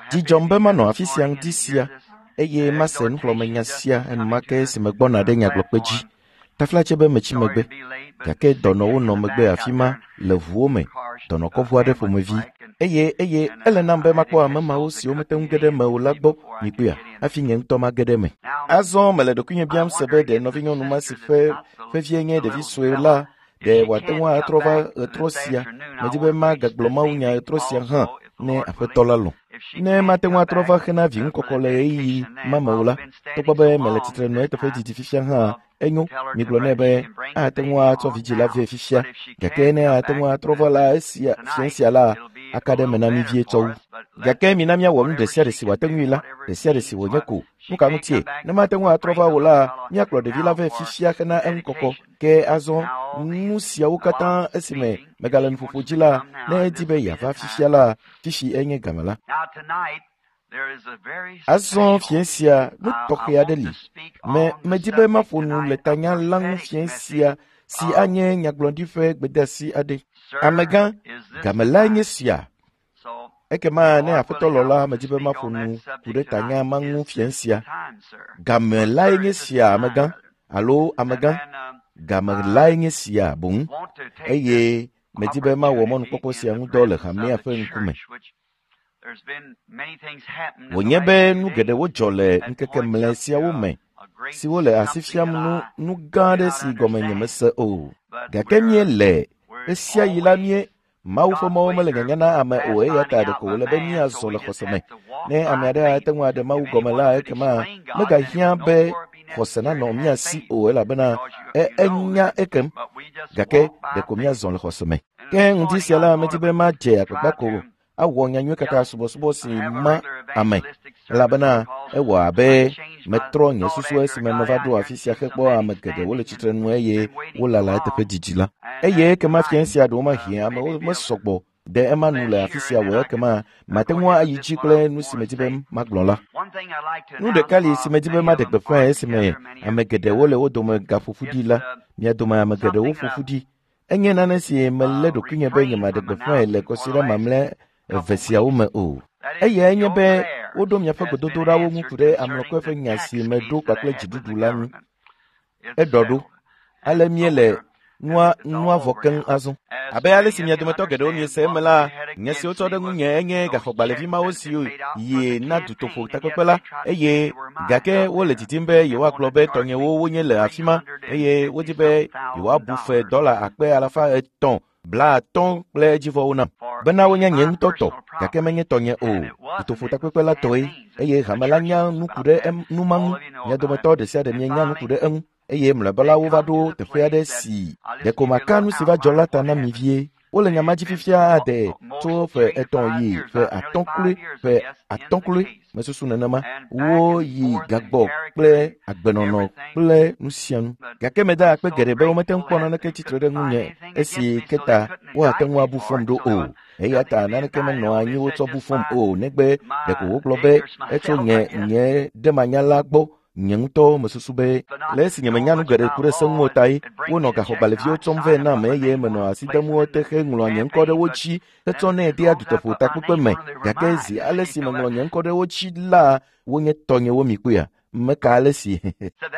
Dzi dzɔm be manɔ afi sia ŋdi sia eye mase nuxlɔ̃amenya sia enumake esi megbɔna ɖe nyagblɔkpe dzi. Taflatse be metsi megbe, gake dɔnɔwo nɔ megbe afi ma le ʋuwo me, dɔnɔkɔʋu aɖe ƒomevi. Eye eye ele nam be makpɔ ame mawo siwo mete ŋu ge ɖe eme o la gbɔ mikpɔea hafi nye ŋutɔ mage ɖe eme. Azɔ mele ɖokuinye biam se be ɖe nɔvinyɔnu ma si ƒe ƒevie nye ɖevi sue la ɖe wòate ŋu atrɔ va ɣetrɔ sia. Medi be magagblɔ mawunya ɣetrɔ sia hã ne aƒetɔ la lɔ̃. Ne mate ŋu atrɔ va xena vi ŋukɔkɔ le ɣeyiɣi ma me o la, togbɔ be mele tsitre nɔ eteƒe didi fifia hã, enyo migblɔ nɛ be ate ŋu atsɔ vidzĩ la vɛ fifia gake ne ate ŋu atrɔ va la esia fiẽ sia la aka ɖe eme na mí vie tsɔ wu. Gake mina míawɔ nu ɖe sia ɖe si wòate ŋui la, ɖe sia ɖe si wònye ko. Nu ka ŋutie? Ne mate ŋu atrɔ va o la, míakplɔ ɖevi la vɛ fifia hena eŋukɔkɔ. Ke azɔ nu siawo katã esime megale nuƒoƒo dzi la, ne edi be yeava fifia la, fifi enye game la. Azɔ fiẽ sia nu tɔxɛ aɖe li. Me medi be maƒo nu le tanya la ŋu fiẽ sia si anye nyagblɔɖi ƒe gbedeasi aɖe. Amegã, game lae nye sia. Ekema ne aƒetɔ lɔ la, medi be maƒo nu ku ɖe tanya ma ŋu fiẽ sia. Game lae nye sia, amegã alo amegã. Game lae nye sia boŋ eye medi be mawɔ mɔnukpɔkpɔ sia ŋu dɔ le hamea ƒe ŋkume. Wònye be nu geɖewo dzɔ le ŋkeke mlɛ siawo me siwo le asi fiam nu nu gã aɖe si gɔme nyemese o. Gake míele ɣe sia ɣi la mie Mawu ƒe mɔwo mele nyanya na ame o eya ta ɖeko wòle be míazɔ le xɔse me. Ne ame aɖe ate ŋu aɖe Mawu gɔme la ekema megahiã be xɔse nanɔ mía si o elabena enya ekem gake ɖeko míazɔ le xɔse me. Ke ŋdi sia la medi be madze agbagba ko awɔ nyanyui kaka subɔsubɔ si ma ame elabena ewɔ abe metrɔ nye susu esime meva ɖo afi sia hekpɔ ame geɖewo le tsitre nu eye wolala eteƒe didi la. Eye ekema fiẽ sia ɖewo mahĩ amewo mesɔgbɔ ɖe ema nu le afi sia o ekema mate ŋu ayi dzi kple nu si medi be magblɔ la. Nu ɖeka li si medi be maɖe gbeƒãe esime ame geɖewo le wo dome gaƒoƒu ɖi la, mia dome ame geɖewo ƒo ƒu ɖi. Enye nane si melé ɖokuinye be nyemaɖe gbeƒãe le kɔsiɖa mamlɛ eve siawo me o. Eyae nye be woɖo miaƒe gbedodoɖawo ŋu ku ɖe ameɖokui ƒe nya si meɖo kpakple dziɖuɖu la ŋu. Eɖɔ ɖo. Ale míele nua nua vɔ keŋ azɔ. Abe ale si mia dometɔ geɖewo miese eme la, nye si wotsɔ ɖe ŋunye enye gaxɔgbalẽvi mawo si yi na dutoƒo takpekpe la eye gake wole didim be yewoagblɔ be tɔnyewo wonye le afi ma eye wodi be yewoabu fe dɔla akpe alafa etɔ̃ 50 kple edzivɔwo nam bena wonye nye ŋutɔ tɔ gake menye tɔnye o. Dutoƒo takpekpe la tɔe eye hame la nya nu ku ɖe nu ma ŋu. Mia dometɔ ɖe sia ɖe mienya nu ku ɖe eŋu eye mlɔeba la wova ɖo teƒe aɖe si ɖeko maka nu si va dzɔ la ta na mi vie. Wole nya ma dzi fifia ade tso ƒe 3 yi ƒe 5 kloe ƒe 5 kloe mesusu nenema. Woyi gagbɔ kple agbenɔnɔ kple nu sia nu. Gake meda akpe geɖe be womete ŋu kpɔ naneke tsitre ɖe ŋunye esi ke ta woate ŋu abu fɔm ɖo o. Eya ta naneke menɔ anyi wotsɔ bu fɔm o negbe ɖeko wogblɔ be etso nye nye ɖemanyala gbɔ. Nye ŋutɔ mesusu be le esi nyemenya nu geɖe ku ɖe se ŋu o tae wonɔ gaxɔgbalẽviwo tsɔm vɛ nam eye menɔ asi dem wo te heŋlɔa nye ŋkɔ ɖe wo dzi hetsɔnɛ dea dutoƒo takpekpe me. Gake zi ale si meŋlɔ nye ŋkɔ ɖe wo dzi la, wonye tɔnyewo mi kpɔea? Meka ale si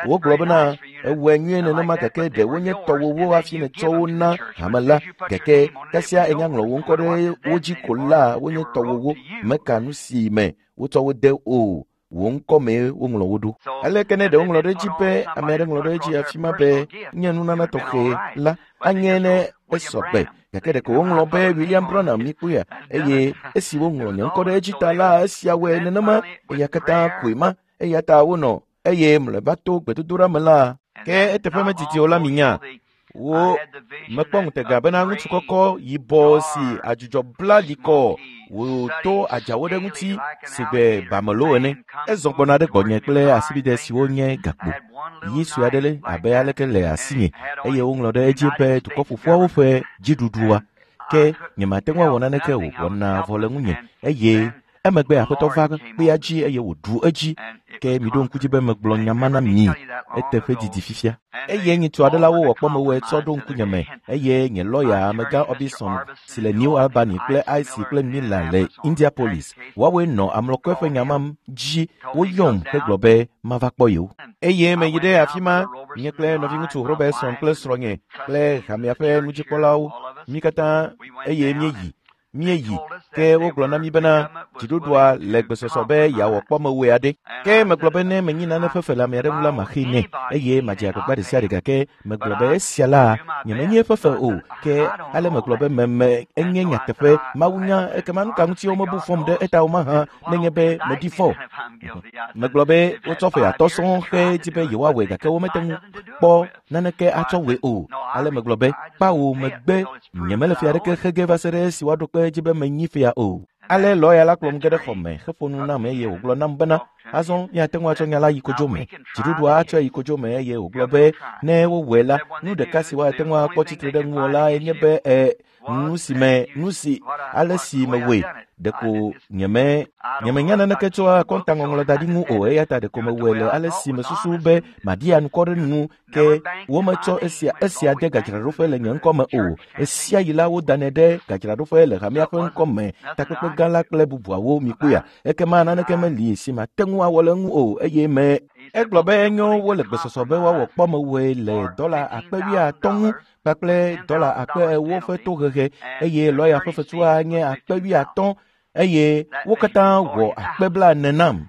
wogblɔ bena ewɔe nyuie nenema gake ɖe wonye tɔwòwo hafi nètsɔ wo na hame la gake kasia enya ŋlɔ wò ŋkɔ ɖe wo dzi ko la wonye tɔwòwo. Meka nu si me wotsɔ wo de o. Wò ŋkɔ mee woŋlɔ wo ɖo. Aleke ne ɖe woŋlɔ ɖe edzi be ame aɖe ŋlɔ ɖe edzi afi ma be nye nunana tɔxɛ la anye ne esɔ gbe gake ɖeko woŋlɔ be William Branham mikpɔea eye esi woŋlɔ nye ŋkɔ ɖe edzi ta la esia wɔe nenema eya katã koe ma eya ta wonɔ eye mlɔeba to gbedodoɖa me la ke eteƒe medidi o la minya wo mekpɔ ŋutega bena ŋutsu kɔkɔ yibɔ si adzudzɔ bla likɔ wòto adzawo ɖe ŋuti si gbe bamelo ene. Ezɔ gbɔna ɖe gbɔnye kple asibide siwo nye gakpo. Yi sue aɖe le abe aleke le asinye eye woŋlɔ ɖe edzi be dukɔ ƒoƒuawo ƒe dziɖuɖua. Ke nyemate ŋu awɔ naneke o, wɔna vɔ le ŋunye eye Emegbe Aƒetɔ va kpea dzi eye wòɖu edzi. Ke miɖo ŋku dzi be megblɔ nya ma na mi eteƒe didi fifia. Eye nyitsu aɖe la wowɔ kpɔmewɔe tsɔ ɖo ŋkunye me eye nye lɔya amegã Obison si le New Albany kple IC kple Miller le Indianapolis. Woawoe nɔ amlɔkɔe ƒe nya ma dzi. Woyɔm hegblɔ be mava kpɔ yewo. Eye meyi ɖe afi ma, nye kple nɔviŋutsu Robertson kple srɔ̃nye kple hamea ƒe nudzikpɔlawo, mí katã eye míeyi. Ke wogblɔ na mí bena dziɖuɖua le gbesɔsɔ be yeawɔ kpɔmewɔe aɖe. Ke megblɔ be ne menyi nane ƒe fe le ame aɖe ŋu la, maxee nɛ eye madze agbagba ɖe sia ɖe gake megblɔ be esia la nyemenyi eƒe fe o. Ke ale megblɔ be meme enye nyateƒe Mawu nya ekema nu ka ŋuti womebu fɔm ɖe eta o mahã nenye be meɖi fɔ. Megblɔ be wotsɔ ƒe atɔ̃ sɔŋ xe dzi be yewoawɔe gake womete ŋu kpɔ naneke atsɔ wɔe o. Ale megblɔ be kpawo megbe nyemele fia aɖeke xe ge va se ɖe esi woaɖo kpe edzi be menyi fia o. Ale lɔya la kplɔm ge ɖe xɔ me heƒo nu nam eye wògblɔ nam bena azɔ míate ŋu atsɔ nya la yi kodzo me. Dziɖuɖua atsɔe yi kodzo me eye wògblɔ be ne wowɔe la, nu ɖeka si woate ŋu akpɔ tsitre ɖe ŋuwò lae nye be nu si ale si mewɔe ɖeko nyemenya naneke tso akɔntaŋɔŋlɔ da ɖi ŋu o eya ta ɖeko mewɔe le ale si mesusu be maɖi anukɔ ɖe nu ke wometsɔ esia de gadzraɖoƒe le nye ŋkɔ me o. Esia yi la wodanɛ ɖe gadzraɖoƒe le hamea ƒe ŋkɔ me, takpekpe gã la kple bubuawo mikpɔea. Ekema naneke meli si mate ŋu awɔ le eŋu o eye me egblɔ be enyo wole gbesɔsɔ be woawɔ kpɔmewɔe le $50,000 ŋu kpakple $4,000 ƒe tohehe eye lɔya ƒe fetua nye $50,000 eye wo katã wɔ 40,000 nam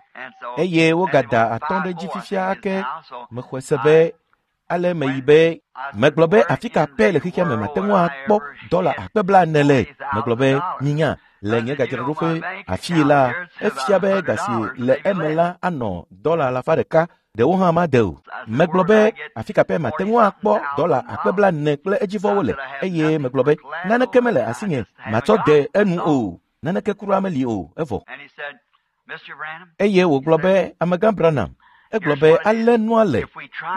eye wogada 5 ɖe dzi fifia ake. Mexɔe se be ale meyi be megblɔ be afi ka pɛ le xexea me mate ŋu akpɔ $40,000 le. Megblɔ be minya le nye gadzraɖoƒe afii la efia be ga si le eme la anɔ $100. Ɖewo hã made o. Megblɔ be afi ka pɛ mate ŋu akpɔ $40,000 kple edzivɔwo le eye megblɔ be naneke mele asinye matsɔ de enu o. Naneke kura meli o evɔ. Eye wògblɔ be amegã Branham egblɔ be ale nua le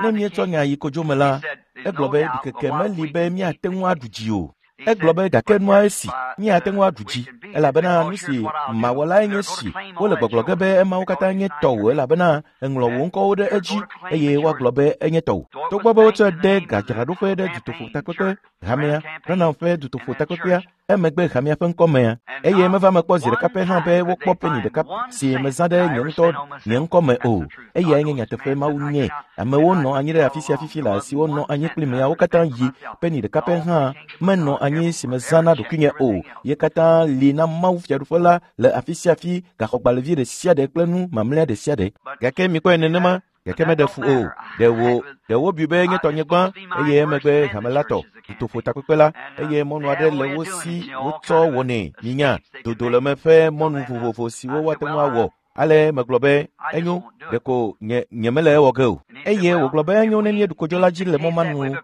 ne míetsɔ nya yi kodzo me la egblɔ be ɖikeke meli be míate ŋu aɖu dzi o. Egblɔ be gake nua esi míate ŋu aɖu dzi elabena nu si mawɔ lae nye si wole gbɔgblɔ ge be emawo katã nye tɔwò elabena eŋlɔ wò ŋkɔwo ɖe edzi eye woagblɔ be enye tɔwò. Togbɔ be wotsɔe de gadzraɖoƒe ɖe dutoƒo takpekpe hamea Branham ƒe dutoƒo takpekpea emegbe hamea ƒe ŋkɔmea eye meva mekpɔ zi ɖeka pɛ hã be wokpɔ peni ɖeka si mezã ɖe nye ŋutɔ nye ŋkɔ me o. Eyae nye nyateƒe Mawu nye. Amewo nɔ anyi ɖe afi sia fifi le siwo nɔ anyi kpli mea wo katã yi peni ɖeka pɛ hã menɔ anyi si mezã na ɖokuinye o. Ye katã li na Mawu fiaɖuƒe la le afi sia afi gaxɔgbalẽvi ɖe sia ɖe kple nu mamlɛa ɖe sia ɖe. Gake mikpɔe nenema gake meɖe fu o. Ɖe wobui be nye tɔnye gbã eye emegbe hame la tɔ dutoƒo takpekpe la eye mɔnu aɖe le wo si wotsɔ wɔnɛ minya dodoleme ƒe mɔnu vovovo siwo woate ŋu awɔ. Ale megblɔ be enyo ɖeko nye mele ewɔ ge o. Eye wògblɔ be enyo ne míeɖu kodzo la dzi le mɔ ma nu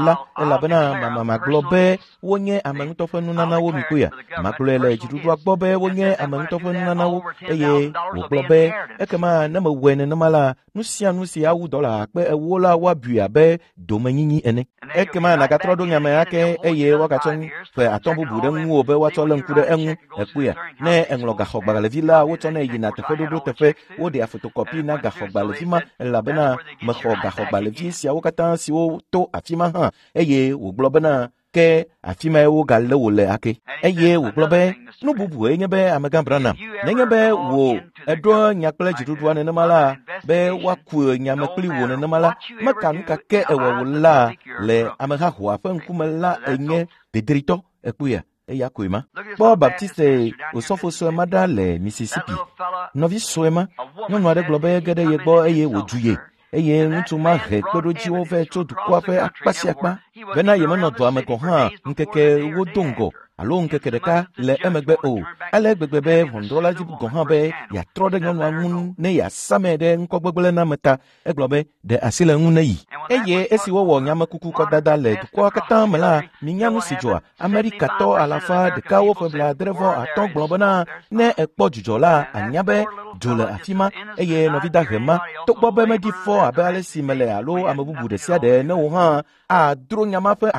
la elabena magblɔ be wonye ame ŋutɔ ƒe nunanawo mikpɔea. Magblɔe le dziɖuɖua gbɔ be wonye ame ŋutɔ ƒe nunanawo eye wògblɔ be ekema ne mewɔe nenema la nu sia nu si awu $40,000 la woabui abe domenyinyi ene. Ekema nàgatrɔ ɖo nya me ake eye woagatsɔ ƒe 5 bubu ɖe ŋuwò be woatsɔ lé ŋku ɖe eŋu. Ekpɔea ne eŋlɔ gaxɔgbalẽvi la wotsɔnɛ yina teƒeɖoɖo teƒe woɖea fotokɔpi na gaxɔgbalẽvi ma elabena mexɔ gaxɔgbalẽvi siawo katã siwo to afi ma hã eye wògblɔ bena ke afi mae wogalé wò le ake. Eye wògblɔ be nu bubue nye be amegã Branham nenye be wò eɖo nya kple dziɖuɖua nenema la be woaku nya me kpli wò nenema la meka nu ka ke ewɔ wò la le amehahoa ƒe ŋkume la enye dedritɔ. Ekpɔea eya koe ma. Kpɔ Baptiste osɔfo sue ma ɖa le Mississippi. Nɔvi sue ma nyɔnu aɖe gblɔ be ege ɖe ye gbɔ eye wòdzu ye eye ŋutsu ma he kpeɖodziwo vɛ tso dukɔa ƒe akpa sia akpa bena yemenɔ dɔa me gɔ̃ hã ŋkeke wodo ŋgɔ alo ŋkeke ɖeka le emegbe o. Ale gbegbe be ʋɔnudrɔ̃la dzi gɔ̃ hã be yeatrɔ ɖe nyɔnua ŋu ne yeasame ɖe ŋkɔgbegblẽ na me ta. Egblɔ be ɖe asi le ŋu ne yi. Eye esi wowɔ nyamekuku kɔdada le dukɔa katã me la minya nu si dzɔa. Amerikatɔ 185 gblɔ bena ne ekpɔ dzudzɔ la anya be dzo le afi ma eye nɔvi dahe ma togbɔ be meɖi fɔ abe ale si mele alo ame bubu ɖe sia ɖe ne wò hã adro nya ma ƒe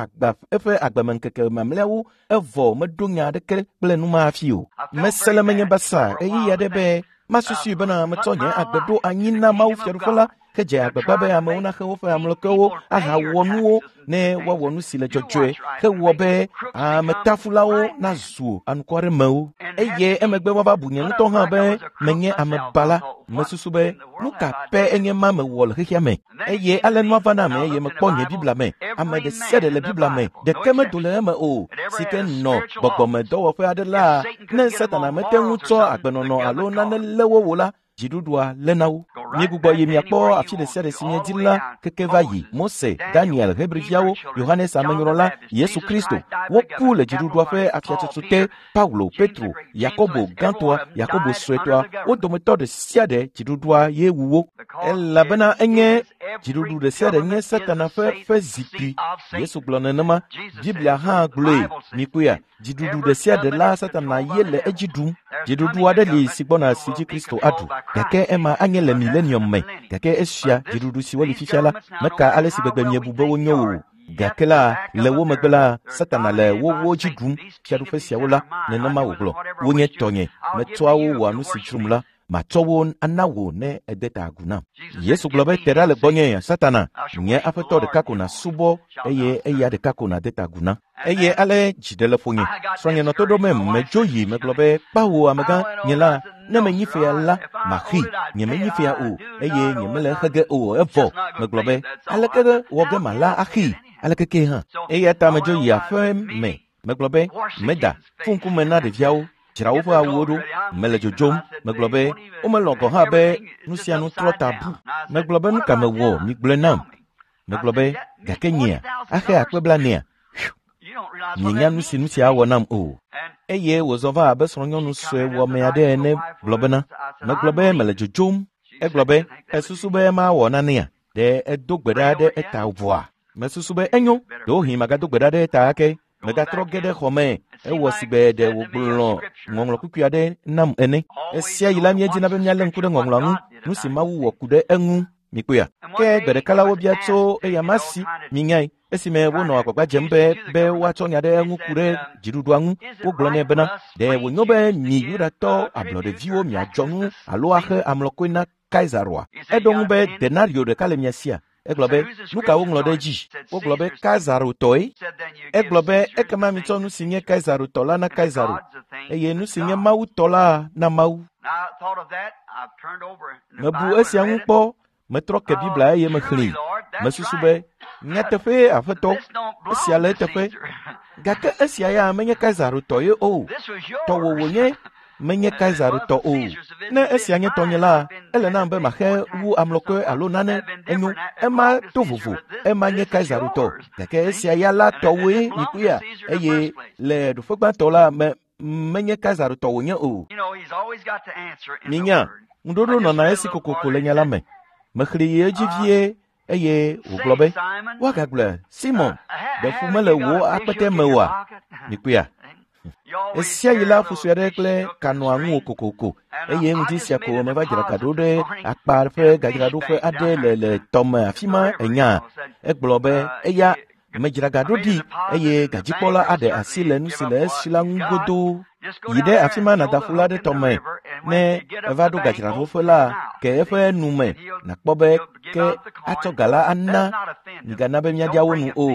eƒe agbemeŋkeke mamlɛawo evɔ vɔ meɖo nya aɖeke kple nu ma hafi o. Mese le menye basa ɣeyiɣi aɖe be masusui bena metsɔ nye agbe ɖo anyi na Mawu Fiaɖuƒe la hedze agbagba be amewo naxe woƒe amlɔkewo ahawɔ nuwo ne woawɔ nu si le dzɔdzɔe hewɔ be ametafulawo nazu anukwaremewo. Eye emegbe woava bu nye ŋutɔ hã be menye amebala. Mesusu be nu ka pɛ enye ma mewɔ le xexea me. Eye ale nua va na ame eye mekpɔ nye Biblia me. Ame ɖe sia ɖe le Biblia me, ɖeke medo le eme o, si ke nɔ gbɔgbɔmedɔwɔƒe aɖe la, ne Satana mete ŋu tsɔ agbenɔnɔ alo nane lé wo o la, dziɖuɖua lé na wo. Míegbugbɔ yi miakpɔ afi ɖe sia ɖe si míedi la keke va yi. Mose, Daniel, Hebriviawo, Yohanes Amenyrɔla, Yesu Kristo, woku le dziɖuɖua ƒe afiatsotso te. Paulo, Petro, Yakobo gãtɔa, Yakobo suetɔa, wo dometɔ ɖe sia ɖe dziɖuɖua ye wu wo. Elabena enye dziɖuɖu ɖe sia ɖe nye Satana ƒe zikpui. Yesu gblɔ nenema. Biblia hã gblɔe. Mikpɔea? Dziɖuɖu ɖe sia ɖe la Satana ye le edzi ɖum. Dziɖuɖu aɖe li si gbɔna si dzi Kristo aɖu, gake ema anye le milenium me. Gake esia dziɖuɖu siwo li fifia la meka ale si gbegbe miebu be wonyo o. Gake la le wo megbe la Satana le wowo dzi ɖum. Fiaɖuƒe siawo la nenema wògblɔ. Wonye tɔnye. Metsɔa wo wɔa nu si dzrom la. Matsɔ wo ana wò ne ède ta agu nam. Yesu gblɔ be te ɖa le gbɔnye Satana, nye aƒetɔ ɖeka ko nàsubɔ eye eya ɖeka ko nàde ta agu na. Eye ale dzi ɖe le ƒonye. Srɔ̃nye nɔ to ɖom medzo yi megblɔ be kpawo amegã nye la ne menyi fea la maxi nyemenyi fea o eye nyemele exe ge o evɔ megblɔ be aleke wɔ ge mala axi aleke ke hã. Eya ta medzo yi aƒe me megblɔ be meda fu ŋkume na ɖeviawo. Dzra woƒe awuwo ɖo, mele dzodzom. Megblɔ be womelɔ̃ gɔ̃ hã be nu sia nu trɔ ta bu. Megblɔ be nu ka mewɔ migblɔe nam. Megblɔ be gake nyea axe akpe blanea. Mienya nu si nu sia awɔ nam o. Eye wòzɔ va abe srɔ̃nyɔnu sue wɔme aɖe ene gblɔ bena megblɔ be mele dzodzom. Egblɔ be esusu be mawɔ nanea? Ɖe edo gbe ɖa ɖe eta vɔa? Mesusu be enyo, ɖewohĩ magado gbe ɖa ɖe eta ake. Megatrɔ ge ɖe xɔ me ewɔ sigbe ɖe wògblɔ ŋɔŋlɔ kukui aɖe nam ene. Esia yi la míedina be míalé ŋku ɖe ŋɔŋlɔa ŋu, nu si Mawu wɔ ku ɖe eŋu. Mikpɔea? Ke gbe ɖeka la wobia tso eya ma si minyae esime wonɔ agbagba dzem be woatsɔ nya ɖe eŋu ku ɖe dziɖuɖua ŋu. Wogblɔ nɛ bena ɖe wònyo be mi Yudatɔ ablɔɖeviwo miadzɔ nu alo axe amlɔkoe na Kaisaroa? Eɖo ŋu be denario ɖeka le mia sia. Egblɔ be nu ka woŋlɔ ɖe edzi? Wogblɔ be Kaisaro tɔe. Egblɔ be ekema mitsɔ nu si nye Kaisaro tɔ la na Kaisaro eye nu si nye Mawu tɔ la na Mawu. Mebu esia ŋu kpɔ, metrɔ ke Biblia eye mexlẽe. Mesusu be nyateƒee Aƒetɔ, esia le eteƒe. Gake esia ya menye Kaisaro tɔ ye o. Tɔwò wònye, menye Kaisaro tɔ o. Ne esia nye tɔnye la, ele nam be maxe wu amlɔkɔe alo nane enyo. Ema to vovo, ema nye Kaisaro tɔ. Gake esia ya la tɔwòe mikpɔea eye le ɖoƒe gbãtɔ la me menye Kaisaro tɔ wònye o. Minya, ŋuɖoɖo nɔna esi kokoko le nya la me. Mexlẽ yi edzi vie eye wògblɔ be woagagblɔe Simon, ɖe fu mele wò akpete me oa? Mikpɔea? Esia yi la fu sue aɖe kple ka nɔa ŋuwò kokoko eye ŋdi sia ko meva dzra ga ɖo ɖe akpa ƒe gadzraɖoƒe aɖe le tɔme afi ma enya. Egblɔ be eya medzra ga ɖo ɖi eye gadzikpɔla aɖe asi le nu si le esi la ŋu godoo. Yi ɖe afi ma nàda fu la ɖe tɔme. Ne eva ɖo gadzraɖoƒe la, ke eƒe nu me nàkpɔ be ke atsɔ ga la ana. Migana be míaɖia wo nu o.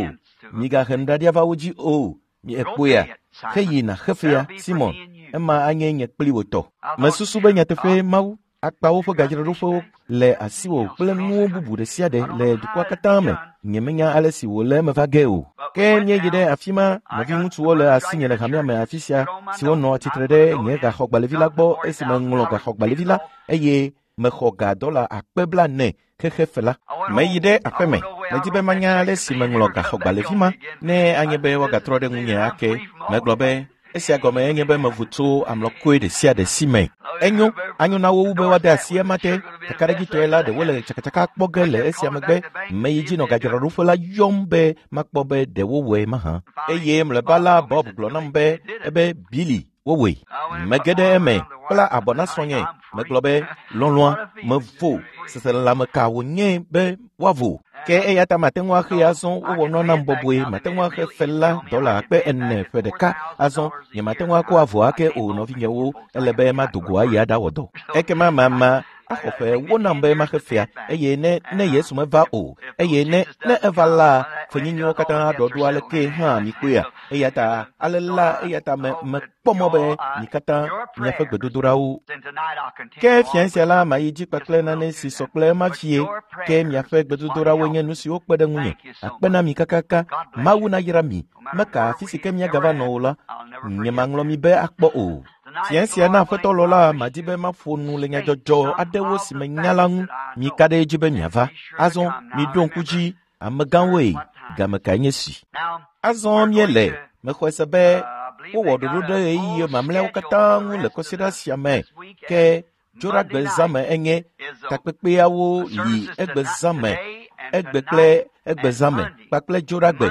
Migahe nuɖaɖia va wo dzi o. Miekpɔea? Heyi nàxe fea, Simon. Ema anye nye kpli wò tɔ. Mesusu be nyateƒee Mawu akpa woƒe gadzraɖoƒewo le asiwò kple nuwo bubu ɖe sia ɖe le dukɔa katã me. Nyemenya ale si wòle eme va ge o. Ke míeyi ɖe afi ma, nɔviŋutsuwo le asinye le hamea me afi sia siwo nɔ tsitre ɖe nye gaxɔgbalẽvi la gbɔ esime ŋlɔ gaxɔgbalẽvi la eye mexɔ ga dɔla akpe 40 xexe fe la. Meyi ɖe aƒeme, medi be manya ale si meŋlɔ gaxɔgbalẽvi ma ne anye be woagatrɔ ɖe ŋunye ake. Megblɔ be esia gɔme enye be mevu tso amlɔkoe ɖe sia ɖe si me. Enyo, anyo na wo wu be woade asi ema te. Kakaɖedzitɔe la ɖe wole tsakatsaka kpɔ ge le esia megbe. Meyi dzi nɔ gadzraɖoƒe la yɔm be makpɔ be ɖe wowɔe mahã. Eye mlɔeba la Bob gblɔ nam be ebe Billy wowɔe. Mege ɖe eme kpla abɔ na srɔ̃nye. Megblɔ be lɔlɔ̃a mevo seselelãme ka wònye be woavo. Ke eya ta mate ŋu axee azɔ wowɔ nua nam bɔbɔe mate ŋu axe fe la $4,000 ƒe ɖeka azɔ nyemate ŋu akɔ avɔ ake o nɔvinyewo ele be mado go ayi aɖawɔ dɔ. Ekema mama axɔ ƒe ewo nam be maxe fea eye ne ne Yesu meva o eye ne ne eva la fenyinyiwo katã aɖɔ ɖo aleke hã mikpɔea eya ta ale la eya ta me mekpɔ mɔ be mi katã miaƒe gbedodoɖawo. Ke fia sia la mayi dzi kpakple nane si sɔ kple ema vie ke miaƒe gbedodoɖawoe nye nu siwo kpe ɖe ŋunye akpe na mi kakaka Mawu nayra mi meka afi si ke miagava nɔ o la nyemaŋlɔ mi be akpɔ o. Fia sia na aƒetɔ lɔ la madi be maƒo nu le nyadzɔdzɔ aɖewo si menya la ŋu mika ɖe edzi be miava. Azɔ miɖo ŋku dzi amegãwoe game kae nye si. Azɔ míele mexɔe se be wowɔ ɖoɖo ɖe ɣeyiɣi mamlɛawo katã ŋu le kɔsiɖa sia me ke Dzoɖagbe zãme enye takpekpeawo li egbe zãme egbe kple egbe zãme kpakple Dzoɖagbe.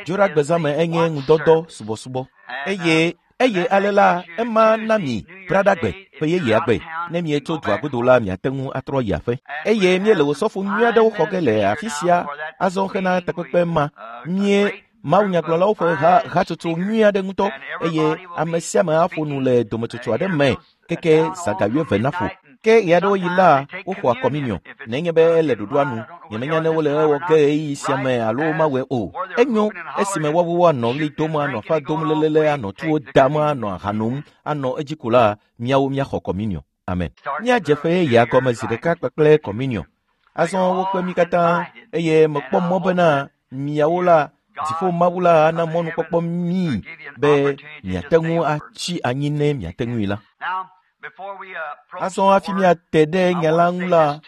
Dzoɖagbe zãme enye ŋudɔdɔ subɔsubɔ eye eye ale la ema na mi Braɖagbe ƒe yeyea gbe ne mietso dua godo la miate ŋu atrɔ yi aƒe. Eye míele wòsɔfo nyui aɖewo xɔ ge le afi sia azɔ hena takpekpe ma mie mawunyagblɔlawo ƒe hatsotso nyui aɖe ŋutɔ eye ame sia ame aƒo nu le dometsotso aɖe me keke zã ga wuieve naƒo. Ke ɣeaɖewoɣi la woxɔa kɔminiɔ nenye be ele ɖoɖoa nu nyemenya ne wole ewɔ ge ɣeyiɣi sia me alo womawɔe o. Enyo esime woawo woanɔ ɣli dom anɔ aƒa dom lelele anɔ tuwo dam anɔ aha nom anɔ edzi ko la míawo míaxɔ kɔminiɔ. Amen. Míadze ƒe yeyea gɔme zi ɖeka kpakple kɔminiɔ. Azɔ wokpe mí katã eye mekpɔ mɔ bena miawo la dziƒo Mawu la ana mɔnukpɔkpɔ mí be miate ŋu atsi anyi ne miate ŋui la. Azɔ hafi míate ɖe nya la ŋu la,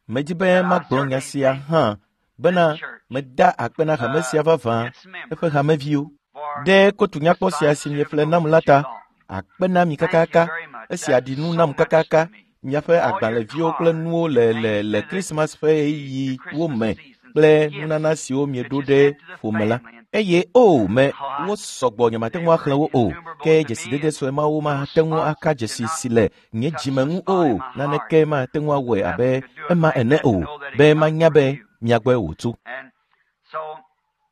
medi be magblɔ nya sia hã bena meda akpe na hame sia vavã eƒe hameviwo ɖe kotu nyakpɔ sia si mieƒle nam la ta. Akpe na mi kakaka esia ɖi nu nam kakaka miaƒe agbalẽviwo kple nuwo le le le Krismas ƒe ɣeyiɣiwo me kple nunana siwo mieɖo ɖe ƒome la. Eye o me wo sɔgbɔ nyemate ŋu axlẽ wo o ke dzesidede sue mawo mate ŋu aka dzesi si le nye dzime ŋu o naneke mate ŋu awɔe abe ema ene o be manya be mia gbɔe wòtso.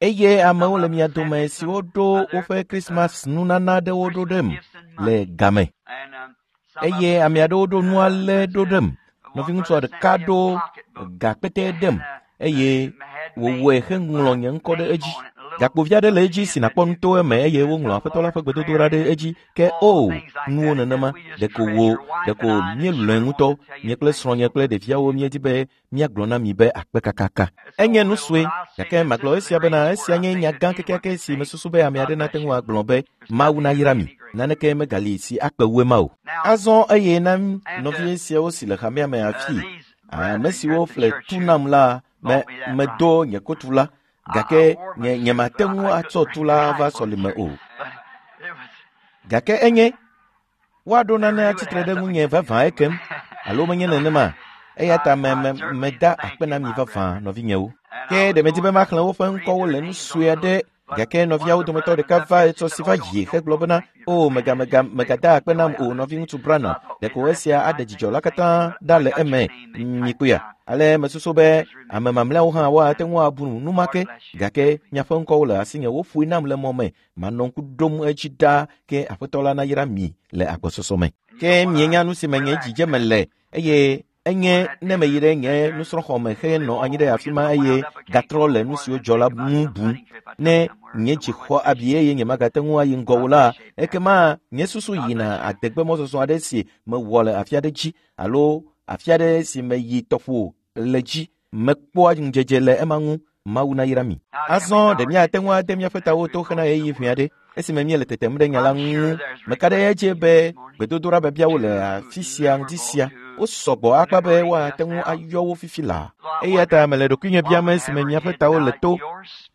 Eye amewo le mia dome siwo ɖo woƒe Krismas nunana aɖewo ɖo ɖem le game. Eye ame aɖewo ɖo nu ale ɖo ɖem. Nɔviŋutsu ɖeka ɖo gakpetɛ ɖem eye wòwɔe heŋlɔ nye ŋkɔ ɖe edzi. Gakpovi aɖe le edzi si nàkpɔ nu to eme eye woŋlɔ aƒetɔ la ƒe gbedodoɖa ɖe edzi ke o nuwo nenema ɖeko wo ɖeko míelɔ̃e ŋutɔ nye kple srɔ̃nye kple ɖeviawo míedi be míagblɔ na mi be akpe kakaka. Enye nu sue gake magblɔ esia bena esia nye nya gã kekeake si mesusu be ame aɖe nate ŋu agblɔ be Mawu nayra mi naneke megali si akpe wu ema o. Azɔ eye na nɔvi siawo si le hamea me afi ame siwo ƒle tu nam la me medo nye kotu la gake nye nyemate ŋu atsɔ tu la va sɔlime o. Gake enye woaɖo nane atsitre ɖe ŋunye vavã ekem alo menye nenema eya ta me me meda akpe na mi vavã nɔvinyewo. Ke ɖe medi be maxlẽ woƒe ŋkɔwo le nu sue aɖe gake nɔviawo dometɔ ɖeka va etsɔ si va yi hegblɔ bena o mega mega megada akpe nam o nɔviŋutsu Branham ɖeko esia aɖe dzidzɔ la katã ɖa le eme mikpɔea. Ale mesusu be ame mamlɛawo hã woate ŋu abu nu ma ke gake miaƒe ŋkɔwo le asinye woƒoe nam le mɔ me manɔ ŋku ɖom edzi ɖaa ke aƒetɔ la nayra mi le agbɔsɔsɔ me. Ke mienya nu si me nye dzidzeme le eye enye ne meyi ɖe nye nusrɔ̃xɔme henɔ anyi ɖe afi ma eye gatrɔ le nu siwo dzɔ la ŋu bum ne nye dzi xɔ abi eye nyemagate ŋu ayi ŋgɔ o la ekema nye susu yina adegbemɔzɔzɔ aɖe si mewɔ le afi aɖe dzi alo afi aɖe si meyi tɔƒo le dzi mekpɔa ŋudzedze le ema ŋu. Mawu nayra mi. Azɔ ɖe míate ŋu ade míaƒe tawo to hena ɣeyiɣi ʋɛ aɖe esime míele tetem ɖe nya la ŋu. Meka ɖe edzi be gbedodoɖa biabiawo le afi sia ŋdi sia wosɔgbɔ akpa be woate ŋu ayɔ wo fifi laa. Eya ta mele ɖokuinye biam esime miaƒe tawo le to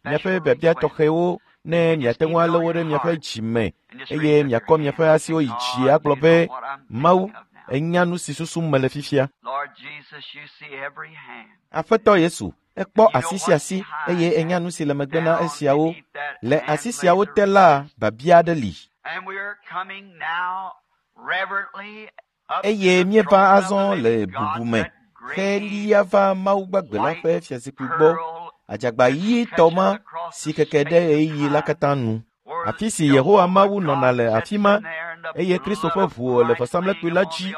miaƒe biabia tɔxɛwo ne miate ŋu alé wo ɖe miaƒe dzi me eye miakɔ miaƒe asiwo yi dzi agblɔ be Mawu enya nu si susum mele fifia. Aƒetɔ Yesu ekpɔ asi sia asi eye enya nu si le megbe na esiawo. Le asi siawo te la biabia aɖe li. Eye míeva azɔ le bubu me helia va Mawu gbagbe la ƒe fiazikpui gbɔ adzagba ɣitɔ ma si keke ɖe ɣeyiɣi la katã nu. Afi si Yehowa Mawu nɔna le afi ma, eye Kristo ƒe ʋu le vɔsamlekpui la dzi,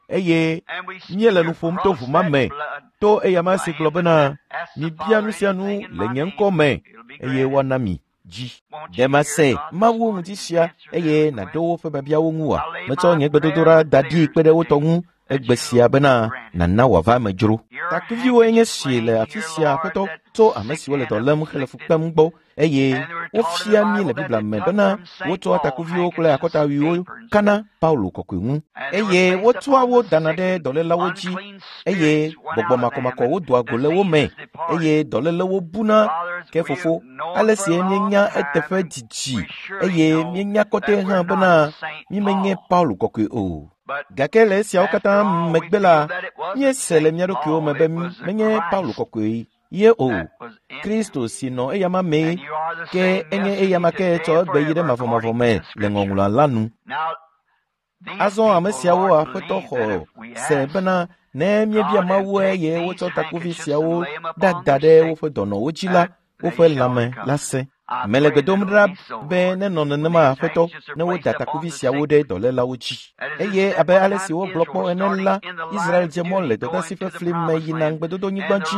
eye míele nu ƒom to ʋu ma me, to eyama si gblɔ bena, mibia nu sia nu le nye ŋkɔ me, eye woana mi dzi. Ɖe mase Mawu ŋuti sia, eye nàɖo woƒe biabiawo ŋu oa? Metsɔ nye gbedodoɖa da ɖi kpe ɖe wo tɔ ŋu egbe sia bena nàna wòava eme dzro. Takuviwoe nye si le afi sia, Aƒetɔ, tso ame siwo le dɔ lém hele fu kpem gbɔ, eye wofia mí le Biblia me bena wotsɔa takuviwo kple akɔtawuiwo kana Paulo kɔkɔe ŋu, eye wotsɔa wo dana ɖe dɔlélawo dzi, eye gbɔgbɔ makɔmakɔwo doa go le wo me, eye dɔlélewo buna. Ke fofo, ale si míenya eteƒe didi, eye míenya kɔtɛ hã bena mímenye Paulo kɔkɔe o. Gake le esiawo katã megbe la, míese le mía ɖokuiwo me be menye Paulo kɔkɔe ye o. Kristo si nɔ eyama mee, ke enye eyama ke tsɔ egbe yi ɖe mavɔmavɔ me le ŋɔŋlɔa la nu. Azɔ ame siawo Aƒetɔ xɔ se bena ne míebia Mawu eye wotsɔ takuvi siawo ɖada ɖe woƒe dɔnɔwo dzi la, woƒe lãme la sẽ. Mele gbe dom ɖa be nenɔ nenema, Aƒetɔ, ne woda takuvi siawo ɖe dɔlélawo dzi. Eye abe ale si wogblɔ kpɔ ene la, Israel dze mɔ le dɔdeasi ƒe fli me yina ŋugbedodonyigba dzi,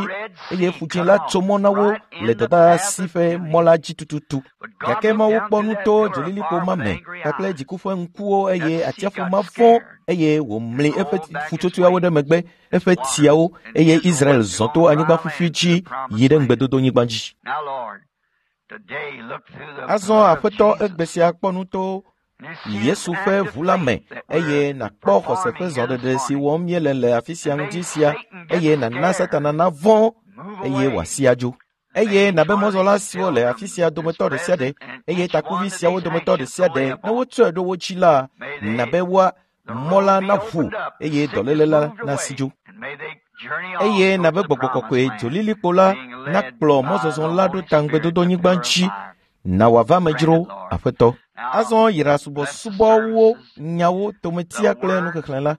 eye ƒu dzĩ la tso mɔ na wo le dɔdeasi ƒe mɔ la dzi tututu. Gake Mawu kpɔ nu to dzolilikpo ma me kpakple dziku ƒe ŋkuwo, eye atsiaƒu ma vɔ̃, eye wòmli eƒe ƒutsotsoeawo ɖe megbe, eƒe tsiawo, eye Israel zɔ to anyigba ƒuƒui dzi yi ɖe ŋugbedodonyigba dzi. Azɔ Aƒetɔ, egbe sia kpɔ nu to Yesu ƒe ʋu la me, eye nàkpɔ xɔse ƒe zɔɖeɖe si wɔm míele le afi sia ŋuti sia, eye nàna Satana navɔ̃, eye wòasi adzo. Eye nàbe mɔzɔla siwo le afi sia dometɔ ɖe sia ɖe, eye takuvi siawo dometɔ ɖe sia ɖe, ne wotsɔe ɖo wo dzi la, nàbe woa mɔ la naʋu, eye dɔléle la nasi dzo. Eye nàbe gbɔgbɔ kɔkɔe dzolilikpo la nakplɔ mɔzɔzɔ la ɖo ta ŋugbedodonyigba dzi, na wòava eme dzro, Aƒetɔ. Azɔ yra subɔsubɔwo, nyawo, tometia kple nuxexlẽ la,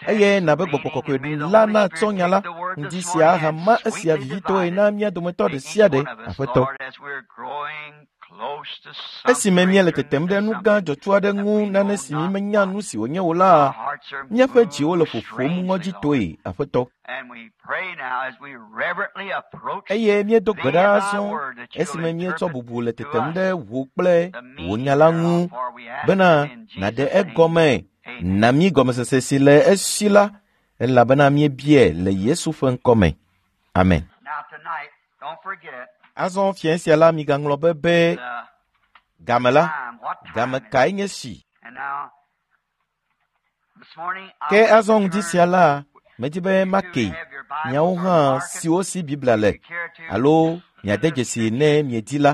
eye nàbe gbɔgbɔ kɔkɔe la natsɔ nya la ŋdi sia ahama esia vivitɔe na mía dometɔ ɖe sia ɖe, Aƒetɔ. Esime míele tetem ɖe nu gã dzɔtsu aɖe ŋu, nane si mímenya nu si wònye o la, míaƒe dziwo le ƒoƒom ŋɔdzitɔe, Aƒetɔ. Eye míedo gbe ɖa azɔ esime míetsɔ bubu le tetem ɖe wò kple wò nya la ŋu bena nàɖe egɔme na mí gɔmesese si le esi la, elabena míebiae le Yesu ƒe ŋkɔ me. Amen. Azɔ fiẽ sia la, migaŋlɔ be be game la, game kae nye si? Ke azɔ ŋdi sia la, medi be make miawo hã siwo si Biblia le, alo miade dzesi ne miedi la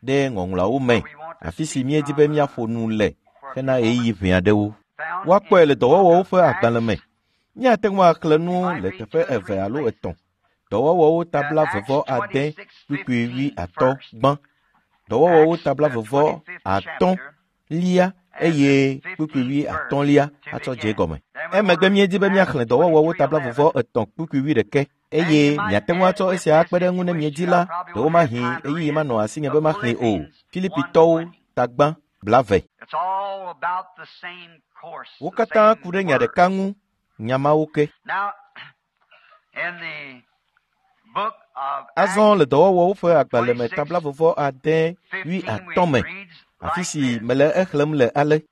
ɖe ŋɔŋlɔawo me, afi si míedi be míaƒo nu le hena ɣeyiɣi ʋɛ aɖewo. Woakpɔe le dɔwɔwɔwo ƒe agbalẽ me. Míate ŋu axlẽ nu le teƒe eve alo etɔ̃. Dɔwɔwɔwo tabla vevɔ ade kpukpui wi atɔ̃ gbã. Dɔwɔwɔwo tabla vevɔ atɔ̃ lia eye kpukpui wi atɔ̃lia atsɔ dze egɔme. Emegbe míedi be míaxlẽ dɔwɔwɔwo tabla vevɔ etɔ̃ kpukpui wi ɖeke, eye miate ŋu atsɔ esia akpe ɖe eŋu ne miedi la, ɖewomahi ɣeyiɣi manɔ asinye be maxlẽe o. Filipitɔwo tagbã 20. Wo katã ku ɖe nya ɖeka ŋu, nya mawo ke. Azɔ le dɔwɔwɔwo ƒe agbalẽ me tabla vɔvɔ ade wi atɔ̃ me, afi si mele exlẽm le ale.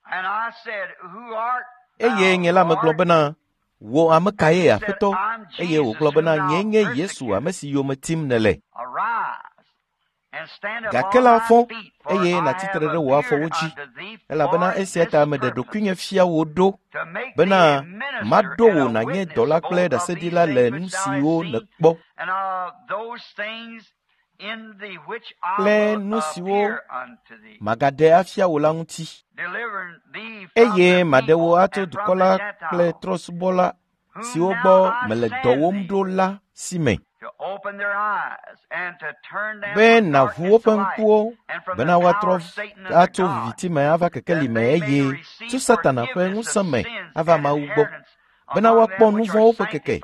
Eye nye la megblɔ bena, wò ame kae Aƒetɔ? Eye wògblɔ bena, nyee nye Yesu, ame si yome tim nèle. Gake la fɔ, eye nàtsi tre ɖe wò afɔwo dzi, elabena esia ta meɖe ɖokuinye fia wò ɖo, bena maɖo wò nànye dɔla kple ɖaseɖila le nu siwo nèkpɔ kple nu siwo magaɖe afia wò la ŋuti. Eye maɖe wò atso dukɔ la kple trɔ̃subɔla siwo gbɔ mele dɔwòm ɖo la si me, be nàʋu woƒe ŋkuwo bena woatrɔ atso viviti me ava kekeli me, eye tso Satana ƒe ŋusẽ me ava Mawu gbɔ, bena woakpɔ nu vɔ̃wo ƒe keke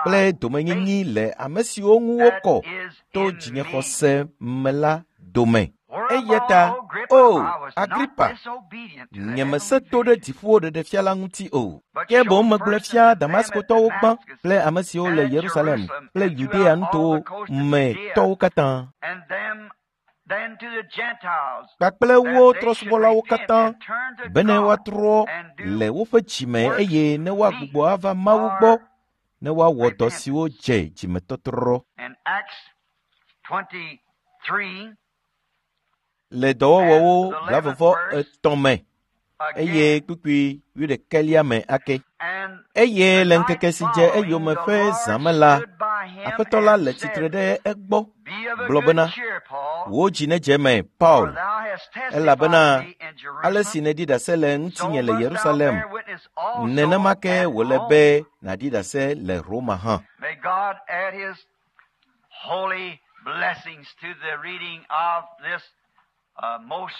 kple domenyinyi le ame siwo ŋu wokɔ to dzinyexɔse me la dome. Eya ta, o Agripa, nyemesẽ to ɖe dziƒowo ɖeɖefia la ŋuti o. Ke boŋ megblɔe fia Damaskotɔwo gbã kple ame siwo le Yerusalem kple Yudea nutowo me tɔwo katã kpakple wo trɔ̃subɔlawo katã bene woatrɔ le woƒe dzime eye ne woagbugbɔ ava Mawu gbɔ ne woawɔ dɔ siwo dze dzimetɔtrɔ. Le dɔwɔwɔwo 33 me eye kpukpui 21 me ake. Eye le ŋkeke si dze eyome ƒe zã me la, Aƒetɔ la le tsitre ɖe egbɔ gblɔ bena, wò dzi nedze eme, Paul, elabena ale si nèɖi ɖase le ŋutinye le Yerusalem, nenema ke wòle be nàɖi ɖase le Roma hã.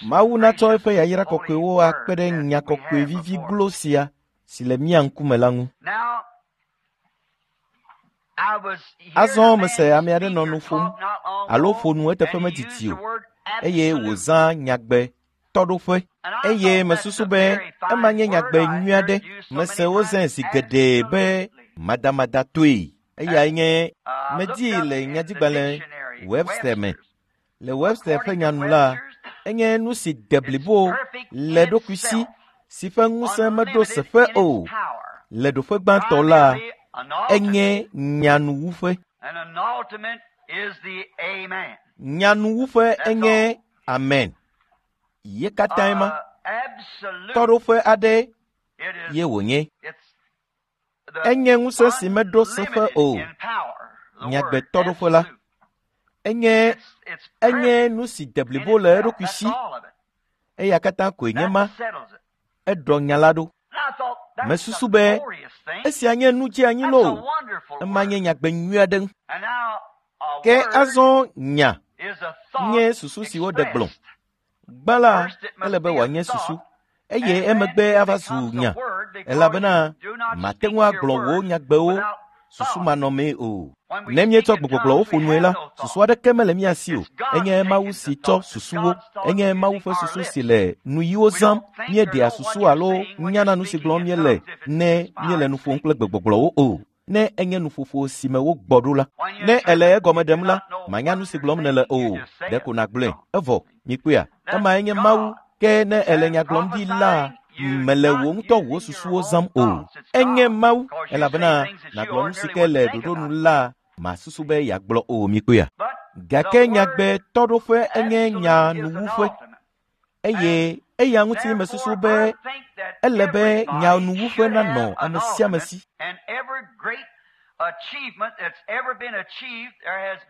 Mawu natsɔ eƒe yayra kɔkɔewo akpe ɖe nya kɔkɔe vivi glo sia si le mía ŋkume la ŋu. Azɔ mese ame aɖe nɔ nu ƒom alo ƒo nu eteƒe medidi o eye wòzã nyagbe tɔɖoƒe eye mesusu be ema nye nyagbe nyui aɖe. Mese wozãe zi geɖe be madamadatɔe. Eyae nye medii le nyadzigbalẽ Webster me. Le Webster ƒe nya nu la, enye nu si de blibo le eɖokui si si ƒe ŋusẽ meɖo seƒe o. Le ɖoƒe gbãtɔ la, enye nyanuwuƒe. Nyanuwuƒe enye amen. Ye katãe ma. Tɔɖoƒe aɖe ye wònye. Enye ŋusẽ si meɖo seƒe o. Nyagbe tɔɖoƒe la. Enye enye nu si de blibo le eɖokui si. Eya katã koe nye ma. Eɖɔ nya la ɖo. Mesusu be esia nye nu dzeanyi loo. Ema nye nyagbe nyui aɖe. Ke azɔ nya nye susu si woɖe gblɔ. Gbã la, ele be wòanye susu eye emegbe ava zu nya elabena mate ŋu agblɔ wò nyagbewo susumanɔmee o. Ne míetsɔ gbegbɔgblɔwo ƒo nue la, susu aɖeke mele mía si o. Enye Mawu si tsɔ susuwo. Enye Mawu ƒe susu si le nuyiwo zãm. Míeɖea susu alo nyana nu si gblɔm míele ne míele nu ƒom kple gbegbɔgblɔwo o. Ne enye nuƒoƒo si me wogbɔ ɖo la, ne èle egɔme ɖem la, manya nu si gblɔm nèle o. Ɖeko nàgblɔe. Evɔ, mikpɔea? Emae nye Mawu. Ke ne èle nya gblɔm ɖi la, mele wò ŋutɔ wò susuwo zãm o. Enye Mawu, elabena nàgblɔ nu si ke le ɖoɖo nu la, màsusu be yeagblɔ o mikpɔea? Gake nyagbe tɔɖoƒe enye nya nuwuƒe eye eya ŋuti mesusu be ele be nya nuwuƒe nanɔ ame sia ame si.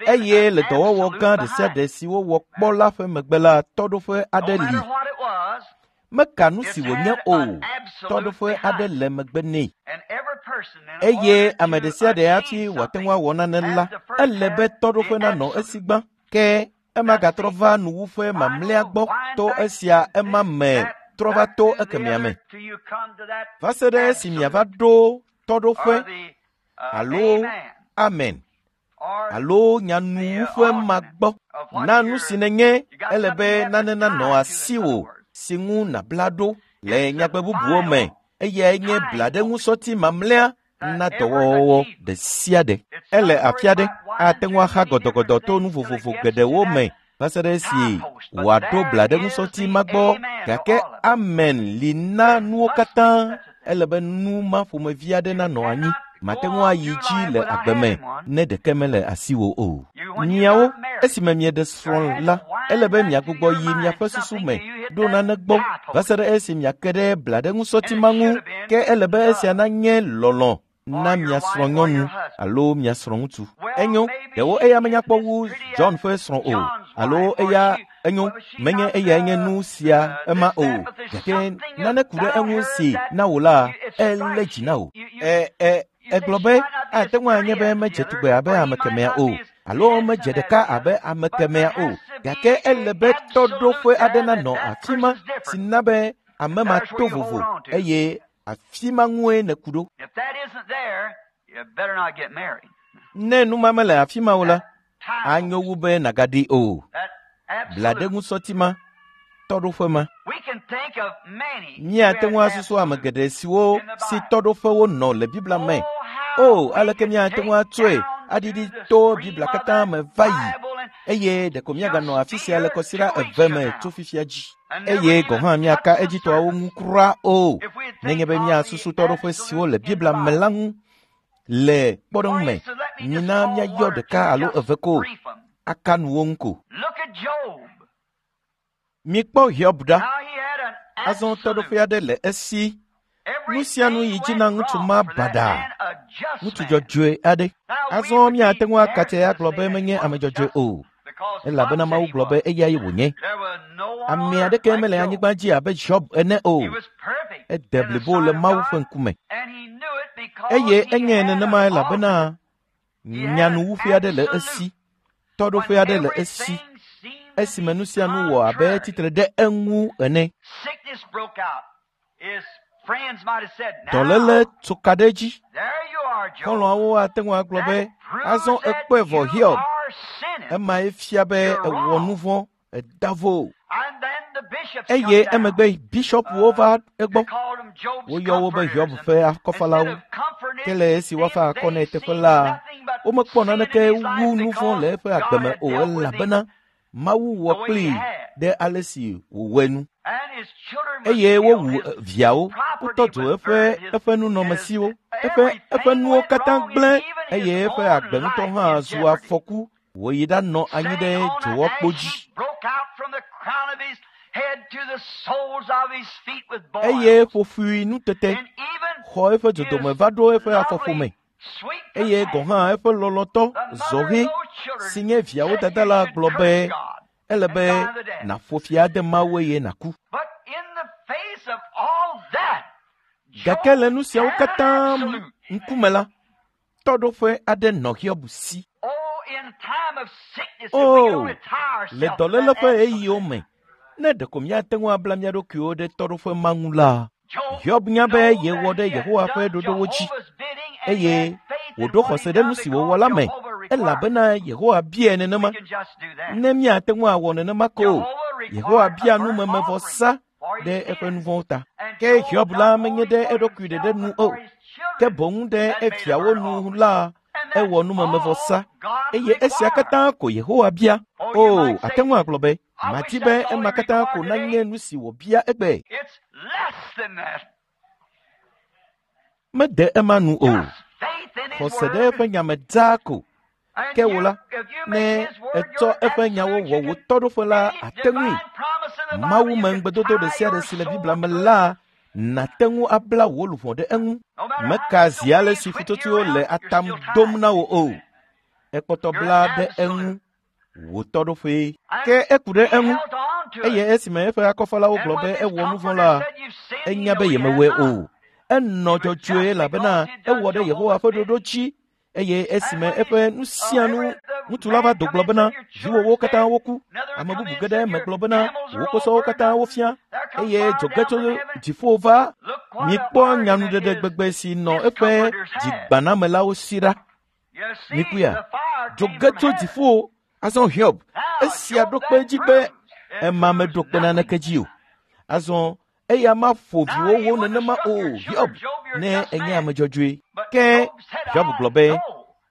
Eye le dɔwɔwɔ gã ɖe sia ɖe si wowɔ kpɔ la ƒe megbe la, tɔɖoƒe aɖe li. Meka nu si wònye o, tɔɖoƒe aɖe le megbe nɛ. Eye ame ɖe sia ɖe hafi wòate ŋu awɔ nane la, ele be tɔɖoƒe nanɔ esi gbã. Ke ema gatrɔ va nuwuƒe mamlɛa gbɔ to esia ema me trɔ va to ekemɛa me. Va se ɖe esi miava ɖo tɔɖoƒe alo amen alo nyanuwuƒe ma gbɔ. Na nu si nènye, ele be nane nanɔ asiwò si ŋu nàbla ɖo le nyagbe bubuwo me. Eyae nye blaɖeŋusɔti mamlɛa na dɔwɔwɔ ɖe sia ɖe. Ele afi aɖe ate ŋu axa gɔdɔgɔdɔ to nu vovovo geɖewo me va se ɖe esi wòaɖo blaɖeŋusɔti ma gbɔ. Gake amen li na nuwo katã. Ele be nu ma ƒomevi aɖe nanɔ anyi. Mate ŋu ayi dzi le agbe me ne ɖeke mele asiwò o. Miawo, esime mieɖe srɔ̃ la, ele be miagbugbɔ yi miaƒe susu me ɖo nane gbɔ va se ɖe esi miake ɖe blaɖeŋusɔti ma ŋu. Ke ele be esia nanye lɔlɔ̃ na mia srɔ̃nyɔnu alo mia srɔ̃ŋutsu. Enyo, ɖewo eya menya kpɔ wu John ƒe srɔ̃ o, alo eya enyo, menye eyae nye nu sia ema o, gake nane ku ɖe eŋu si na wò la, elé dzi na wò. Egblɔ be ate ŋu anye be medze tugbe abe ame kemɛa o, alo medze ɖeka abe ame kemɛa o, gake ele be tɔɖoƒe aɖe nanɔ afi ma si na be ame ma to vovo eye Afi ma ŋue nèku ɖo. Ne nu ma mele afi ma o la, anyo wu be nàgaɖee o. Blaɖeŋusɔti ma, tɔɖoƒe ma. Míate ŋu asusu ame geɖe siwo si tɔɖoƒewo nɔ le Biblia me. O, aleke míate ŋu atsɔe aɖiɖi to Biblia katã me va yi eye ɖeko míaganɔ afi sia le kɔsiɖa eve me tso fifia dzi. Eye gɔ̃ hã míaka edzitɔawo ŋu kura o, nenye be míasusu tɔɖoƒe siwo le Biblia me la ŋu. Le kpɔɖeŋu me, mina míayɔ ɖeka alo eve ko aka nuwo ŋu ko. Mikpɔ Hiob ɖa. Azɔ tɔɖoƒe aɖe le esi. Nu sia nu yi dzi na ŋutsu ma baɖa, ŋutsu dzɔdzɔe aɖe. Azɔ míate ŋu akatse agblɔ be menye ame dzɔdzɔe o, elabena Mawu gblɔ be eyae wònye. Ame aɖeke mele anyigba dzi abe Hiob ene o. Ede blibo le Mawu ƒe ŋkume. Eye enye nenema elabena nyanuwuƒe aɖe le esi, tɔɖoƒe aɖe le esi, esime nu sia nu wɔ abe tsitre ɖe eŋu ene. Dɔléle tso ka ɖe edzi. Xɔlɔ̃awo ate ŋu agblɔ be, azɔ ekpɔe vɔ Hiob. Emae fia be ewɔ nu vɔ̃, eda vo. Eye emegbe bishɔpuwo va egbɔ. Woyɔ wo be Hiob ƒe akɔfalawo. Ke le esi woafa akɔ nɛ teƒe la, womekpɔ naneke wu nu vɔ̃ le eƒe agbe me o elabena Mawu wɔ kplii ɖe ale si wòwɔe nu. Eye wowu viawo, wotɔ dzo eƒe nunɔamesiwo, eƒe nuwo katã gblẽ eye eƒe agbe ŋutɔ hã zu afɔku wòyi ɖanɔ anyi ɖe dzowɔkpo dzi. Eye ƒoƒui nutete xɔ eƒe dzodome va ɖo eƒe afɔƒome. Eye gɔ̃ hã eƒe lɔlɔ̃tɔ zɔhɛ si nye viawo dada la gblɔ be ele be nàƒo fi ade Mawu eye nàku. Gake le nu siawo katã ŋkume la, tɔɖoƒe aɖe nɔ Hiob si. O, le dɔléle ƒe ɣeyiɣiwo me, ne ɖeko míate ŋu abla mía ɖokuiwo ɖe tɔɖoƒe ma ŋu la, Hiob nya be yewɔ ɖe Yehowa ƒe ɖoɖowo dzi eye wòɖo xɔse ɖe nu si wòwɔ la me elabena Yehowa biae nenema. Ne míate ŋu awɔ nenema ko, Yehowa bia numemevɔsa ɖe eƒe nu vɔ̃wo ta. Ke Hiob la menye ɖe eɖokui ɖeɖe nu o, ke boŋ ɖe eviawo nu la ewɔ numemevɔsa eye esia katã ko Yehowa bia. O, ate ŋu agblɔ be, madi be ema katã ko nanye nu si wòbia egbe. Mede ema nu o. Xɔse ɖe eƒe nya me dzaa ko. Ke wò la, ne ètsɔ eƒe nyawo wɔ wò tɔɖoƒe la, àte ŋui. Mawu me ŋugbedodo ɖe sia ɖe si le Biblia me la, nàte ŋu abla wò luʋɔ ɖe eŋu. Meka zi ale si ƒutsotsoewo le atam dom na wò o. Ekpɔtɔ bla ɖe eŋu wò tɔɖoƒee. Ke eku ɖe eŋu eye esime eƒe akɔfalawo gblɔ be ewɔ nu vɔ̃ la, enya be yemewɔe o. Enɔ dzɔdzɔe elabena ewɔ ɖe Yehowa ƒe ɖoɖo dzi eye esime eƒe nu sia nu ŋutsu la va do gblɔ bena viwòwo katã woku. Ame bubu ge ɖe eme gblɔ bena wò kposɔwo katã wofia eye dzo ge tso dziƒo va. Mikpɔ nyanuɖeɖe gbegbe si nɔ eƒe dzigbanamelawo si ɖa. Mikpɔea, dzo ge tso dziƒo. Azɔ Hiob, esia ɖo kpe edzi be ema meɖo kpe naneke dzi o. Azɔ eya maƒo viwòwo nenema o, Hiob, ne enye ame dzɔdzɔe. Ke Hiob gblɔ be,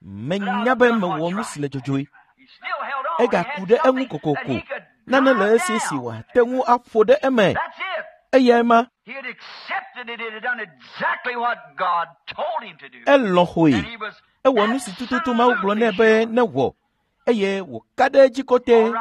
menya be mewɔ nu si le dzɔdzɔe. Egaku ɖe eŋu kokoko. Nane le esi si wòate ŋu aƒo ɖe eme. Eyae ma. Elɔ̃ xɔe. Ewɔ nu si tututu Mawu gblɔ nɛ be newɔ eye wòka ɖe edzi kɔtɛ.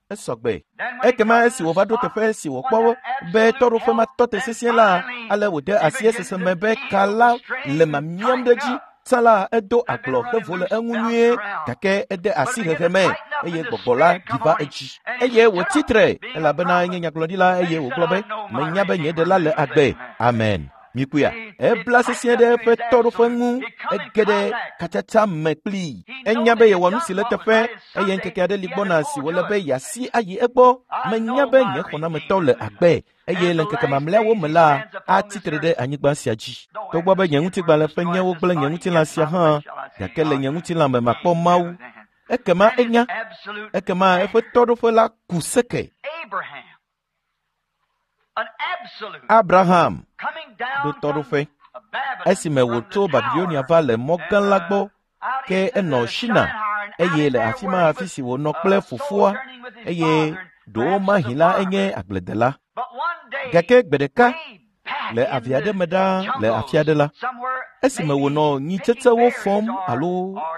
Esɔgbe. Ekema esi wòva ɖo teƒe si wòkpɔ be tɔɖoƒe ma tɔ te sesĩe la, ale wòde asi esese me be ka la le mamiam ɖe edzi. Tsã la, edo agblɔ hevo le eŋu nyuie gake ede asi hehe me eye gbɔgbɔ la ɖi va edzi. Eye wòtsi tre elabena enye nyagblɔɖila eye wògblɔ be, menya be nye ɖela le agbe. Amen. Mikpɔea, ebla sesĩe ɖe eƒe tɔɖoƒe ŋu, ege ɖe katsatsa me kplii. Enya be yewɔ nu si le teƒe eye ŋkeke aɖe li gbɔna si wòle be yeasi ayi egbɔ. Menya be nye xɔnametɔ le agbe eye le ŋkeke mamlɛawo me la, atsi tre ɖe anyigba sia dzi. Togbɔ be nye ŋutigbalẽ ƒe nyewo gblẽ nye ŋutilã sia hã, gake le nye ŋutilã me makpɔ Mawu. Ekema enya, ekema eƒe tɔɖoƒe la ku seke. Abraham ɖo tɔɖoƒe esime wòtso Babilonia va le mɔ gã la gbɔ, ke enɔ Shina eye le afi ma afi si wònɔ kple fofoa eye ɖewomahi la enye agbledela. Gake gbe ɖeka le avi aɖe me ɖaa le afi aɖe la, esime wònɔ nyitsetsewo fɔm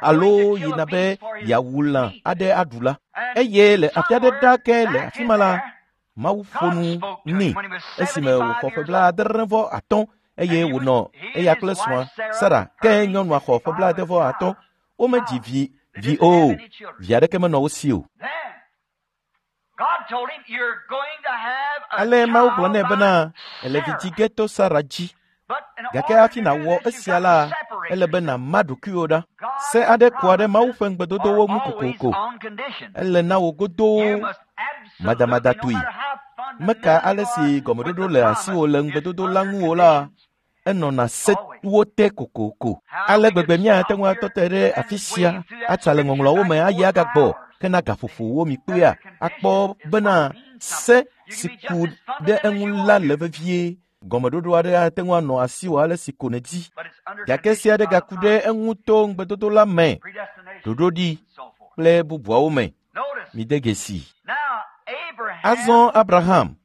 alo yina be yeawu lã aɖe aɖu la, eye le afi aɖe ɖaa ke le afi ma la, Mawu ƒo nu nɛ esime wòxɔ ƒe 75 eye wònɔ eya kple srɔ̃a Sara ke nyɔnua xɔ ƒe 75. Womedzi vi o, vi aɖeke menɔ wo si o. Ale Mawu gblɔ nɛ bena ele vi dzi ge to Sara dzi. Gake hafi nàwɔ esia la, ele be nàma ɖokuiwò ɖa. Se aɖe kua ɖe Mawu ƒe ŋugbedodowo ŋu kokoko. Ele na wò godoo madamadatɔe. Meka ale si gɔmeɖoɖo le asiwò le ŋugbedodo la ŋu o la, enɔna sewo te kokoko. Ale gbegbe míate ŋu atɔ te ɖe afi sia atsa le ŋɔŋlɔawo me ayi agagbɔ hena gaƒoƒowo mi kpea akpɔ bena se si ku ɖe eŋu la le vevie. Gɔmeɖoɖo aɖe ate ŋu anɔ asiwò ale si ko nèdi. Gake se aɖe gaku ɖe eŋu to ŋugbedodo la me, ɖoɖoɖi kple bubuawo me. Mide dzesi. Azɔ Abraham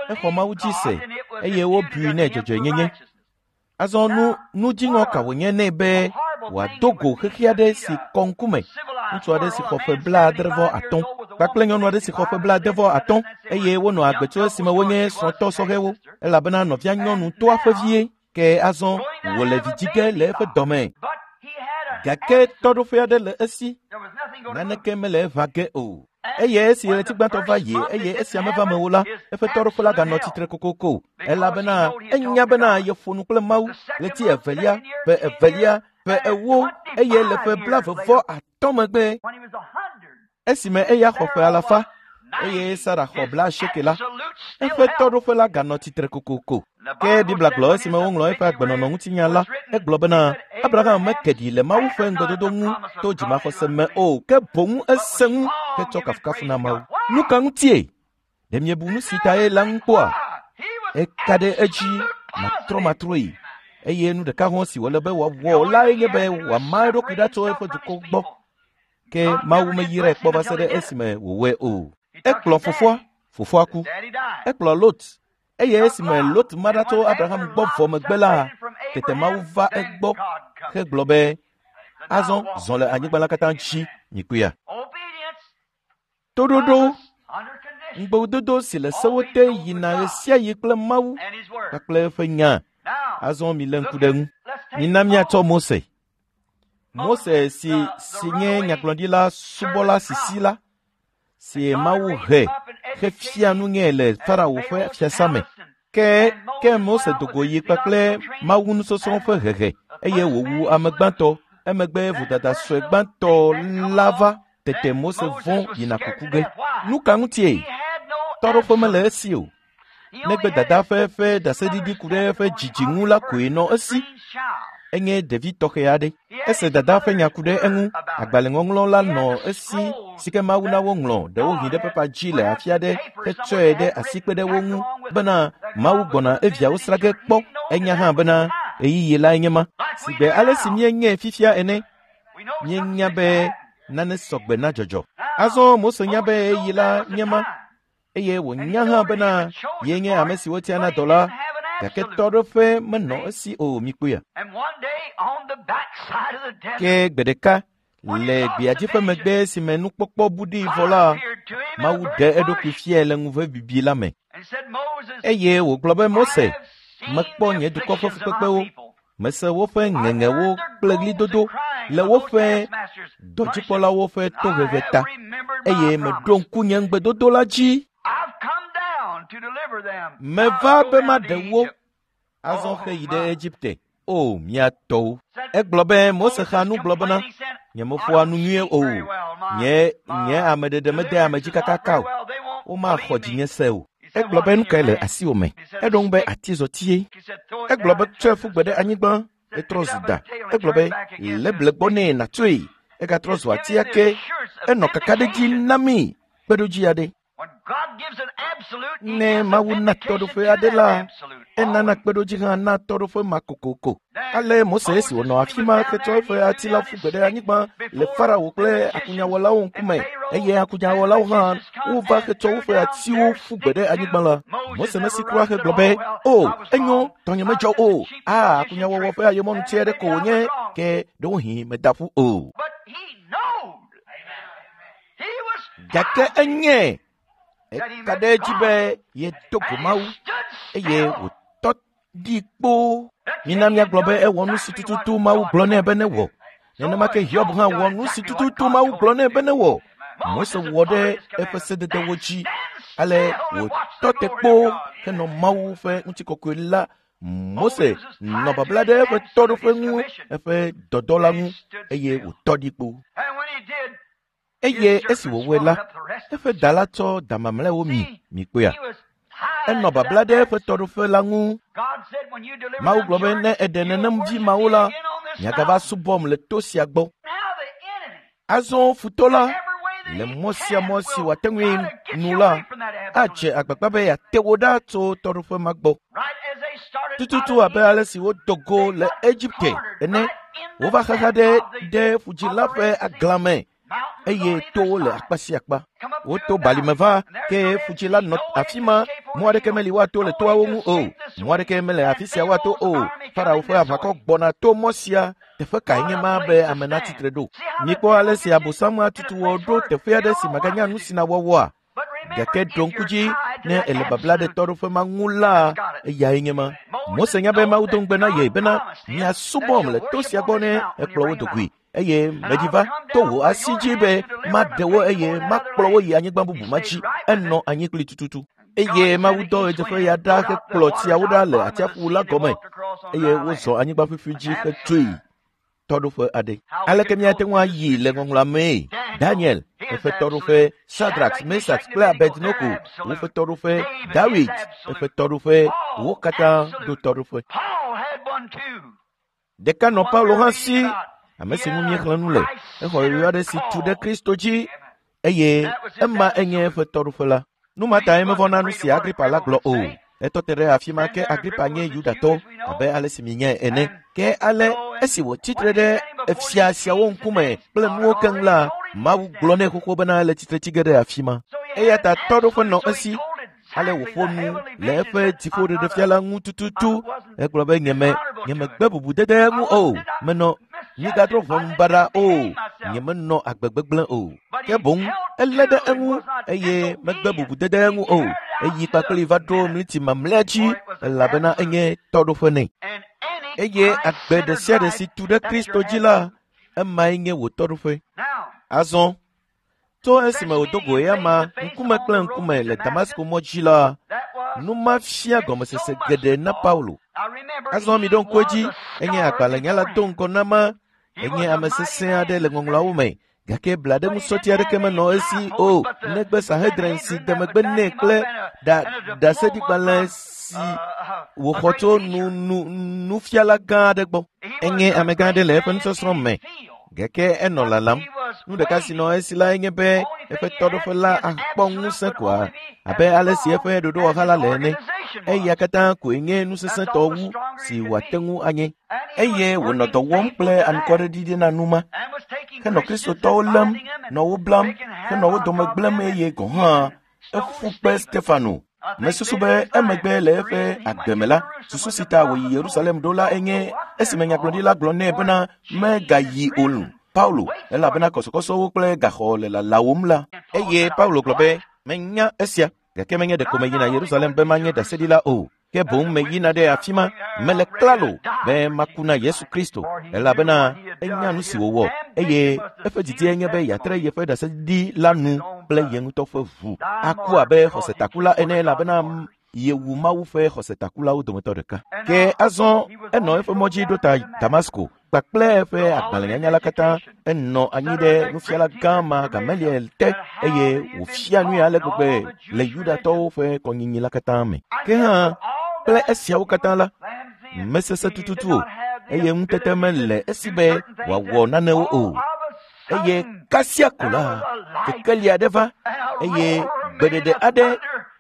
exɔ Mawu dzi se eye wobui nɛ dzɔdzɔenyenye. Azɔ nu dziŋɔ ka wònye nɛ be wòado go xexi aɖe si kɔ ŋkume, ŋutsu aɖe si xɔ ƒe 75 kpakple nyɔnu aɖe si xɔ ƒe 75 eye wonɔ agbe tso esime wonye srɔ̃tɔ sɔhɛwo elabena nɔvia nyɔnu toa ƒe vie ke azɔ wòle vi dzi ge le eƒe dɔme. Gake tɔɖoƒe aɖe le esi, naneke mele eʋã ge o. Eye esi ɣleti gbãtɔ va yi eye esia meva me o la, eƒe tɔɖoƒe la ganɔ tsitre kokoko elabena enya bena yeƒo nu kple Mawu ɣleti evelia, ƒe evelia, ƒe 40 eye le ƒe 45 megbe esime eya xɔ ƒe 100 eye Sara xɔ 80 la, eƒe tɔɖoƒe la ganɔ tsitre kokoko. Ke Biblia gblɔ esime woŋlɔ eƒe agbenɔnɔ ŋutinya la, egblɔ bena Abraham meke ɖi le Mawu ƒe ŋugbedodo ŋu to dzimaxɔse me o, ke boŋ ese ŋu hetsɔ kafukafu na Mawu. Nu ka ŋutie? Ɖe miebu nu si tae la ŋu kpɔa? Eka ɖe edzi matrɔmatrɔe eye nu ɖeka hɔ̃ si wòle be wòawɔ lae nye be wòama eɖokui ɖa tso eƒe dukɔ gbɔ. Ke Mawu meyrae kpɔ va se ɖe esime wòwɔe o. Ekplɔ fofoa, fofoa ku. Ekplɔ Lot eye esime Lot ma ɖa tso Abraham gbɔ vɔ megbe la, tete Mawu va egbɔ hegblɔ be, azɔ zɔ le anyigba la katã dzi, mikpɔea. Toɖoɖo ŋugbedodo si le sewo te yina ɣesiaɣi kple Mawu kpakple eƒe nya. Azɔ milé ŋku ɖe eŋu. Mina míatsɔ Mose. Mose si nye nyagblɔɖila subɔla sisi la, si Mawu he hefia nu nɛ le Farao ƒe fiasã me. Ke Mose do go yi kpakple Mawu nusɔsrɔ̃ ƒe hehe eye wòwu ame gbãtɔ. Emegbe vodada sue gbãtɔ la va tete Mose vɔ̃ yina kuku ge. Nu ka ŋutie? Tɔɖoƒe mele esi o. Negbe dada ƒe ɖaseɖiɖi ku ɖe eƒe dzidzi ŋu la koe nɔ esi. Enye ɖevi tɔxɛ aɖe. Ese dada ƒe nya ku ɖe eŋu. Agbalẽŋɔŋlɔ la nɔ esi si ke Mawu na woŋlɔ ɖewohĩ ɖe pepa dzi le afi aɖe hetsɔe ɖe asi kpe ɖe wo ŋu bena Mawu gbɔna eviawo sra ge kpɔ. Enya hã bena ɣeyiɣi lae nye ma. Sigbe ale si míenyae fifia ene, míenya be nane sɔgbe na dzɔdzɔ. Azɔ Mose nya be ɣeyiɣi la nye ma eye wònya hã bena ye nye ame si wotia na dɔ la, gake tɔɖoƒe menɔ esi o, mikpɔea. Ke gbe ɖeka le gbeadzi ƒe megbe si me nukpɔkpɔ bu ɖi vɔ la, Mawu ɖe eɖokui fiae le ŋuve bibi la me. Eye wògblɔ be, Mose, mekpɔ nye dukɔ ƒe fukpekpewo, mese woƒe ŋeŋewo kple ɣlidodo le woƒe dɔdzikpɔlawo ƒe tohehe ta, eye meɖo ŋku nye ŋugbedodo la dzi. Meva be maɖe wo. Azɔ heyi ɖe Egipte. O, mía tɔwo. Egblɔ be Mose xa nu gblɔ bena, nyemeƒoa nu nyuie o. Nye nye ameɖeɖe mede ame dzi kakaka o. Womaxɔ dzinye se o. Egblɔ be nu kae le asiwò me? Eɖo ŋu be atizɔtie. Egblɔ be tsɔe ƒu gbe ɖe anyigba. Etrɔ zu da. Egblɔ be lé ble gbɔ nɛ nàtsɔe. Egatrɔ zu atia ke. Enɔ kakaɖedzi na mí kpeɖodzi aɖe. Ne Mawu na tɔɖoƒe aɖe la, enana kpeɖodzi hã na tɔɖoƒe ma kokoko. Ale Mose esi wònɔ afi ma hetsɔ eƒe ati la ƒu gbe ɖe anyigba le Farao kple akunyawɔlawo ŋkume eye akunyawɔlawo hã wova hetsɔ woƒe atiwo ƒu gbe ɖe anyigba la. Mose mesi kura hegblɔ be, O, enyo, tɔnye medzɔ o. A, akunyawɔwɔ ƒe ayemɔnu tsɛ aɖe ko wònye, ke ɖewohĩ meda ƒu o. Gake enye eka ɖe edzi be yedo go Mawu eye wòtɔ ɖi kpoo. Mina míagblɔ be ewɔ nu si tututu Mawu gblɔ nɛ be newɔ. Nenema ke Hiob hã wɔ nu si tututu Mawu gblɔ nɛ be newɔ. Mose wɔ ɖe eƒe sededewo dzi ale wòtɔ te kpoo henɔ Mawu ƒe ŋutikɔkɔe la. Mose nɔ babla ɖe eƒe tɔɖoƒe ŋu, eƒe dɔdɔ la ŋu eye wòtɔ ɖi kpoo. Eye esi wòwɔe la, eƒe da la tsɔ da mamlɛawo mi mikpɔea. Enɔ babla ɖe eƒe tɔɖoƒe la ŋu. Mawu gblɔ be ne eɖe nenem vi mawo la, miagava subɔm le to sia gbɔ. Azɔ futɔ la le mɔ sia mɔ si wòate ŋui nu la adze agbagba be yeate wo ɖa tso tɔɖoƒe ma gbɔ. Tututu abe ale si wodo go le Egipte ene, wova xaxa ɖe ɖe ƒudzĩ la ƒe agla me eye towo le akpa sia akpa. Woto balime va ke ƒudzĩ la nɔ afi ma. Mɔ aɖeke meli woato le toawo ŋu o. Mɔ aɖeke mele afi sia woato o. Farao ƒe aʋakɔ gbɔna to mɔ sia. Teƒe kae nye ma be ame natsitre ɖo? Mikpɔ ale si Abosam atutu wɔ ɖo teƒe aɖe si maganya nu si nawɔwɔa. Gake ɖo ŋku dzi ne ele babla ɖe tɔɖoƒe ma ŋu la, eyae nye ma. Mose nya be Mawu do ŋugbe na ye bena miasubɔm le to sia gbɔ ne ekplɔ wo do goe. Eye medzi va to wò asi dzi be maɖe wo eye makplɔ wo yi anyigba bubu ma dzi. Enɔ anyi kpli tututu. Eye Mawu dɔ ɣedzeƒe ya ɖa hekplɔ tsiawo ɖa le atsiaƒu la gɔme eye wozɔ anyigba ƒuƒui dzi hetsoe tɔɖoƒe aɖe. Aleke míate ŋu ayi le ŋɔŋlɔa mee? Daniel, eƒe tɔɖoƒe, Shadrach, Meshach kple Abednego, woƒe tɔɖoƒe, Dawid, eƒe tɔɖoƒe, wo katã ɖo tɔɖoƒe. Ɖeka nɔ Paulo hã si, ame si ŋu míexlẽ nu le. Exɔ yɔyɔ aɖe si tu ɖe Kristo dzi eye ema enye eƒe tɔɖoƒe la. Nu ma tae mevɔ̃na nu si Agripa la gblɔ o. Etɔ te ɖe afi ma ke Agripa nye Yudatɔ abe ale si mienyae ene. Ke ale esi wòtsi tre ɖe efia siawo ŋkume kple nuwo keŋ la, Mawu gblɔ nɛ xoxo bena ele tsitre tsi ge ɖe afi ma. Eya ta tɔɖoƒe nɔ esi. Ale wòƒo nu le eƒe dziƒoɖeɖefia la ŋu tututu. Egblɔ be nyeme nyemegbe bubudede ŋu o. Menɔ migadrɔ̃ ʋɔnu baɖa o. Nyemenɔ agbe gbegblẽ o. Ke boŋ elé ɖe eŋu eye megbe bubudede ŋu o. Eyi kpakpli va ɖo mliti mamlɛa dzi elabena enye tɔɖoƒe nɛ. Eye agbe ɖe sia ɖe si tu ɖe Kristo dzi la, emae nye wò tɔɖoƒe. Azɔ tso esime wòdo go eyama ŋkume kple ŋkume le Damasko mɔ dzi la, nu ma fia gɔmesese geɖe na Paulo. Azɔ miɖo ŋku edzi, enye agbalẽnyala do ŋgɔ na ma, enye ame sesẽ aɖe le ŋɔŋlɔawo me, gake blaɖeŋusɔti aɖeke menɔ esi o negbe Sanhedrin si de megbe nɛ kple ɖaseɖigbalẽ si wòxɔ tso nufiala gã aɖe gbɔ. Enye amegã aɖe le eƒe nusɔsrɔ̃ me, gake enɔ lalam. Nu ɖeka si nɔ esi lae nye be eƒe tɔɖoƒe la akpɔ ŋusẽ koa abe ale si eƒe ɖoɖowɔha la le ene. Eya katã koe nye nu sesẽtɔ wu si wòate ŋu anye. Eye wònɔ dɔ wɔm kple anukwareɖiɖi na nu ma henɔ Kristotɔwo lém, nɔ wo blam, henɔ wo dome gblẽm eye gɔ̃ hã eƒu kpe Stefano. Mesusu be emegbe le eƒe agbe me la, susu si ta wòyi Yerusalem ɖo la enye esime nyagblɔɖila gblɔ nɛ bena megayi o Paulo elabena kɔsɔkɔsɔwo kple gaxɔ le lalawòm la. Eye Paulo gblɔ be menya esia gake menye ɖeko meyina Yerusalem be manye ɖaseɖila o. Ke boŋ meyina ɖe afi ma, mele klalo be maku na Yesu Kristo elabena enya nu si wòwɔ eye eƒe didie nye be yeatre yeƒe ɖaseɖiɖi la nu kple ye ŋutɔ ƒe ʋu aku abe xɔsetakula ene elabena Yewu Mawu ƒe xɔsetakulawo dometɔ ɖeka. Ke azɔ enɔ eƒe mɔ dzi ɖo ta Damasko kpakple eƒe agbalẽnyanya la katã. Enɔ anyi ɖe nufiala gã ma Gamaliel te eye wòfia nui ale gbegbe le Yudatɔwo ƒe kɔnyinyi la katã me. Ke hã kple esiawo katã la, mesesẽ tututu o eye ŋutete mele esi be wòawɔ nanewo o. Eye kasia ko la, kekeli aɖe va eye gbeɖeɖe aɖe,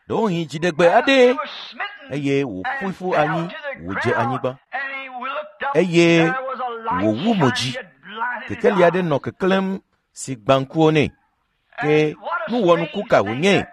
ɖewohĩ dziɖegbe aɖe, eye wòƒoe ƒu anyi wòdze anyigba eye wòwu mo dzi. Kekeli aɖe nɔ keklẽm si gbã ŋkuwo nɛ. Ke nuwɔnuku ka wònye?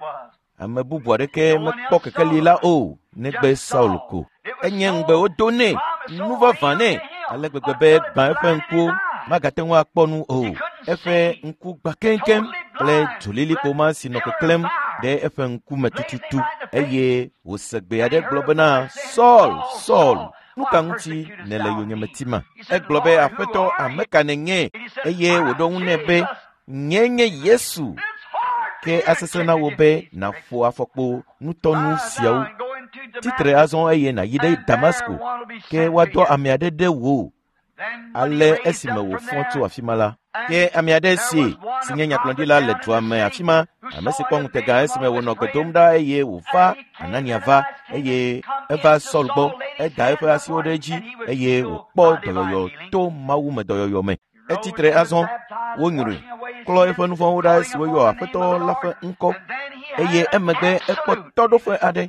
Ame bubu aɖeke mekpɔ kekeli la o negbe Saul ko. Enye ŋugbe wodo nɛ, nu vavã nɛ ale gbegbe be gbã eƒe ŋkuwo magate ŋu akpɔ nu o. Eƒe ŋku gbã keŋkeŋ kple dzolilikpo ma si nɔ keklẽm ɖe eƒe ŋkume tututu eye wòse gbe aɖe gblɔ bena, Saul, Saul, nu ka ŋuti nèle yonyeme tima? Egblɔ be, Aƒetɔ, ame ka nènye? Eye wòɖo ŋu nɛ be, Nye nye Yesu. Ke asesẽ na wò be nàƒo afɔkpo nutɔnu siawo. Tsitre azɔ eye nàyi ɖe Damasko, ke woadɔ ame aɖe ɖe wò. Ale esime wòfɔ tso afi ma la, ke ame aɖe si si nye nyagblɔɖila le dua me afi ma, ame si kpɔ ŋutega esime wònɔ gbe dom ɖa eye wòva Anania va eye eva Saul gbɔ, eda eƒe asiwo ɖe edzi eye wòkpɔ dɔyɔyɔ to mawume dɔyɔyɔ me. Etsitre azɔ, wonyrɔe, klɔ eƒe nu vɔ̃wo ɖa esi woyɔ Aƒetɔ la ƒe ŋkɔ eye emegbe ekpɔ tɔɖoƒe aɖe.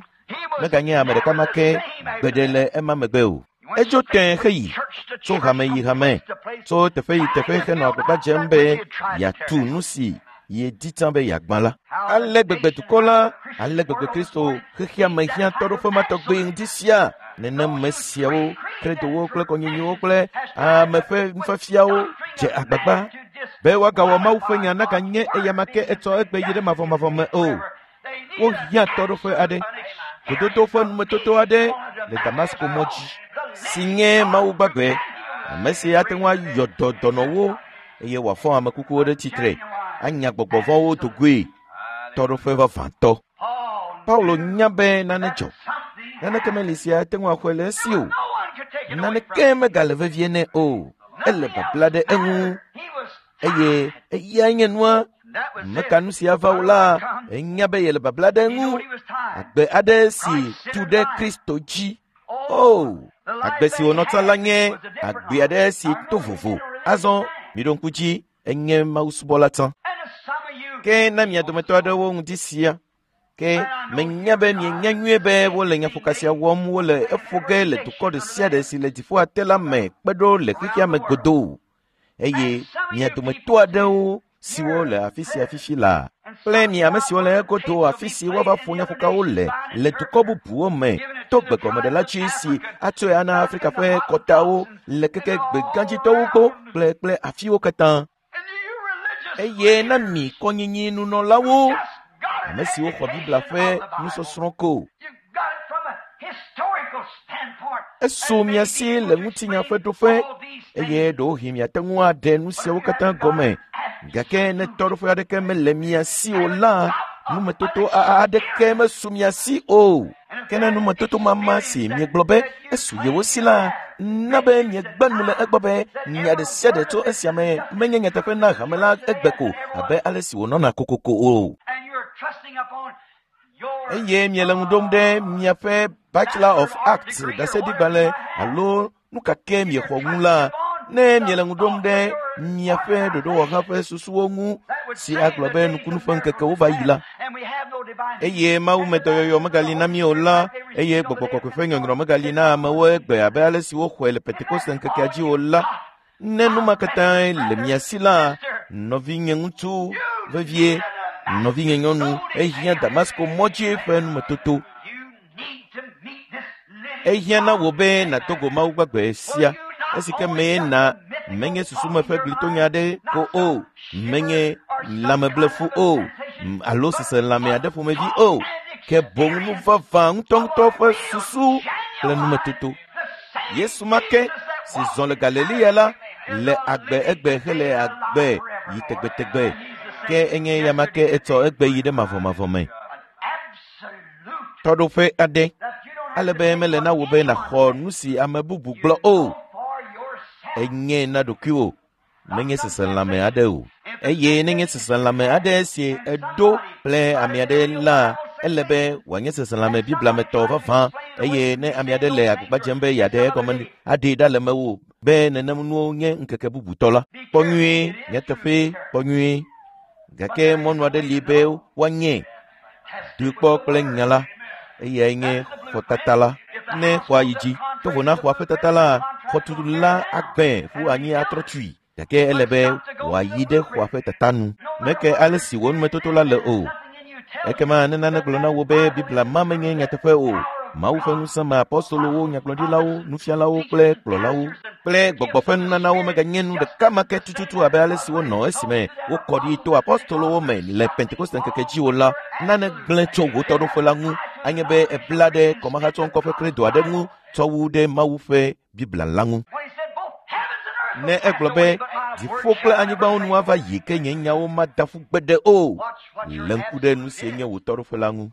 Meganye ame ɖeka ma ke gbeɖe le ema megbe o. Edzo tẽ heyi tso hame yi hame, tso teƒe yi teƒe henɔ agbagba dzem be yeatu nu si yedi tsã be yeagbã la. Ale gbegbe dukɔ la, ale gbegbe Kristo xexea me hiã tɔɖoƒe ma tɔgbe ŋdi sia. Nenem me siawo, kredowo kple kɔnyinyiwo kple ame ƒe nufiafiawo dze agbagba be woagawɔ Mawu ƒe nya naganye eyama ke etsɔ egbe yi ɖe mavɔmavɔ me o. Wohiã tɔɖoƒe aɖe, gododo ƒe numetoto aɖe le Damasko mɔ dzi si nye Mawu gbagbe, ame si ate ŋu ayɔ dɔ dɔnɔwo eye wòafɔ ame kukuwo ɖe tsitre, anya gbɔgbɔ vɔ̃wo dogoe. Tɔɖoƒe vavãtɔ. Paulo nya be nane dzɔ. Naneke meli si ate ŋu axɔe le esi o. Naneke megale vevie nɛ o. Ele babla ɖe eŋu eye eyae nye nua. Meka nu sia va o la, enya be yele babla ɖe eŋu. Agbe aɖe si tu ɖe Kristo dzi. O, agbe si wònɔ tsã la nye agbe aɖe si to vovo. Azɔ miɖo ŋku dzi, enye mawusubɔla tsã. Ke na mia dometɔ aɖewo ŋdi sia, ke menya be mienya nyuie be wole nyaƒoka sia wɔm wole eƒo ge le dukɔ ɖe sia ɖe si le dziƒoa te la me kpe ɖo le xexea me godoo. Eye mia dometɔ aɖewo siwo le afi sia fifi la kple mi ame siwo le egodo afi si woava ƒo nyaƒokawo le le dukɔ bubuwo me to gbegɔmeɖela dzi si atsɔe ana Afrika ƒe kɔtawo le keke gbegãdzitɔwo gbɔ kple kple afiwo katã. Eye na mi kɔnyinyi nunɔlawo, ame siwo xɔ Biblia ƒe nusɔsrɔ̃ ko. Esu mia si le ŋutinya ƒe ɖoƒe eye ɖewohĩ miate ŋu aɖe nu siawo katã gɔme. Gake ne tɔɖoƒe aɖeke mele mia si o la, numetoto aɖeke mesu mia si o. Ke ne numetoto mama si miegblɔ be esu yewo si la, na be miegbe nu le egbɔ be nya ɖe sia ɖe tso esia me menye nyateƒe na hame la egbe ko abe ale si wònɔna kokoko o. Eye miele ŋu ɖom ɖe miaƒe Bachelor of Arts ɖaseɖigbalẽ alo nu ka ke miexɔ ŋu la, ne miele ŋu ɖom ɖe miaƒe ɖoɖowɔha ƒe susuwo ŋu si agblɔ be nukunu ƒe ŋkekewo va yi la, eye mawume dɔyɔyɔ megali na mí o la, eye gbɔgbɔ kɔkɔe ƒe nyɔnyrɔ megali na amewo egbe abe ale si woxɔe le Pentekoste ŋkekea dzi o la, ne nu ma katãe le mia si la, nɔvinye ŋutsu vevie, nɔvinye nyɔnu, ehiã Damasko mɔ dzi ƒe numetoto. Ehiã na wò be nàdo go Mawu gbagbe sia, esi ke mee na menye susume ƒe glitonya aɖe ko o, menye lãmeblefu o, alo seselãme aɖe ƒomevi o, ke boŋ nu vavã ŋutɔŋutɔ ƒe susu kple numetoto. Yesu ma ke si zɔ le Galilea la le agbe egbe hele agbe yi tegbetegbe, ke enye ya ma ke etsɔ egbe yi ɖe mavɔmavɔ me. Tɔɖoƒe aɖe ale be mele na wò be nàxɔ nu si ame bubu gblɔ o. Enye na ɖokuiwò, menye seselãme aɖe o. Eye nenye seselãme aɖe si eɖo kple ame aɖe la, ele be wòanye seselãme Biblia me tɔ vavã. Eye ne ame aɖe le agbagba dzem be yeaɖe egɔme aɖee ɖa le mewò be nenem nuwo nye ŋkeke bubutɔ la, kpɔ nyuie, nyateƒe, kpɔ nyuie. Gake mɔnu aɖe li be woanye doe kpɔ kple nya la, eyae nye xɔtata la. Ne xɔa yi dzi, to vo na xɔa ƒe tata la, xɔtutu la agbẽ ƒu anyi atrɔ tui. Gake ele be wòayi ɖe xɔa ƒe tata nu. Meke ale si wò numetoto la le o. Ekema ne nane gblɔ na wò be Biblia ma menye nyateƒe o, Mawu ƒe ŋusẽ me apɔstolowo, nyagblɔɖilawo, nufialawo kple kplɔlawo kple gbɔgbɔ ƒe nunanawo meganye nu ɖeka ma ke tututu abe ale si wonɔ esime wokɔ ɖi to apɔstolowo me le Pentekoste ŋkeke dzi o la, nane gblẽ tso wò tɔɖoƒe la ŋu. Anye be ebla ɖe kɔmahatsɔŋkɔ ƒe kredo aɖe ŋu tsɔ wu ɖe Mawu ƒe Biblia la ŋu. Ne egblɔ be dziƒo kple anyigbawo nu ava yi ke nye nyawo mada ƒu gbeɖe o, lé ŋku ɖe nu si nye wò tɔɖoƒe la ŋu.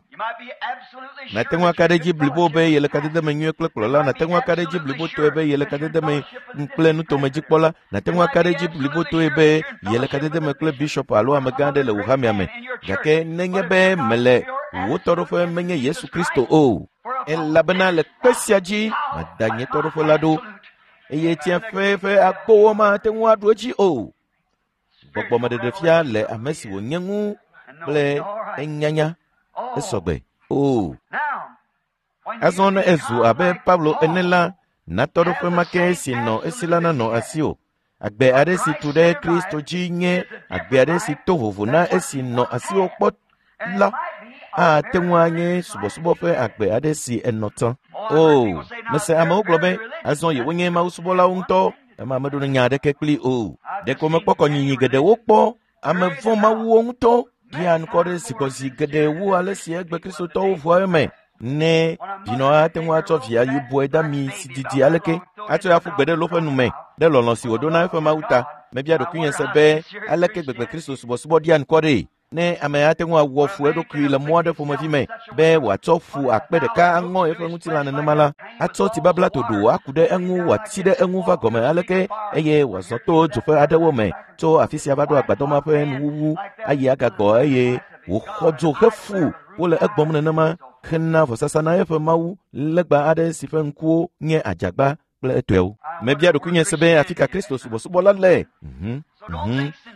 Nàte ŋu aka ɖe edzi blibo be yele kadede me nyuie kple kplɔla, nàte ŋu aka ɖe edzi blibotɔe be yele kadede me kple nutomedzikpɔla, nàte ŋu aka ɖe edzi blibotɔe be yele kadede me kple bishɔp alo amegã aɖe le wò hamea me. Gake nenye be mele wò tɔɖoƒe menye Yesu Kristo o, elabena le kpe sia dzi mada nye tɔɖoƒe la ɖo, eye tsiẽƒe ƒe agbowo mate ŋu aɖu edzi o. Gbɔgbɔmeɖeɖefia le ame si wònye ŋu kple enyanya esɔgbe o. Azɔ ne ezu abe Paulo ene la, na tɔɖoƒe ma ke si nɔ esi la nanɔ asiwò. Agbe aɖe si tu ɖe Kristo dzi nye agbe aɖe si to vovo na esi nɔ asiwò kpɔ la ate ŋu anye subɔsubɔ ƒe agbe aɖe si enɔ tsã. O, mese amewo gblɔ be azɔ yewonye mawusubɔlawo ŋutɔ, ema meɖo nya aɖeke kpli o. Ɖeko mekpɔ kɔnyinyi geɖewo kpɔ ame vɔ̃ mawuwo ŋutɔ ɖia ŋkɔ ɖe zikpɔzi geɖe wu ale si egbe kristotɔwo ʋua eme. Ne vinɔ ate ŋu atsɔ via yibɔe de ami si didi aleke atsɔe aƒu gbe ɖe loƒe nu me ɖe lɔlɔ̃ si wòɖo na eƒe Mawu ta. Mebia ɖokuinye se be aleke gbegbe Kristo subɔsubɔ ɖia ŋkɔ ɖee. Ne ame ate ŋu awɔ fu eɖokui le mɔ aɖe ƒomevi me be wòatsɔ fu akpe ɖeka aŋɔ eƒe ŋutilã nenema la, atsɔ tibabla ɖoɖo aku ɖe eŋu wòatsi ɖe eŋu va gɔme aleke eye wòazɔ to dzoƒe aɖewo me tso afi sia va ɖo agbadɔ ma ƒe nuwuwu ayi agagbɔ eye wòxɔ dzo hefu wole egbɔm nenema hena vɔsasa na eƒe mawu legba aɖe si ƒe ŋkuwo nye adzagba kple etɔewo. Mebia ɖokuinye se be afi ka Kristo subɔsubɔ la le.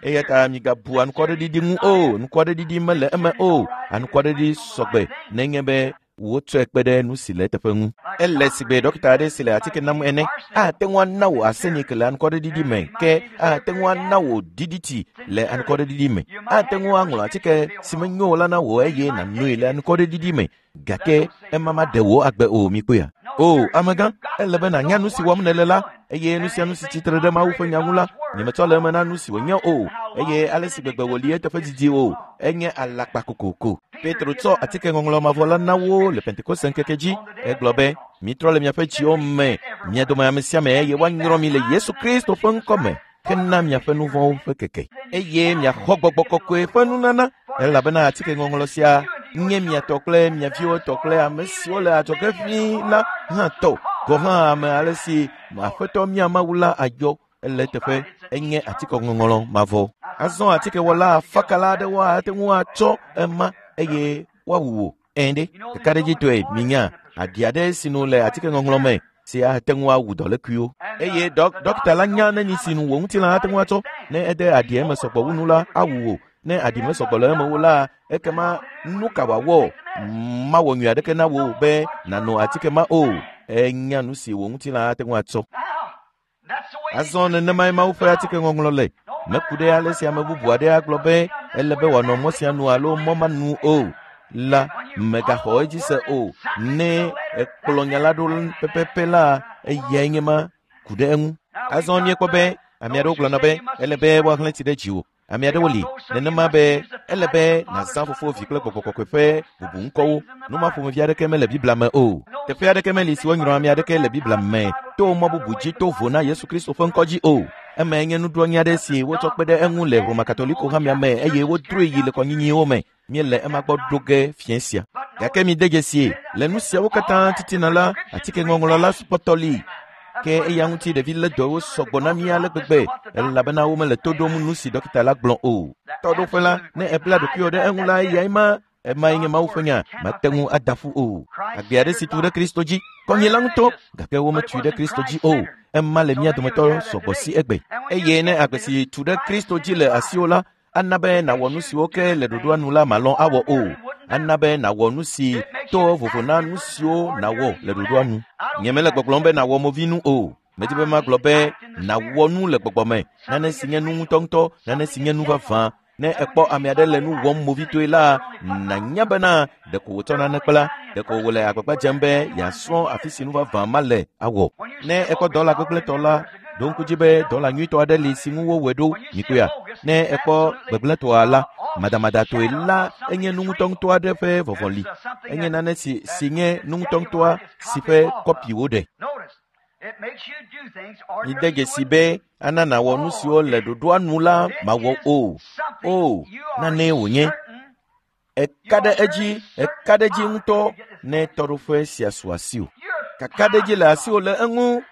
Eya ta migabu anukwareɖiɖi ŋu o. Nukwareɖiɖi mele eme o. Anukwareɖiɖi sɔgbe nenye be wotsɔe kpe ɖe nu si le eteƒe ŋu. Ele sigbe ɖɔkita aɖe si le atike nam ene. Ate ŋu ana wò arsenic le anukwareɖiɖi me ke ate ŋu ana wò DDT le anukwareɖiɖi me. Ate ŋu aŋlɔ atike si menyo o la na wò eye nànoe le anukwareɖiɖi me. Gake ema maɖe wò agbe o, mikpɔea? O, amegã, ele be nànya nu si wɔm nèle la, eye nu sia nu si tsitre ɖe Mawu ƒe nya ŋu la, nyemetsɔ le eme na nu si wònye o, eye ale si gbegbe wòli eteƒe didi o, enye alakpa kokoko. Petro tsɔ atike ŋɔŋlɔ mavɔ la na wo le Pentekoste ŋkeke dzi. Egblɔ be, mitrɔ le miaƒe dziwo me, mia dome ame sia ame eye woanyrɔ mi le Yesu Kristo ƒe ŋkɔ me hena miaƒe nu vɔ̃wo ƒe keke, eye miaxɔ gbɔgbɔ kɔkɔe ƒe nunana, elabena atike ŋɔŋlɔ sia nye mia tɔ kple mia viwo tɔ kple ame siwo le adzɔge ʋĩi la hã tɔ. Gɔ̃ hã ame ale si Aƒetɔ mía Mawu la ayɔ ele eteƒe enye atike ŋɔŋlɔ mavɔ. Azɔ atikewɔla afakala aɖewo ate ŋu atsɔ ema eye woawu wò. Ɛ̃ ɖe, kakaɖedzitɔe minya aɖi aɖe si nu le atike ŋɔŋlɔ me si ate ŋu awu dɔlékuiwo. Eye ɖɔkita la nya neni si nu wò ŋutilã ate ŋu atsɔ. Ne ede aɖi eme sɔgbɔ wu nu la, awu wò. Ne aɖi mesɔgbɔ le eme o la, ekema nu ka wòawɔ? Mawɔ nyui aɖeke na wò be nàno atike ma o. Enya nu si wò ŋutilã ate ŋu atsɔ. Azɔ nenemae Mawu ƒe atike ŋɔŋlɔ le. Meku ɖe ale si ame bubu aɖe agblɔ be ele be wòanɔ mɔ sia nu alo mɔ ma nu o la, mègaxɔ edzi se o. Ne ekplɔ nya la ɖo pɛpɛpɛ la, eyae nye ma ku ɖe eŋu. Azɔ míekpɔ be ame aɖewo gblɔna be ele be woahlẽ tsi ɖe dziwò. Ame aɖewo li nenema be ele be nàzã Fofo, Vi kple Gbɔgbɔ Kɔkɔe ƒe bubu ŋkɔwo. Nu ma ƒomevi aɖeke mele Biblia me o. Teƒe aɖeke meli si wonyrɔ ame aɖeke le Biblia me to mɔ bubu dzi to vo na Yesu Kristo ƒe ŋkɔ dzi o. Emae nye nuɖoanyi aɖe si wotsɔ kpe ɖe eŋu le Roma Katoliko hamea me eye wodroe yi le kɔnyinyiwo me. Míele ema gbɔ ɖo ge fiẽ sia. Gake mide dzesie, le nu siawo katã titina la, atikeŋɔŋlɔ la kpɔtɔ li. Ke eya ŋuti ɖevi lé dɔwo sɔgbɔ na mí ale gbegbe elabena womele to ɖom nu si ɖɔkita la gblɔ o. Tɔɖoƒe la, ne èbla ɖokuiwò ɖe eŋu la, eyae ma. Emae nye Mawu ƒe nya, mate ŋu ada ƒu o. Agbe aɖe si tu ɖe Kristo dzi, kɔnyila ŋutɔ, gake wometui ɖe Kristo dzi o. Ema le mía dometɔ sɔgbɔ si egbe. Eye ne agbe si tu ɖe Kristo dzi le asiwò la, ana be nàwɔ nu siwo ke le ɖoɖoa nu la màlɔ̃ awɔ o. Ana be nàwɔ nu si to vovo na nu siwo nàwɔ le ɖoɖoa nu. Nyemele gbɔgblɔm be nàwɔ movinu o. Medi be magblɔ be nàwɔ nu le gbɔgbɔ me, nane si nye nu ŋutɔŋutɔ, nane si nye nu vavã. Ne èkpɔ ame aɖe le nu wɔm movitɔe la, nànya bena ɖeko wòtsɔ nane kpla, ɖeko wòle agbagba dzem be yeasrɔ̃ afi si nu vavã ma le awɔ. Ne èkpɔ dɔla gbegblẽtɔ la, ɖo ŋku dzi be dɔla nyuitɔ aɖe li si ŋu wowɔe ɖo, mikpɔea? Ne èkpɔ gbegblẽtɔa la, madamadatɔe la enye nu ŋutɔŋutɔ aɖe ƒe vɔvɔli. Enye nane si si nye nu ŋutɔŋutɔa si ƒe kɔpi woɖe. Mide dzesi be ana nàwɔ nu siwo le ɖoɖoa nu la mawɔ o. O, nanee wònye. Eka ɖe edzi, eka ɖe edzi ŋutɔ ne tɔɖoƒe sia su asiwò. Kakaɖedzi le asiwò le eŋu.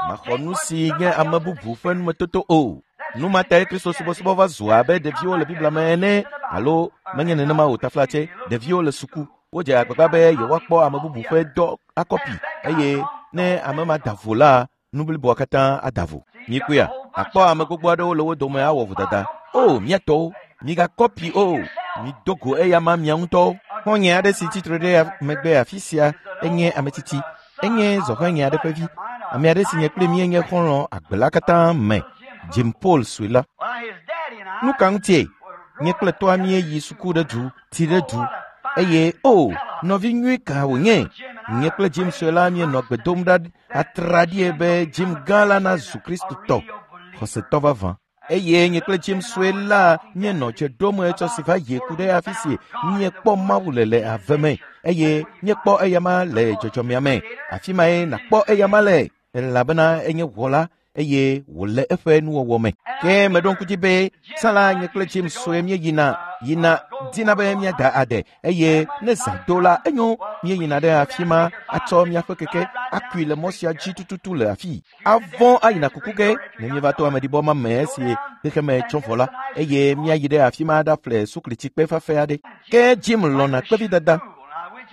Maxɔ nu si nye ame bubu ƒe numetoto o. Nu ma tae Kristo subɔsubɔ va zu abe ɖeviwo le Biblia me ene, alo menye nenema o taflatse, ɖeviwo le suku. Wodze agbagba be yewoakpɔ ame bubu ƒe dɔ akɔpi eye ne ame ma da vo la, nu bliboa katã ada vo. Mikpɔea, akpɔ ame gbogbo aɖewo le wo dome awɔ vodada. O, mía tɔwo, migakɔpi o, mido go eyama mia ŋutɔwo. Xɔ̃nye aɖe si tsitre ɖe megbe afi sia enye ame tsitsi. Enye zɔhɛnye aɖe ƒe vi. Ame aɖe si nye kple míenye xɔlɔ̃ agbe la katã me, Jim Paul sue la. Nu ka ŋutie? Nye kple tɔa míeyi suku ɖe du, ti ɖe du. Eye o, nɔvi nyui ka wònye! Nye kple Jim sue la míenɔ gbe dom ɖa atraɖie be Jim gã la nazu Kristotɔ, xɔsetɔ vavã. Eye nye kple Jim sue la míenɔ dze ɖom etsɔ si va yi ku ɖe afi si míekpɔ Mawu le le ave me eye míekpɔ eyama le dzɔdzɔmea me. Afi mae nàkpɔ eyama le elabena enye wɔla eye wòle eƒe nuwɔwɔ me. Ke meɖo ŋku dzi be tsã la nye kple Jim sue míeyina yina dina be míada ade eye ne zã do la enyo míeyina ɖe afi ma atsɔ míaƒe keke akui le mɔ sia dzi tututu le afii. Avɔ̃ ayina kuku ge ne míeva to ameɖibɔ ma me esi xexeme tsɔ vɔ la eye míayi ɖe afi ma aɖaƒle suklitsikpe fafɛ aɖe. Ke Jim lɔ̃na kpevidada.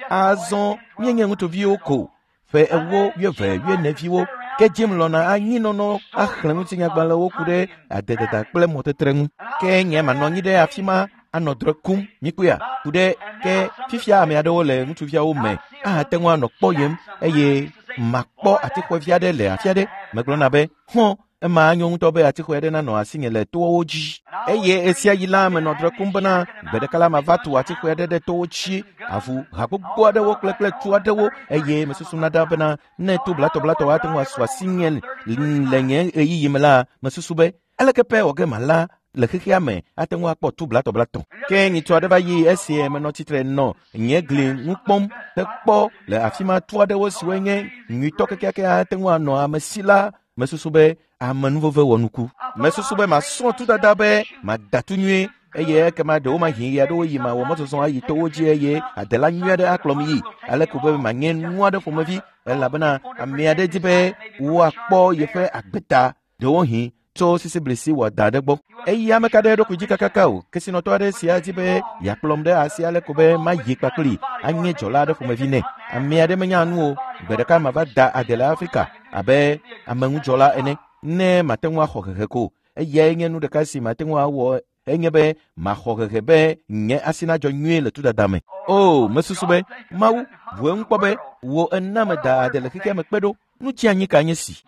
Azɔ míenye ŋutsuviwo ko ƒe 40, 20, 40 viwo. Ke Jim lɔ̃na anyinɔnɔ axlẽ ŋutinyagbalẽwo ku ɖe adedada kple mɔtetre ŋu. Ke nye manɔ anyi ɖe afi ma anɔ drɔ̃e kum, mikpɔea, ku ɖe ke fifia ame aɖewo le ŋutsuviawo me ahate ŋu anɔ kpɔyem eye makpɔ atixɔevi aɖe le afi aɖe. Megblɔna be, hɔ̃, ema anyo ŋutɔ be atixɔe aɖe nanɔ asinye le towo dzi. Eye ɣesia ɣi la menɔ drɔ̃e kum bena gbe ɖeka la mava tu atixɔe aɖe ɖe towo dzi, avu ha gbogbo aɖewo kple kple tu aɖewo eye mesusuna ɖa bena ne tu blatɔblatɔ ate ŋu asu asinye le nye ɣeyiɣi me la, mesusu be aleke pɛ wɔ ge mala le xexea me ate ŋu akpɔ tu blatɔblatɔ. Ke nyitsɔ aɖe va yi esi menɔ tsitre nɔ nye gli ŋu kpɔm hekpɔ le afi ma tu aɖewo siwoe nye nyuitɔ kekeake ate ŋu anɔ ame si la, mesusu be amenuveve wɔ nuku. Mesusu be masrɔ̃ tudada be mada tu nyuie eye ekema ɖewomahi ɣe aɖewo yi mawɔ mɔzɔzɔ ayi towo dzi eye adela nyui aɖe akplɔm yi ale ko be manye nu aɖe ƒomevi elabena ame aɖe di be woakpɔ yeƒe agbe ta ɖewohĩ tso sisiblisi wɔda aɖe gbɔ. Eya meka ɖe eɖokui dzi kakaka o. Kesinɔtɔ aɖe sia di be yeakplɔm ɖe asi ale ko be mayi kpakpli anye dzɔla aɖe ƒomevi nɛ. Ame aɖe menya nu o. Gbe ɖeka mava da ade le Afrika abe ameŋudzɔla ene ne mate ŋu axɔ hehe ko. Eyae nye nu ɖeka si mate ŋu awɔ enye be maxɔ hehe be nye asi nadzɔ nyuie le tudada me. O, mesusu be Mawu, bu eŋu kpɔ be wò ena meda ade le xexea me kpe ɖo. Nu tsi anyi ka nye si.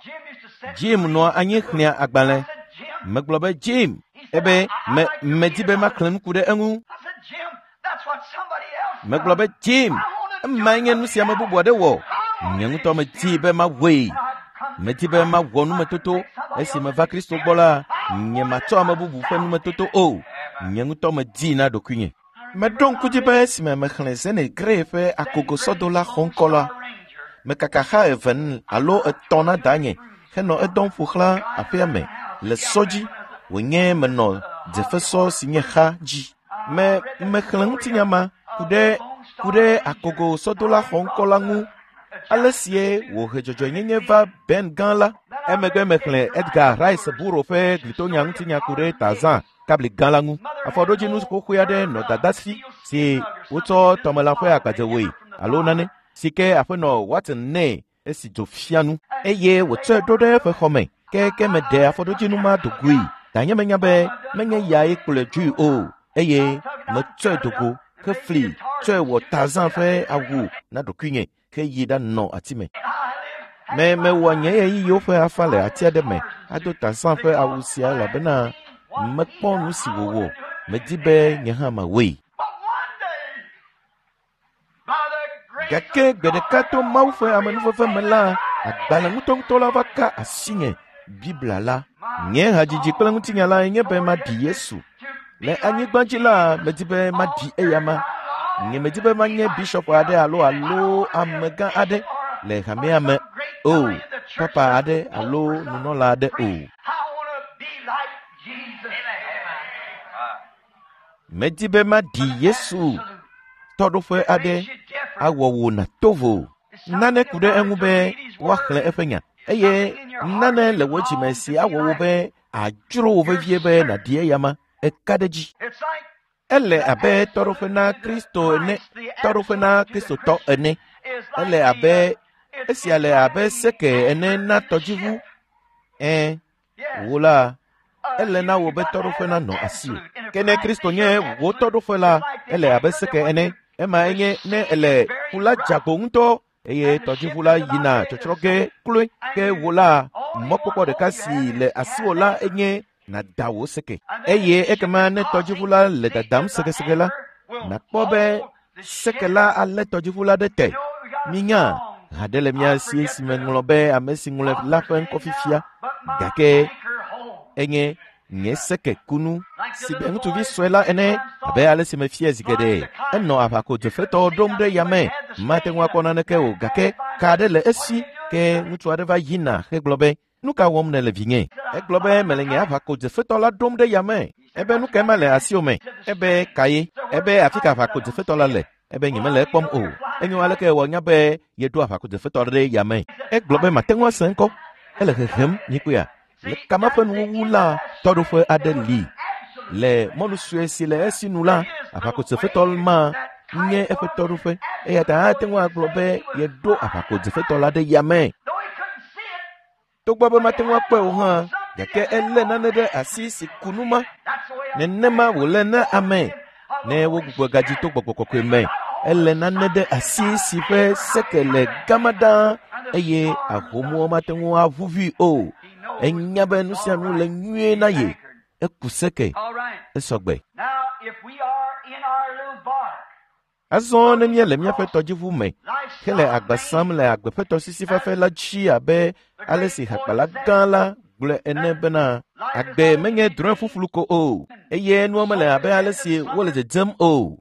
Jim nɔa anyi xlẽa agbalẽ. Megblɔ be Jim, ebe me medi be maxlẽ nu ku ɖe eŋu. Megblɔ be Jim, emae nye nu si ame bubu aɖe wɔ. Nye ŋutɔ medi be mawɔe. Medi be mawɔ numetoto. Esi meva Kristo gbɔ la, nye matsɔ ame bubu ƒe numetoto o. Nye ŋutɔ medii na ɖokuinye. Meɖo ŋku dzi be esime mexlẽ Zene Grey ƒe akogosɔdola xɔŋkɔ la, mekaka xa eve alo etɔ̃ na danye henɔ edɔm ƒo xlã aƒea me le sɔ dzi wònye menɔ dzefesɔ si nye xa dzi. Me mexlẽ ŋutinya ma ku ɖe ku ɖe akogo sɔdola xɔŋkɔ la ŋu ale sie wòhe dzɔdzɔenyenye va Ben gã la. Emegbe mexlẽ Edgar Rice Burrow ƒe glitonya ŋutinya ku ɖe Tarzan kabli gã la ŋu. Afɔɖodzinu xoxoe aɖe nɔ dada si si wotsɔ tɔmelã ƒe agbadze wɔe alo nane si ke aƒenɔ Watson nɛ esi dzo fia nu eye wòtsɔe ɖo ɖe eƒe xɔ me ke ke meɖe afɔɖodzinu ma do goe. Danye menya be menye yae kplɔe dzoe o eye metsɔe do go hefli tsɔe wɔ Tarzan ƒe awu na ɖokuinye heyi ɖanɔ ati me. Me mewɔ nye ɣeyiɣiwo ƒe afa le ati aɖe me ado Tarzan ƒe awu sia elabena mekpɔ nu si wòwɔ. Medi be nye hã mawɔe. Gake gbe ɖeka to Mawu ƒe amenuveve me la, agbalẽ ŋutɔŋutɔ la va ka asinye, Biblia la. Nye hadzidzi kple ŋutinya lae nye be maɖi Yesu. Le anyigba dzi la, medi be maɖi eyama. Nye medi be manye bishɔp aɖe alo alo amegã aɖe le hamea me o, papa aɖe alo nunɔla aɖe o. I want to be like Jesus. Medi be maɖi Yesu tɔɖoƒe aɖe awɔ wò nàto vo. Nane ku ɖe eŋu be woaxlẽ eƒe nya eye nane le wò dzime si awɔ wò be adzro wò vevie be nàɖi eyama. Eka ɖe dzi. It's like Ele abe tɔɖoƒe na Kristo ene, tɔɖoƒe na Kristotɔ ene. Ele abe esia le abe seke ene na tɔdziʋu. Ẽ, wò la, ele na wò be tɔɖoƒe nanɔ asiwò. Ke ne Kristo nye wò tɔɖoƒe la, ele abe seke ene. Ema enye ne ele ƒu la dzeagbo ŋutɔ eye tɔdziʋu la yina tsɔtsrɔ̃ ge kloe. Ke wò la, mɔkpɔkpɔ ɖeka si le asiwò la enye nàda wò seke. Eye ekema ne tɔdziʋu la le dadam sekeseke la, nàkpɔ be seke la alé tɔdziʋu la ɖe te. Minya, ha ɖe le mía si si meŋlɔ be ame si ŋlɔe la ƒe ŋkɔ fifia gake enye nye seke kunu si be ŋutsuvi sue la ene abe ale si mefia zi geɖe. Enɔ aʋako dzofetɔwo ɖom ɖe yame mate ŋu akpɔ naneke o gake ka aɖe le esi ke ŋutsu aɖe va yina hegblɔ be nu ka wɔm nèle vinye? Egblɔ be mele nye aʋako dzofetɔ la ɖom ɖe yame. Ebe nu kae ma le asiwò me? Ebe ka ye? Ebe afi ka aʋako dzofetɔ la le? Ebe nyemele ekpɔm o. Enyo aleke wɔ nya be yeɖo aʋako dzofetɔ ɖe yame? Egblɔ be mate ŋu ase ŋkɔ. Ele hehem nyikpea. Le kama ƒe nuwuwu la, tɔɖoƒe aɖe li. Le mɔnu sue si le esi nu la, aʋakodzefetɔ ma nye eƒe tɔɖoƒe. Eya ta ate ŋu agblɔ be yeɖo aʋakodzefetɔ la ɖe yame. Though he couldn't see it, Togbɔ be mate ŋu akpɔe o hã, gake elé nane ɖe asi si ku nu ma. that's the way I Nenema wòle na ame ne wogbugbɔ gadzi to gbɔgbɔ kɔkɔe me. Ele nane ɖe asi si ƒe seke le gama ɖaa eye ahomuwo mate ŋu aʋuʋui o. Enya be nu sia nu le nyuie na ye. Eku seke, All right. esɔgbe. Now, if we are in our little bark, Azɔ ne míele míaƒe tɔdziʋu me life's hele agba sam le agbe ƒe tɔsisi fafɛ la dzi abe ale si hakpala gã la gblɔe ene bena agbe menye drɔ̃e ƒuƒlu ko o eye nua mele abe ale si wole dzedzem o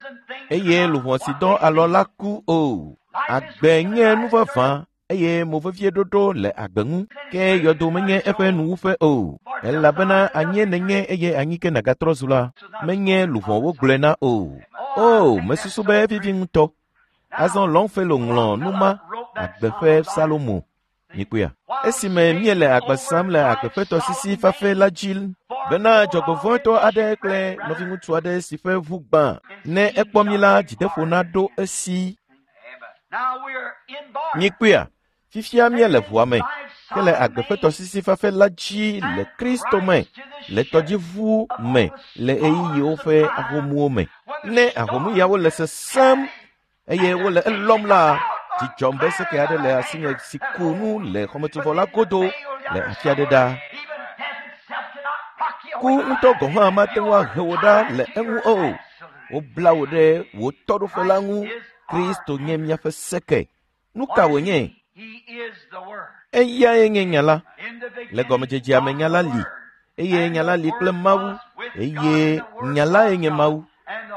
eye luʋɔ si dɔ alɔ la ku o. Agbe nye nu vavã eye movevieɖoɖo le agbe ŋu ke yɔdo menye eƒe nuwuƒe o elabena anyie nènye eye anyi ke nàgatrɔ zu la menye luʋɔ wogblɔe na o. O, mesusu be evivi ŋutɔ. Azɔ Longfellow ŋlɔ nu ma agbe ƒe Salomo. Mikpɔea? Esime míele agba sam le agbe ƒe tɔsisi fafɛ la dzi bena dzɔgbevɔ̃etɔ aɖe kple nɔviŋutsu aɖe si ƒe ʋu gbã ne ekpɔ mí la dzideƒo naɖo esi. Now we are in bark. Mikpɔea? Fifia míele ʋua me hele agbe ƒe tɔsisi fafɛ la dzi le Kristo me le tɔdziʋu me le ɣeyiɣiwo ƒe ahomuwo me. Ne ahomuyawo le sesẽm eye wole elɔm la, dzidzɔm be seke aɖe le asinye si ku nu le xɔmetsovɔ la godo le afi aɖe ɖa. Even death itself cannot rock you Ku away. ŋutɔ gɔ̃ hã mate ŋu ahe wò ɖa le eŋu o. Wobla wò ɖe wò tɔɖoƒe la ŋu. Kristo nye míaƒe seke. Nu ka wònye? He is the Word. Eyae nye nya la. In the Le beginning gɔmedzedzea me nya la was the li Word. eye nya la li kple Mawu eye nya lae nye Mawu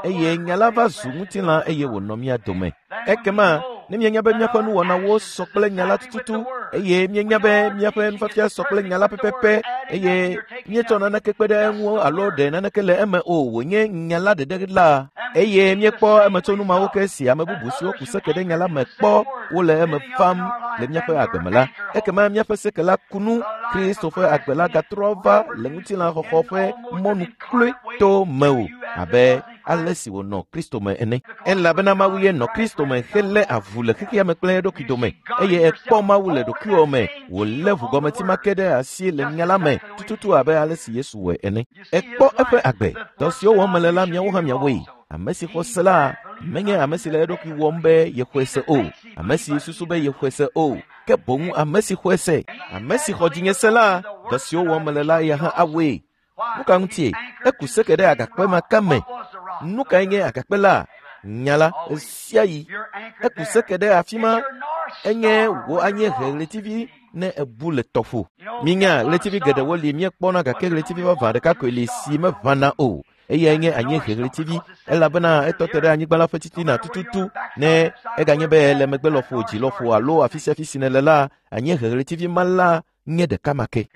eye nya la va zu ŋutilã eye wònɔ mía dome. Ekema ne míenya be míaƒe nuwɔnawo sɔ kple nya la tututu Eye míenya be míaƒe nufiafia sɔ kple nya la pɛpɛpɛ eye míetsɔ naneke kpe ɖe eŋu alo ɖe naneke le eme o wònye nya la ɖeɖe la. Eye míekpɔ emetsonu mawo ke si ame bubu siwo ku seke ɖe nya la me kpɔ wole eme vam le míaƒe agbe me la. Ekema míaƒe seke la ku nu Kristo ƒe agbe la gatrɔ va le ŋutilã xɔxɔ ƒe mɔnu kloe to mewò abe ale si wònɔ Kristo me ene. Elabena Mawu ye nɔ Kristo me helé avu le xexea me kple eɖokui dome eye ekpɔ Mawu le ɖokuiwò me wòlé ʋugɔmeti ma ke ɖe asi le nya la me tututu abe ale si Yesu wɔe ene. Ekpɔ eƒe agbe. Dɔ siwo wɔm mele la miawo hã miawɔe. Ame si xɔ se la menye ame si le eɖokui wɔm be yexɔe se o, ame si susu be yexɔe se o, ke boŋ ame si xɔe se. Ame si xɔ dzinye se la, dɔ siwo wɔm mele la eya hã awɔe. Nu ka ŋutie? Eku seke ɖe agakpe ma ke me. Nu kae nye agakpe la? Nya la ɣesiaɣi. Eku seke ɖe afi ma. Enye wò anyiehe ɣletivi ne ebu le tɔƒo. Minya ɣletivi geɖewo li míekpɔna gake ɣletivi vavã ɖeka koe li si meʋãna o. Eyae nye anyiehe ɣletivi elabena etɔ te ɖe anyigba la ƒe titina tututu. Ne eganye be le megbe lɔƒo, dzi lɔƒo alo afi sia afi si nèle la, anyiehe ɣletivi ma la nye ɖeka ma ke.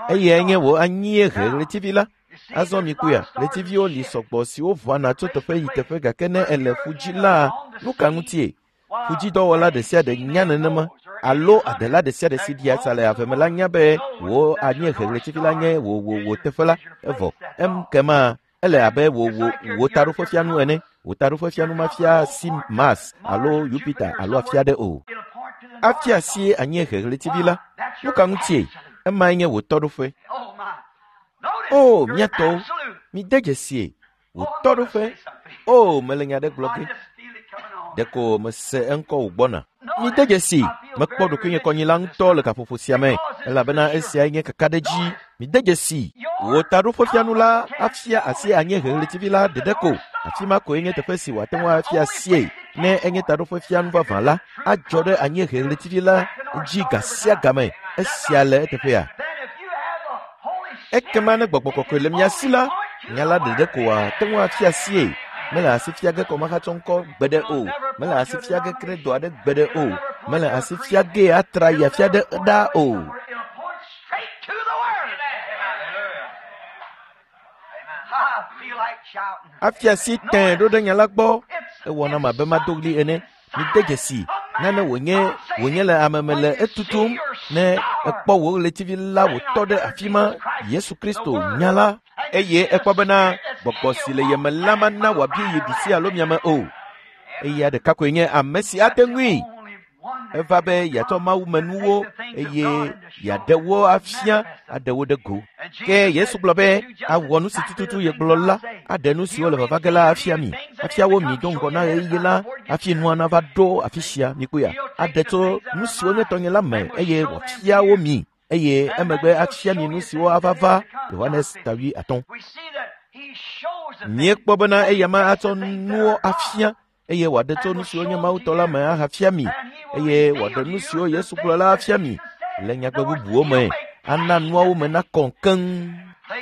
Eyae nye wò anyiehe ɣletivi la. Azɔ mikpɔea, ɣletiviwo li sɔgbɔ siwo ʋãna tso teƒe yi teƒe gake ne ele ƒu dzi la, nu ka ŋutie? Ƒudzidɔwɔla ɖe sia ɖe nya nenema alo adela ɖe sia ɖe si ɖia tsa le ave me la nya be wò anyiehe ɣletivi la nye wò wò wò teƒe la evɔ. Ekema ele abe wò wò wò taɖoƒefianu ene. Wò taɖoƒefianu mafia asi Mars alo Jupiter alo afi aɖe o. Afia asi anyiehe ɣletivi la. Nu ka ŋutie? Emae nye wò tɔɖoƒe. O, mía tɔwo, mide dzesie. Wò tɔɖoƒe. O, mele nya ɖe gblɔ ge. Ɖeko mese eŋkɔ wògbɔna. Mide dzesi, mekpɔ ɖokuinye kɔnyila ŋutɔ le gaƒoƒo sia me, elabena esiae nye kakaɖedzi. Mide dzesi, wò taɖoƒefianu la afia asi anyiehe ɣletivi la ɖeɖe ko. Afi ma koe nye teƒe si wòate ŋu afia asie. Ne enye taɖoƒefianu vavã la, adzɔ ɖe anyiehe ɣletivi la dzi ga sia game. Esia le eteƒea? Ekema ne gbɔgbɔ kɔkɔe le mia si la, nya la ɖeɖe ko wòate ŋu afia asie. Mele asi fia ge kɔmahatsɔ ŋkɔ gbeɖe o. Mele asi fia ge kredo aɖe gbeɖe o. Mele asi fia ge atra yi afi aɖe ɖaa o. It'll point straight to the Word. I feel like shouting. Afia asi tẽe ɖo ɖe nya la gbɔ. Ewɔ nam abe mado ɣli ene. Mide dzesi nane wònye wònye le ame me le etutum ne ekpɔ wò ɣletivi la wòtɔ ɖe afi ma Yesu Kristo nya la eye ekpɔ bena gbɔgbɔ si le yeme la mana wòabia yi ɖusi alo miame o. Eya ɖeka koe nye ame si ate ŋui. Eva be yeatsɔ Mawu me nuwo eye yeaɖe wo afia aɖe wo ɖe go. Ke Yesu gblɔ be awɔ nu si tututu yegblɔ la aɖe nu siwo le vava ge la afia mi. Afia wo mi do ŋgɔ na ɣeyiɣi la hafi nua nava ɖo afi sia mikpɔea. Aɖe tso nu siwo nye tɔnye la me eye wòafia wo mi eye emegbe afia mi nu siwo ava va Yohanes ta 5. We see that he shows the things. Míekpɔ bena eya ma atsɔ nuwo afia eye wòaɖe tso nu siwo nye Mawu tɔ la me ahafia mi eye wòaɖe nu siwo Yesu gblɔ la afia mi le nyagbe bubuwo me ana nuawo me nakɔ keŋ.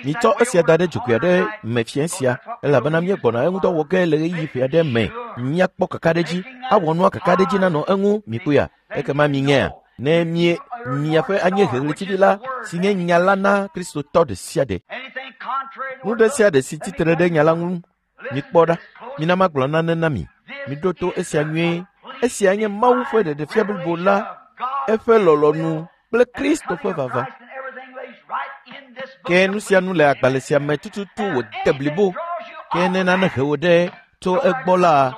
Mitsɔ esia da ɖe dzogoe aɖe me fiẽ sia elabena míegbɔna eŋudɔ wɔ ge le ɣeyiɣi ƒe aɖe me. Míakpɔ kakaɖedzi, awɔ nua kakaɖedzi nanɔ eŋu mikpɔea. Ekema minyea ne mie miaƒe anyiehe ɣletivi la si nye nya la na Kristotɔ ɖe sia ɖe. Anything contrary to Nu ɖe sia ɖe si tsitre ɖe nya la ŋu mikpɔ ɖa. Mina magblɔ nane na mi. Miɖo to esia nyuie. Esia nye Mawu ƒe ɖeɖefia blibo la, eƒe lɔlɔ̃nu kple Kristo ƒe vava. Ke nu sia nu le agbalẽ sia me tututu wòde blibo. Ke ne nane he wò ɖe tso egbɔ la,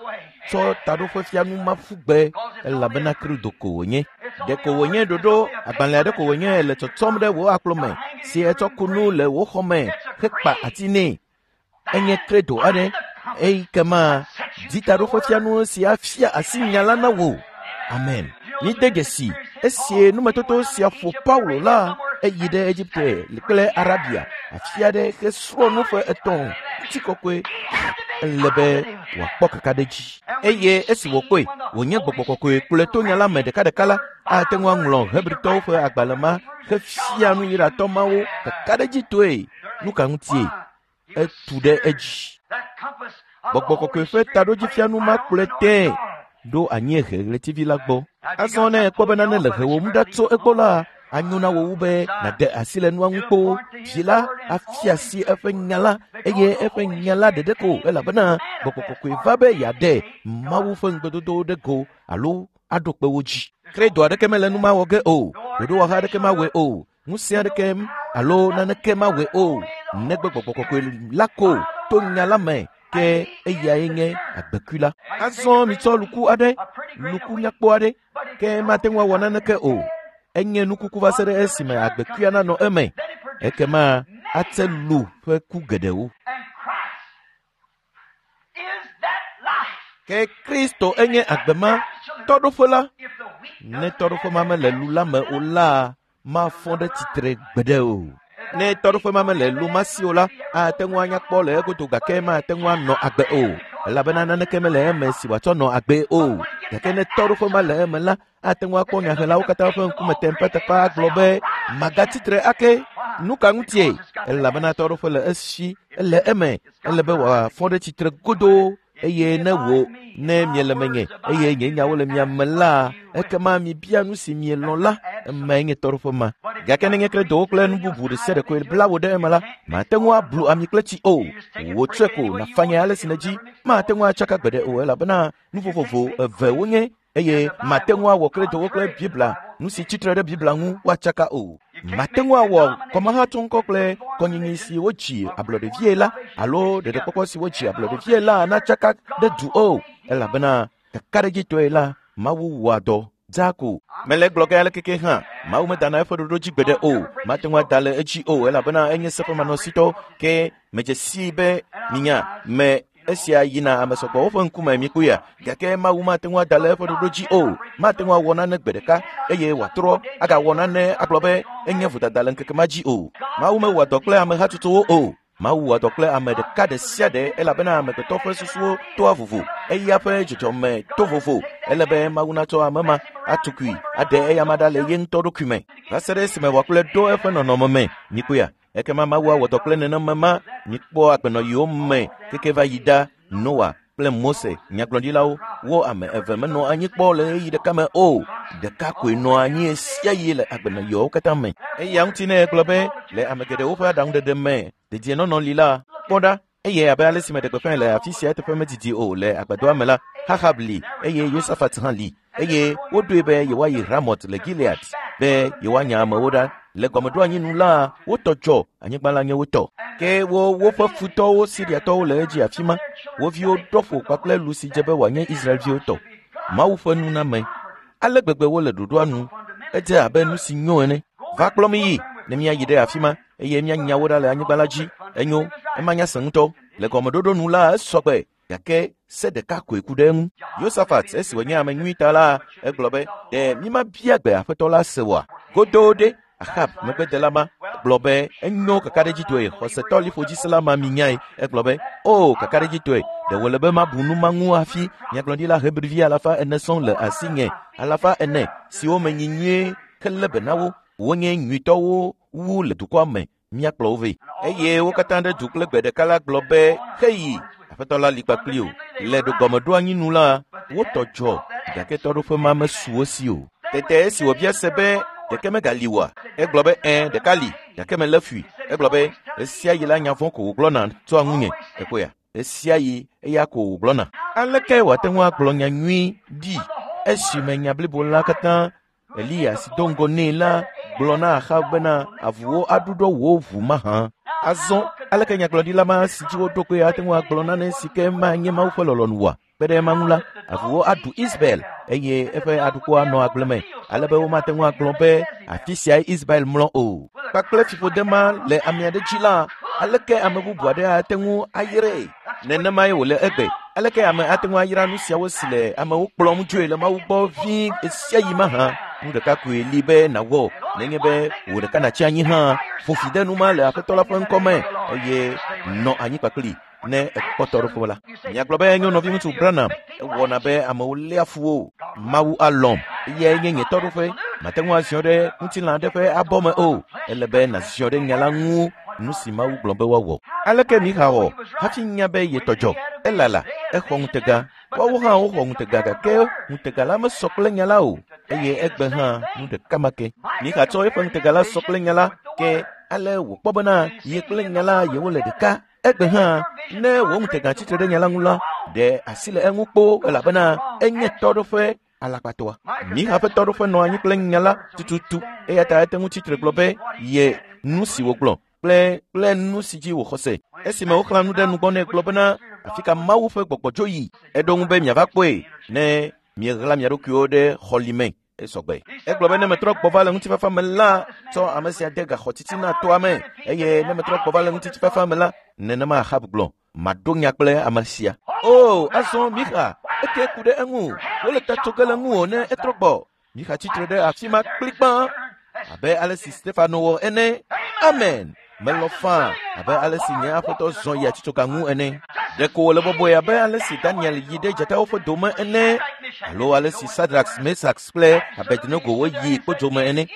tsɔ taɖoƒefianu ma ƒu gbe elabena kredo ko wònye. Ɖeko wònye ɖoɖo agbalẽ aɖe ko wònye le tsɔtsɔm ɖe wò akplo me si etsɔ ku nu le wò xɔ me hekpa ati nɛ. Enye kredo aɖe eyi ke ma di taɖoƒefianu si afia asi nya la na wò. Amen. Mide dzesi esi numetoto sia ƒo Paulo la eyi ɖe Egipte kple Arabia afi aɖe hesrɔ̃ nu ƒe etɔ̃ ŋutikɔkɔe ele be wòakpɔ kakaɖedzi. Eye esi wòkpɔe wònye gbɔgbɔ kɔkɔe kplɔe to nya la me ɖekaɖeka la, ate ŋu aŋlɔ Hebritɔwo ƒe agbalẽ ma hefia nu Yudatɔ mawo kakaɖedzitɔe. Nu ka ŋutie? Etu ɖe edzi. That compass of Gbɔgbɔ the kɔkɔe Holy ƒe Spirit taɖodzifianu ma pointed kplɔe right on tẽe the north. ɖo anyiehe ɣletivi la gbɔ. Azɔ ne èkpɔ be nane le hewòm ɖa tso egbɔ la, anyo na wò wu be nàɖe asi le nua ŋu kpoo. Vi la afia asi eƒe nya la eye eƒe nya la ɖeɖe ko elabena Gbɔgbɔ Kɔkɔe va be yeaɖe Mawu ƒe ŋugbedodowo ɖe go alo aɖo kpe wo dzi. Credo aɖeke mele nu ma wɔ ge o, ɖoɖowɔha aɖeke mawɔe o, ŋusẽ aɖeke alo naneke mawɔe o, negbe Gbɔgbɔ Kɔkɔe la ko to nya la me ke eyae nye agbekui la. Azɔ mitsɔ luku aɖe, luku nyakpɔ aɖe, ke mate ŋu awɔ naneke o. Enye nukuku va se ɖe esime agbekuia nanɔ eme. Ekema ate lu ƒe ku geɖewo. And Christ is that life. Ke Kristo enye agbe ma tɔɖoƒe la. If the wheat Ne tɔɖoƒe ma mele lu la me o la, mafɔ ɖe tsitre gbeɖe o. Ne tɔɖoƒe ma mele lu ma si o la, ate ŋu anya kpɔ le egodo gake mate ŋu anɔ agbe o, elabena naneke mele eme si wòatsɔ nɔ agbee o. Gake ne tɔɖoƒe ma le eme la, ate ŋu akpɔ nyahelawo katã ƒe ŋkume teƒeteƒe agblɔ be, magatsitre ake. Nu ka ŋutie? Elabena tɔɖoƒe le esi, ele eme, ele be wòafɔ ɖe tsitre godoo eye ne wò ne miele menye eye nye nyawo le mia me la, ekema mibia nu si mielɔ̃ la, emae nye tɔɖoƒe ma. Gake nenye kredowo kple nu bubu ɖe sia ɖe koe bla wò ɖe eme la, mate ŋu ablu ami kple tsi o. Wò tsɔe ko nàfanye ale si nèdzi. Mate ŋu atsaka gbeɖe o elabena nu vovovo eve wonye eye mate ŋu awɔ kredowo kple Biblia, nu si tsitre ɖe Biblia ŋu woatsaka o. Mate ŋu awɔ kɔmahatsɔŋkɔ kple kɔnyinyi si wodzi ablɔɖevie la alo ɖeɖekpɔkpɔ si wodzi ablɔɖevie la natsaka ɖe du o, elabena kakaɖedzitɔe la, Mawu wɔa dɔ dzaa ko. Mele egblɔ ge ale keke hã, Mawu medana eƒe ɖoɖo dzi gbeɖe o. Mate ŋu ada le edzi o elabena enye seƒemanɔsitɔ. Ke medze sii be minya me esia yina ame sɔgbɔwo ƒe ŋkume mikpɔea, gake Mawu mate ŋu ada le eƒe ɖoɖo dzi o. Mate ŋu awɔ nane gbe ɖeka eye wòatrɔ agawɔ nane agblɔ be enye vodada le ŋkeke ma dzi o. Mawu mewɔa dɔ kple ame hatsotsowo o. Mawu wɔa dɔ kple ame ɖeka ɖe sia ɖe elabena amegbetɔ ƒe susuwo toa vovo, eya ƒe dzɔdzɔme to vovo. Ele be Mawu natsɔ ame ma atukui aɖe eyama ɖa le ye ŋutɔ ɖokui me va se ɖe esime wòakplɔe ɖo eƒe nɔnɔme me. Mikpɔea? Ekema Mawu awɔ dɔ kple nenema ma. Mikpɔ agbenɔɣiwo me keke va yi ɖa. Noa kple Mose, nyagblɔɖilawo, wo ame eve menɔ anyi kpɔ le ɣeyiɣi ɖeka me o. Ɖeka koe nɔ anyi ɣesiaɣi le agbenɔɣiwo katã me. Eya ŋuti ne egblɔ be le ame geɖewo ƒe aɖaŋuɖeɖe me dedienɔnɔ li la, kpɔ ɖa, eye abe ale si meɖe gbeƒãe le afi sia eteƒe medidi o le agbadɔa me la, Ahab li eye Yosafat hã li eye woɖoe be yewoayi Ramot le Gilead be yewoanya amewo ɖa. Le gɔmeɖoanyi nu la, wotɔ dzɔ, anyigba la nye wo tɔ. Ke wo woƒe futɔwo Siriatɔwo le edzi afi ma. Wo viwo ɖɔ ƒo kpakple lu si dze be wòanye Israelviwo tɔ. Mawu ƒe nuname. Ale gbegbe wole ɖoɖoa nu. Edze abe nu si nyo ene. Va kplɔ mi yi ne míayi ɖe afi ma eye míanya wo ɖa le anyigba la dzi. Enyo, ema nya sẽ ŋutɔ. Le gɔmeɖoɖo nu la, esɔ gbe gake se ɖeka koe ku ɖe eŋu. Yosafat esi wònye ame nyui ta la, egblɔ be, ɖe mímabia gbe aƒetɔ la se oa? Godoo ɖe, Ahab megbedela ma gblɔ be enyo kakaɖedzitɔe, xɔsetɔ liƒodzisela ma minyae. Egblɔ be, o kakaɖedzitɔe, ɖe wòle be mabu nu ma ŋu hafi nyagblɔɖila Hebrivi 400 sɔŋ le asinye, 400 siwo menyi nyuie helé be na wo, wonye nyuitɔwo wu le dukɔa me, míakplɔ wo vɛ. Eye wo katã ɖe du kple gbe ɖeka la gblɔ be, heyi, aƒetɔ la li kpakpli o. Le gɔmeɖoanyi nu la, wotɔ dzɔ, gake tɔɖoƒe ma mesu wo si o. Tete esi wòbia se be ɖeke megali oa, egblɔ be ɛ̃, ɖeka li, gake melé fui. Egblɔ be ɣesiaɣi la nya vɔ̃ ko wògblɔna tsoa ŋunye. Ekpɔea? Ɣesiaɣi eya ko wògblɔna. Aleke wòate ŋu agblɔ nya nyui ɖi esime nya blibo la katã Eliya si do ŋgɔ nɛ la gblɔ na Axab bena avuwo aɖuɖɔ wò ʋu mahã. Azɔ aleke nyagblɔɖila ma si dzi woɖo kpe ate ŋu agblɔ nane si ke manye Mawu ƒe lɔlɔ̃nu oa? Kpe ɖe ema ŋu la, avuwo aɖu Ismael eye eƒe aɖukpo anɔ agble me ale be womate ŋu agblɔ be afi siae Ismael mlɔ o. Kpakple fiƒode ma le ame aɖe dzi la, aleke ame bubu aɖe ate ŋu ayrae? Nenemae wòle egbe. Aleke ame ate ŋu ayra nu siawo si le amewo kplɔm dzoe le Mawu gbɔ vie ɣesiaɣi mahã? Nu ɖeka koe li be nàwɔ, nenye be wò ɖeka nàtsi anyi hã, ƒo fi de nu ma le Aƒetɔ la ƒe ŋkɔ me eye nɔ anyi kpakpli ne èkpɔ tɔɖoƒe la. Miagblɔ be enyo nɔviŋutsu Branham, ewɔna be amewo léa fu wo. Mawu alɔ̃m, eyae nye nye tɔɖoƒe. Mate ŋu aziɔ ɖe ŋutilã aɖe ƒe abɔ me o. Ele be nàziɔ ɖe nya la ŋu, nu si Mawu gblɔ be woawɔ. Aleke Mixa wɔ hafi nya be yetɔ dzɔ? Elala, exɔ ŋutega. Woawo hã woxɔ ŋutega gake ŋutega la mesɔ kple nya la o eye egbe hã nu ɖeka ma ke. Mixa tsɔ eƒe ŋutega la sɔ kple nya la ke ale wòkpɔ bena ye kple nya la yewole ɖeka. Egbe hã ne wò ŋutega tsitre ɖe nya la ŋu la, ɖe asi le eŋu kpoo elabena enye tɔɖoƒe alakpatɔa. Mixa ƒe tɔɖoƒe nɔ anyi kple nya la tututu eya ta ete ŋu tsitre gblɔ be ye nu si wògblɔ kple nu si dzi wòxɔ se. Esime woxlã nu ɖe nugbɔ nɛ gblɔ bena afi ka Mawu ƒe gbɔgbɔ dzo yi, eɖo ŋu be miava kpɔe ne mieɣla mia ɖokuiwo ɖe xɔli me. Esɔgbe. Egblɔ be ne metrɔ gbɔ va le ŋutifafa me la, tsɔ ame sia de gaxɔ titina toa me eye ne metrɔ gbɔ va le ŋutifafa me la, nenema Ahab gblɔ, maɖo nya kple ame sia. O, azɔ Mixa, eke ku ɖe eŋu. Wole ta tso ge le ŋuwò ne etrɔ gbɔ. Mixa tsitre ɖe afi ma kplikpã abe ale si Stefano wɔ ene. Amen. Melɔ̃ faa abe ale si nye aƒetɔ zɔ yi atitsoga ŋu ene. Ɖeko wòle bɔbɔe abe ale si Daniel yi ɖe dzatawo ƒe dome ene alo ale si Sadrax, Mesax kple Abednego woyi kpodzo me ene.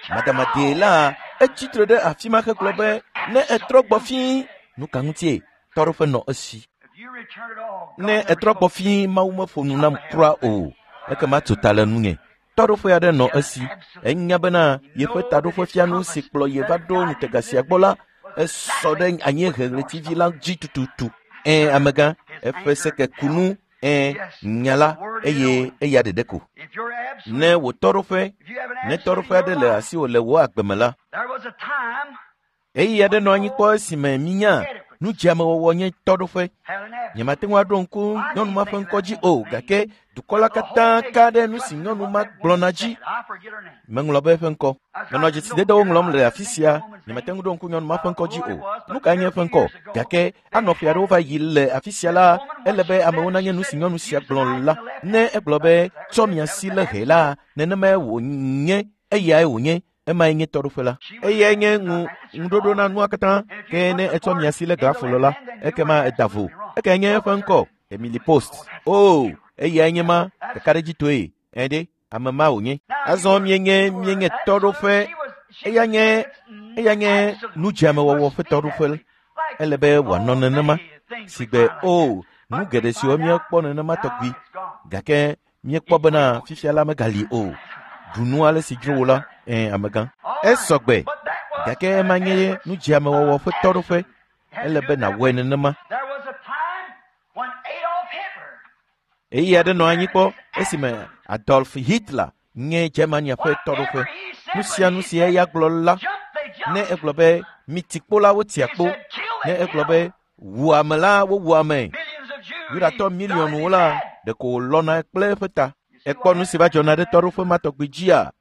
Madamadee la, etsitre ɖe afi ma hegblɔ be ne etrɔ gbɔ fĩi, nu ka ŋutie tɔɖoƒe nɔ esi? Ne etrɔ gbɔ fĩi, Mawu meƒo nu nam kura o, ekema tso ta le nunye. Tɔɖoƒe aɖe nɔ esi. Enya bena yeƒe taɖoƒefianu si kplɔ ye va ɖo ŋutega sia gbɔ la, esɔ ɖe anyiehe ɣletivi la dzi tututu. Ẽ, amegã, eƒe sekekunu, ẽ, nya la, eye eya ɖeɖe ko. Ne wò tɔɖoƒe, ne tɔɖoƒe aɖe le asiwò le wò agbe me la, ɣeyiɣi aɖe nɔ anyi kpɔ esime minya nudzeamewɔwɔ nye tɔɖoƒe. Nyemate ŋu aɖo ŋku nyɔnu ma ƒe ŋkɔ dzi o, gake dukɔ la katã ka ɖe nu si nyɔnu ma gblɔna dzi. Meŋlɔ be eƒe ŋkɔ. Menɔ dzesidedewo ŋlɔm le afi sia. Nyemate ŋu ɖo ŋku nyɔnu ma ƒe ŋkɔ dzi o. Nu kae nye eƒe ŋkɔ? Gake anɔ ƒe aɖewo va yi le afi sia la, ele be amewo nanye nu si nyɔnu sia gblɔ la. Ne egblɔ be tsɔ mia si le hɛ la, nenemae wònye, eyae wònye. Emae nye tɔɖoƒe la. Eyae nye ŋuɖoɖo na nua katã. Ke ne etsɔ mia si le glafolo la, ekema eda vo. Ekae nye eƒe ŋkɔ? Emily Post. O, eyae nye ma, kakaɖedzitɔe. Ẽ ɖe, ame ma wònye. Azɔ mienye tɔɖoƒe. Eya nye nudzeamewɔwɔ ƒe tɔɖoƒe. Ele be wòanɔ nenema. Sigbe o, nu geɖe siwo míekpɔ nenema tɔgbi. Gake míekpɔ bena fifia la megali o. Ɖu nu ale si dzro wò la, ẽ, amegã. Esɔgbe, gake ema nye nudzeamewɔwɔ ƒe tɔɖoƒe. Ele be nàwɔe nenema. Ɣeyiɣi aɖe nɔ anyi kpɔ esime Adolf Hitler nye Germania ƒe tɔɖoƒe. Nu sia nu si eya gblɔ la, ne egblɔ be miti kpo la, wotia kpo. Ne egblɔ be wu ame la, wowu ame. Yudatɔ miliɔnwo la, ɖeko wòlɔna kple eƒe ta. Ekpɔ nu si va dzɔna ɖe tɔɖoƒe ma tɔgbi dzia?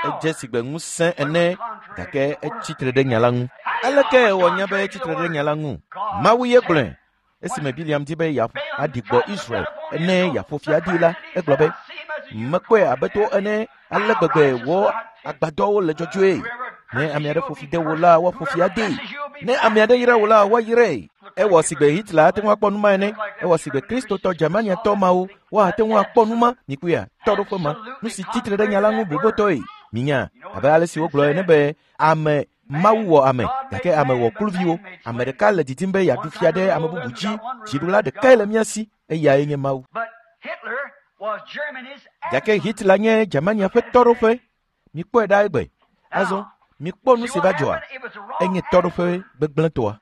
Edze sigbe ŋusẽ ene, gake etsitre ɖe nya la ŋu. Aleke wònya be etsitre ɖe nya la ŋu? Mawu ye gblɔe. Esime Biliam di be yeaɖi gbɔ Israel ene yeaƒo fi adi la, egblɔ be, mekpɔe abe to ene, ale gbegbe wò agbadɔwo le dzɔdzɔe. Ne ame aɖe ƒo fi de wò la, woaƒo fi adee. Ne ame aɖe yra wò la, woayrae. Ewɔ sigbe Hitler ate ŋu akpɔ nu ma ene. Ewɔ sigbe Kristotɔ Germaniatɔ mawo woate ŋu akpɔ nu ma. Mikpɔea, tɔɖoƒe ma, nu si tsitre ɖe nya la ŋu blibotɔe. Minya, abe ale si wogblɔ ene be ame Mawu wɔ ame, gake ame wɔ kluviwo. Ame ɖeka le didim be yeaɖu fia ɖe ame bubu dzi. Dziɖula ɖekae le mía si, eyae nye Mawu. Gake Hitler nye Germania ƒe tɔɖoƒe. Mikpɔe ɖa egbe. Azɔ, mikpɔ nu si va dzɔa. Enye tɔɖoƒe gbegblẽtɔa.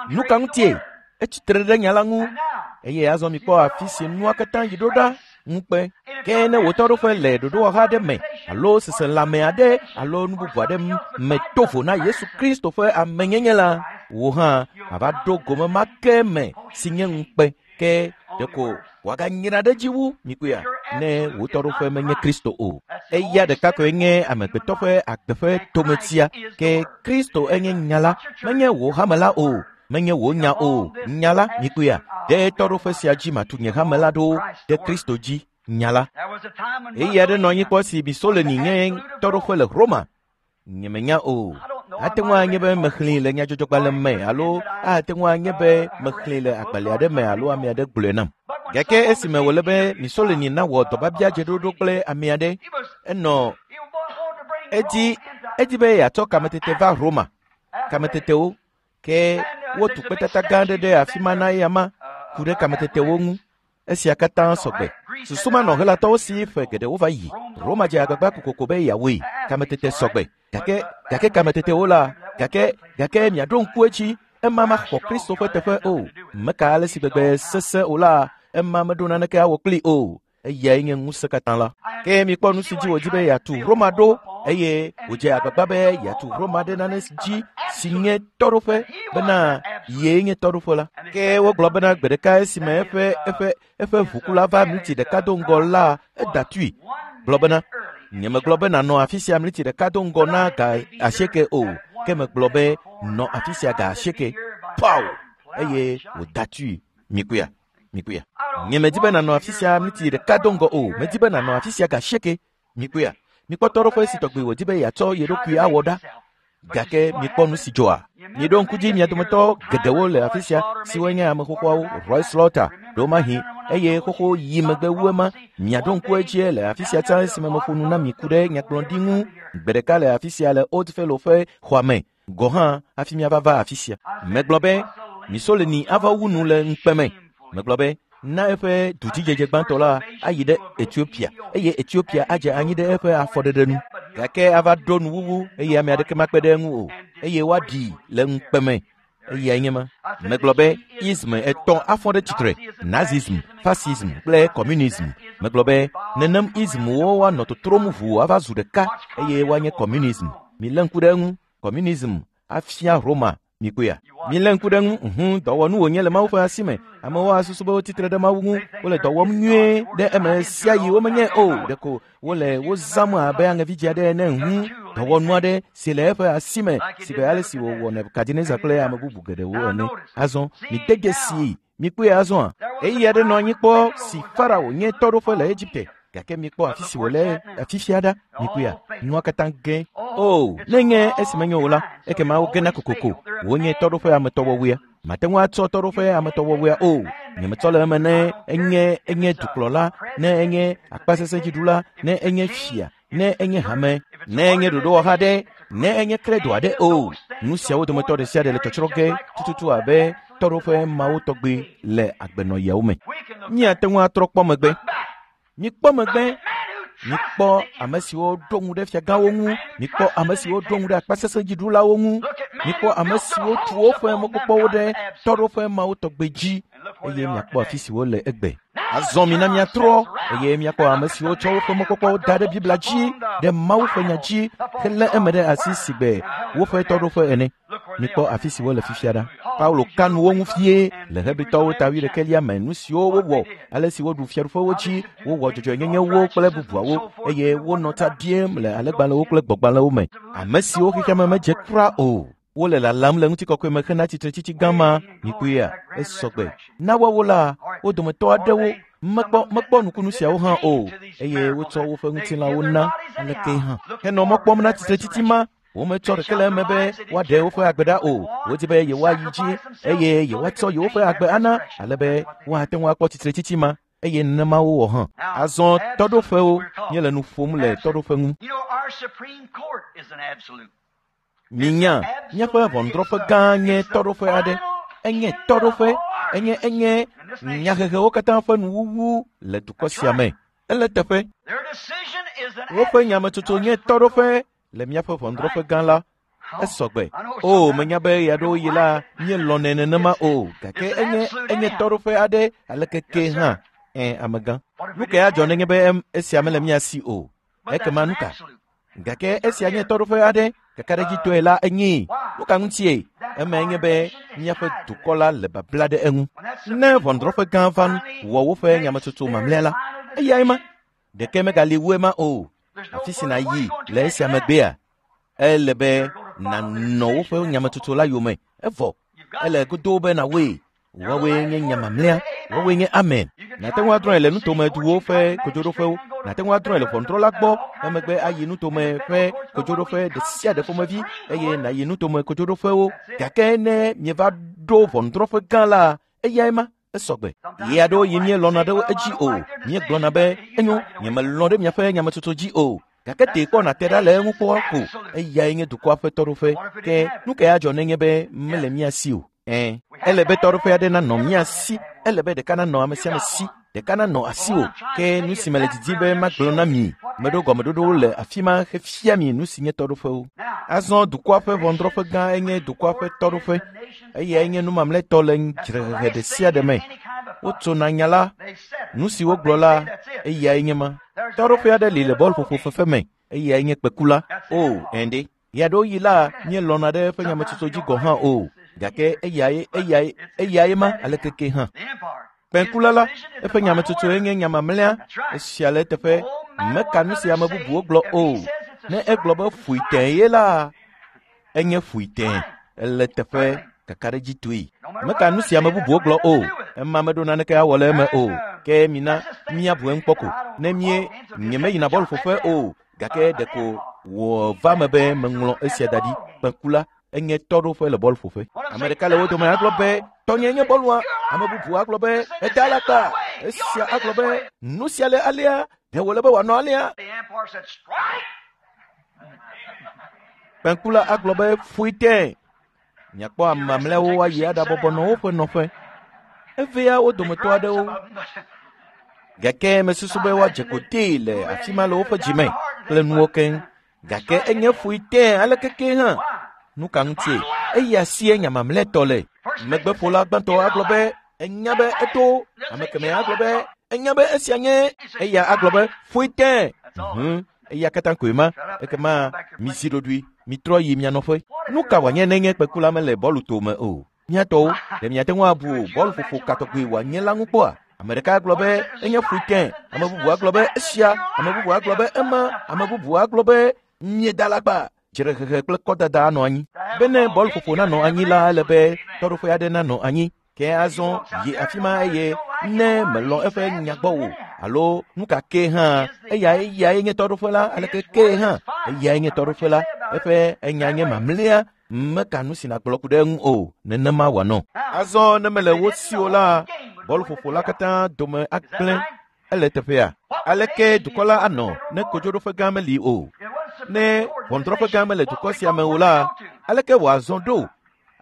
Nu ka ŋutie? Etsitre ɖe nya la ŋu. Eye azɔ mikpɔ afi si nua katã yi ɖo ɖa. Ŋukpe. Ke ne wò tɔɖoƒe le ɖoɖowɔha aɖe me alo seselãme aɖe alo nu bubu aɖe me to vo na Yesu Kristo ƒe amenyenye la, wò hã àva ɖo gome ma ke me si nye ŋukpe. Ke ɖeko wòaganyra ɖe dzi wu mikpɔea ne wò tɔɖoƒe menye Kristo o. Eya ɖeka koe nye amegbetɔ ƒe agbe ƒe tometia. Ke Kristo enye nya la, menye wò hame la o. Menye wò nya o, nya la, mikpɔea, ɖe tɔɖoƒe sia dzi matu nye hame la ɖo ɖe Kristo dzi, nya la. Ɣeyiɣi aɖe nɔ anyi kpɔ si Mussolini nye tɔɖoƒe le Roma. Nyemenya o. Ate ŋu anye be mexlẽe le nyadzɔdzɔgbalẽ me alo ate ŋu anye be mexlẽe le agbalẽ aɖe me alo ame aɖe gblɔe nam. Gake esime wòle be Mussolini nawɔ dɔbiabiadzeɖoɖo kple ame aɖe, enɔ edi be yeatsɔ kametete va Roma. Kametetewo. Ke wotu kpetata gã aɖe ɖe afi ma na eya ma ku ɖe kametetewo ŋu. Esia katã sɔgbe. Susu manɔ Helatɔwo si ƒe geɖewo va yi. Roma dze agbagba kokoko be yeawɔe. Kametete sɔgbe. Gake gake kametetewo la, gake gake miaɖo ŋku edzi, ema maxɔ Kristo ƒe teƒe o. Meka ale si gbegbe sesẽ o la, ema meɖo naneke awɔ kplii o. Eyae nye ŋusẽ katã la. Ke mikpɔ nu si dzi wòdi be yeatu Roma ɖo eye wòdze agbagba be yeatu Roma ɖe nane dzi si nye tɔɖoƒe bena yee nye tɔɖoƒe la. Ke wogblɔ bena gbe ɖeka esime eƒe eƒe eƒe ʋukula va mliti ɖeka do ŋgɔ la, eda tui. Gblɔ bena, nyemegblɔ be nànɔ afi sia mliti ɖeka do ŋgɔ na ga asieke o, ke megblɔ be nɔ afi sia ga asieke. Paw! Eye wòda tui. Mikuya. Mikuya. Nyemedi be nànɔ afi sia mliti ɖeka do ŋgɔ o, medi be nànɔ afi sia ga asieke. Mikuya. Mikpɔ tɔɖoƒe si tɔgbi wòdi be yeatsɔ ye ɖokui awɔ ɖa. Gake mikpɔ nu si dzɔa. Miɖo ŋku dzi mia dometɔ geɖewo le afi sia siwo nye ame xoxoawo, Roy Slaughter, ɖewomahi, eye xoxo yi megbe wu ema. Miaɖo ŋku edzie le afi sia tsã esime meƒo nu na mi ku ɖe nyagblɔɖi ŋu gbe ɖeka le afi sia le Old Fellow ƒe xɔa me. Gɔ hã hafi miava va afi sia. Megblɔ be Mussolini ava wu nu le ŋukpe me. Megblɔ be na eƒe dudzidzedze gbãtɔ la ayi ɖe Etiopia eye Etiopia adze anyi ɖe eƒe afɔɖeɖe nu. Gake ava ɖo nuwuwu eye ame aɖeke makpe ɖe eŋu o eye woaɖii le ŋukpe me. Eyae nye ma. Megblɔ be ism etɔ̃ afɔ ɖe tsitre, Nazism, fascism kple communism. Megblɔ be nenem ismwo woanɔ totrom ʋuu ava zu ɖeka eye woanye communism. Milé ŋku ɖe eŋu. Communism afia Roma mikpɔea. Milé ŋku ɖe eŋu. Ʋu dɔwɔnu wònye le Mawu ƒe asi me. Amewo asusu be wotsitre ɖe Mawu ŋu. Wole dɔ wɔm nyuie ɖe eme sia yi womenye o. Ɖeko wole wo zãm abe aŋevidzi aɖe ene. Ʋu dɔwɔnu aɖe si le eƒe asi me si be ale si wòwɔ Nebukadnezar kple ame bubu geɖewo ene. Azɔ mide dzesii. Mikpɔe azɔa. Ɣeyiɣi aɖe nɔ anyi kpɔ si Farao nye tɔɖoƒe le Egipte. Gake mikpɔ afi si wòle afifia ɖa. Mikpɔea, nua katã ge. O, ne nye esi menye o la, ekema wogena kokoko. Wonye tɔɖoƒe ametɔwɔwɔea. Mate ŋu atsɔ tɔɖoƒe ametɔwɔwɔea o. Nyemetsɔ le eme ne enye enye dukplɔla, ne enye akpasesẽdziɖula, ne enye fia, ne enye hame, ne enye ɖoɖowɔha ɖe, ne enye kredo aɖe o. Nu siawo dometɔ ɖe sia ɖe le tsɔtsrɔ̃ ge tututu abe tɔɖoƒe mawo tɔgbi le agbenɔɣiawo me. Míate ŋu atrɔ kpɔ megbe. Mikpɔ megbe. Mikpɔ ame siwo ɖo ŋu ɖe fiagãwo ŋu. Mikpɔ ame siwo ɖo ŋu ɖe akpasesẽdziɖulawo ŋu. Mikpɔ ame siwo tu woƒe mɔkpɔkpɔwo ɖe tɔɖoƒe mawo tɔgbi dzi eye miakpɔ afi si wole egbe. Azɔ mina miatrɔ eye miakpɔ ame siwo tsɔ woƒe mɔkpɔkpɔwo da ɖe Biblia dzi, ɖe Mawu ƒe nya dzi helé eme ɖe asi si gbe woƒe tɔɖoƒe ene. Mikpɔ afi si wole fifia ɖa. Paulo ka nu wo ŋu fie le Hebritɔwo ta wuiɖekɛlia me nu siwo wowɔ, ale si woɖu fiaɖuƒewo dzi, wowɔ dzɔdzɔenyenyewo kple bubuawo eye wonɔ ta ɖiem le alẽgbalẽwo kple gbɔgbalẽwo me. Ame siwo xexeame medze kura o. Wole lalam le ŋutikɔkɔe me hena tsitretsitsi gã ma. Mikpɔea, esɔgbe. Na woawo la, wo dometɔ aɖewo mekpɔ mekpɔ nukunu siawo hã o eye wotsɔ woƒe ŋutilãwo na aleke hã. Henɔ mɔ kpɔm na tsitretsitsi ma. Wometsɔ ɖeke le eme be woaɖe woƒe agbe ɖa o. Wodi be yewoayi dzi eye yewoatsɔ yewoƒe agbe ana ale be woate ŋu akpɔ tsitretsitsi ma eye nenema wowɔ hã. Azɔ tɔɖoƒewo, míele nu ƒom le tɔɖoƒe ŋu. You know, our Supreme Court is an absolute. Minya, míaƒe ʋɔnudrɔ̃ƒe gã nye tɔɖoƒe aɖe. Enye tɔɖoƒe, enye enye nyahehewo katã ƒe nuwuwu le dukɔ sia me. Ele teƒe. Their decision is an Woƒe nyametsotso nye tɔɖoƒe le míaƒe ʋɔnudrɔ̃ƒe gã la. Esɔgbe. O, menya be ɣeaɖewoɣi la, míelɔ̃nɛ nenema o, gake enye enye tɔɖoƒe aɖe aleke ke hã. Ẽ, amegã. Nu kae adzɔ nenye be em, esia mele mía si o? But that's Ekema an nu ka? absolute. Gake esia nye tɔɖoƒe aɖe, kakaɖedzitɔe la enyee. Nu ka ŋutie? Emae nye be míaƒe dukɔ la le babla ɖe eŋu. Ne ʋɔnudrɔ̃ƒe gã va wɔ woƒe nyametsotso mamlɛa la, eyae ma. Ɖeke megali wu ema o. Afi si nàyi le esia megbea, ele be nànɔ woƒe nyametsotso la yome. Evɔ, ele godoo be nàwɔe. Woawoe nye nya mamlɛa, woawoe nye amen. Nàte ŋu adrɔ̃e le nutomeduwo ƒe kodzoɖoƒewo, nàte ŋu adrɔ̃e le ʋɔnudrɔ̃la gbɔ, emegbe ayi nutome ƒe kodzoɖoƒe ɖe sia ɖe ƒomevi eye nàyi nutome kodzoɖoƒewo. Gake ne mieva ɖo ʋɔnudrɔ̃ƒe gã la, eyae ma esɔgbe. Ɣeaɖewoɣi míelɔ̃na ɖe edzi o. Míegblɔna be, enyo, nyemelɔ̃ ɖe miaƒe nyametsotso dzi o. Gake tee kpɔ nàte ɖa le eŋu kpɔ ko. Eyae nye dukɔa ƒe tɔɖoƒe. Ke nu kae adzɔ nenye be mele mía si o? Ele be tɔɖoƒe aɖe nanɔ mía si, ele be ɖeka nanɔ ame sia ame si, ɖeka nanɔ asiwò. Ke nu si mele didim be magblɔ na mi, meɖo gɔmeɖoɖowo le afi ma hefia mi nu si nye tɔɖoƒewo. Azɔ dukɔa ƒe ʋɔnudrɔ̃ƒe gã enye dukɔa ƒe tɔɖoƒe. Eyae nye nu mamlɛtɔ le dzrehehe ɖe sia ɖe me. Wotsona nya la, nu si wogblɔ la, eyae nye ma. Tɔɖoƒe aɖe li le bɔlƒoƒo fefe me, eyae nye kpekula. O, ɛnde. Ɣeaɖewoɣi la, míelɔ̃na ɖe eƒe nyametsotso dzi gɔ̃ hã o, gake eyae ma alekeke hã. Kpẽkula la, eƒe nyametsotsoe nye nya mamlɛa, esia le eteƒe, meka nu si ame bubuwo gblɔ o. Ne egblɔ be ƒoe tẽe ye la, enye ƒoe tẽe, ele teƒe kakaɖedzitɔe. Meka nu si ame bubuwo gblɔ o, ema meɖo naneke awɔ le eme o. Ke mina míabu eŋu kpɔ ko. Ne mie nyemeyina bɔlƒoƒe o, gake ɖeko wòva me be meŋlɔ esia da ɖi. Kpẽkula enye tɔɖoƒe le bɔlƒoƒe. Ame ɖeka le wo dome agblɔ be tɔnye nye bɔlua. Ame bubu agblɔ be eda alakpa. Esia agblɔ be nu sia le alea, ɖe wòle be wòanɔ alea. Kpẽkula agblɔ be ƒoe tẽe. Miakpɔ ame mamlɛawo ayi aɖabɔbɔ nɔ woƒe nɔƒe. Evea wo dometɔ aɖewo. Gake mesusu be woadze kotee le afi ma le woƒe dzime kple nuwo keŋ. Gake enye ƒoe tẽe alekeke hã. Nu ka ŋutie? Eya sie nya mamlɛtɔ le. Megbeƒola gbãtɔ agblɔ be enya be eto. Ame kemɛ agblɔ be enya be esia nye. Eya agblɔ be ƒoe tẽe. Eya katã koe ma. Ekema mizi ɖoɖoe, mitrɔ yi mia nɔƒe. Nu ka wòanye ne nye kpekula mele bɔlu tome o? Miatɔwo, ɖe miate ŋu abu bɔluƒoƒo ka tɔgbi wòanye la ŋu kpɔa? Ame ɖeka agblɔ be enye ƒoe tẽe, ame bubu agblɔ be esia, ame bubu agblɔ be ema, ame bubu agblɔ be mieda alakpa. Dzrehehe kple kɔdada anɔ anyi. Bene bɔluƒoƒo nanɔ anyi la, ele be tɔɖoƒe aɖe nanɔ anyi. Ke azɔ yi afi ma eye ne melɔ̃ eƒe nya gbɔ o alo nu ka ke hã, eyae nye tɔɖoƒe la, aleke ke hã, eyae nye tɔɖoƒe la. Eƒe enya nye mamlɛa, meka nu si nàgblɔ ku ɖe eŋu o, nenema wòanɔ. Azɔ ne mele wo si o la, bɔluƒoƒo la katã dome agblẽ. Ele teƒea. Aleke dukɔ la anɔ ne kodzoɖoƒe gã meli o? Ne ʋɔnudrɔ̃ƒe gã mele dukɔ sia me o la, aleke wòazɔ ɖo?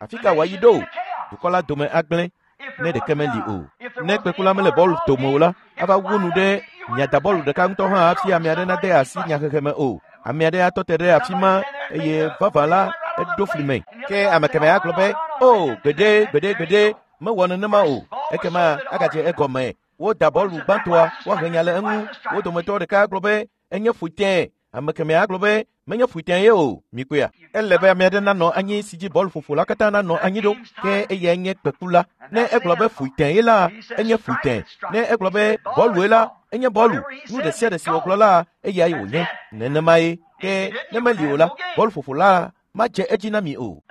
Afi ka wòayi ɖo? Dukɔ la dome agblẽ ne ɖeke meli o. Ne kpekula mele bɔlu tome o la, ava wu nu ɖe miada bɔlu ɖeka ŋutɔ hã hafi ame aɖe nade asi nyahehe me o. Ame aɖe atɔ te ɖe afi ma eye vavã la eɖo fli me. Ke ame kemɛ agblɔ be, o, gbeɖe, gbeɖe, gbeɖe, mewɔ nenema o. Ekema agadze egɔme. Woda bɔlu gbãtɔa, woahe nya le eŋu. Wo dometɔ ɖeka agblɔ be enye ƒoe tẽe. Ame kemɛ agblɔ be menye ƒoe tẽe ye o. Mikpɔea? Ele be ame aɖe nanɔ anyi si dzi bɔluƒoƒo la katã nanɔ anyi ɖo. Ke eyae nye kpekula. Ne egblɔ be ƒoe tẽe ye la, enye ƒoe tẽe. Ne egblɔ be bɔlue la, enye bɔlu. Nu ɖe sia ɖe si wògblɔ la, eyae wònye. Nenemae. Ke ne meli o la, bɔluƒoƒo la madze edzi na mi o.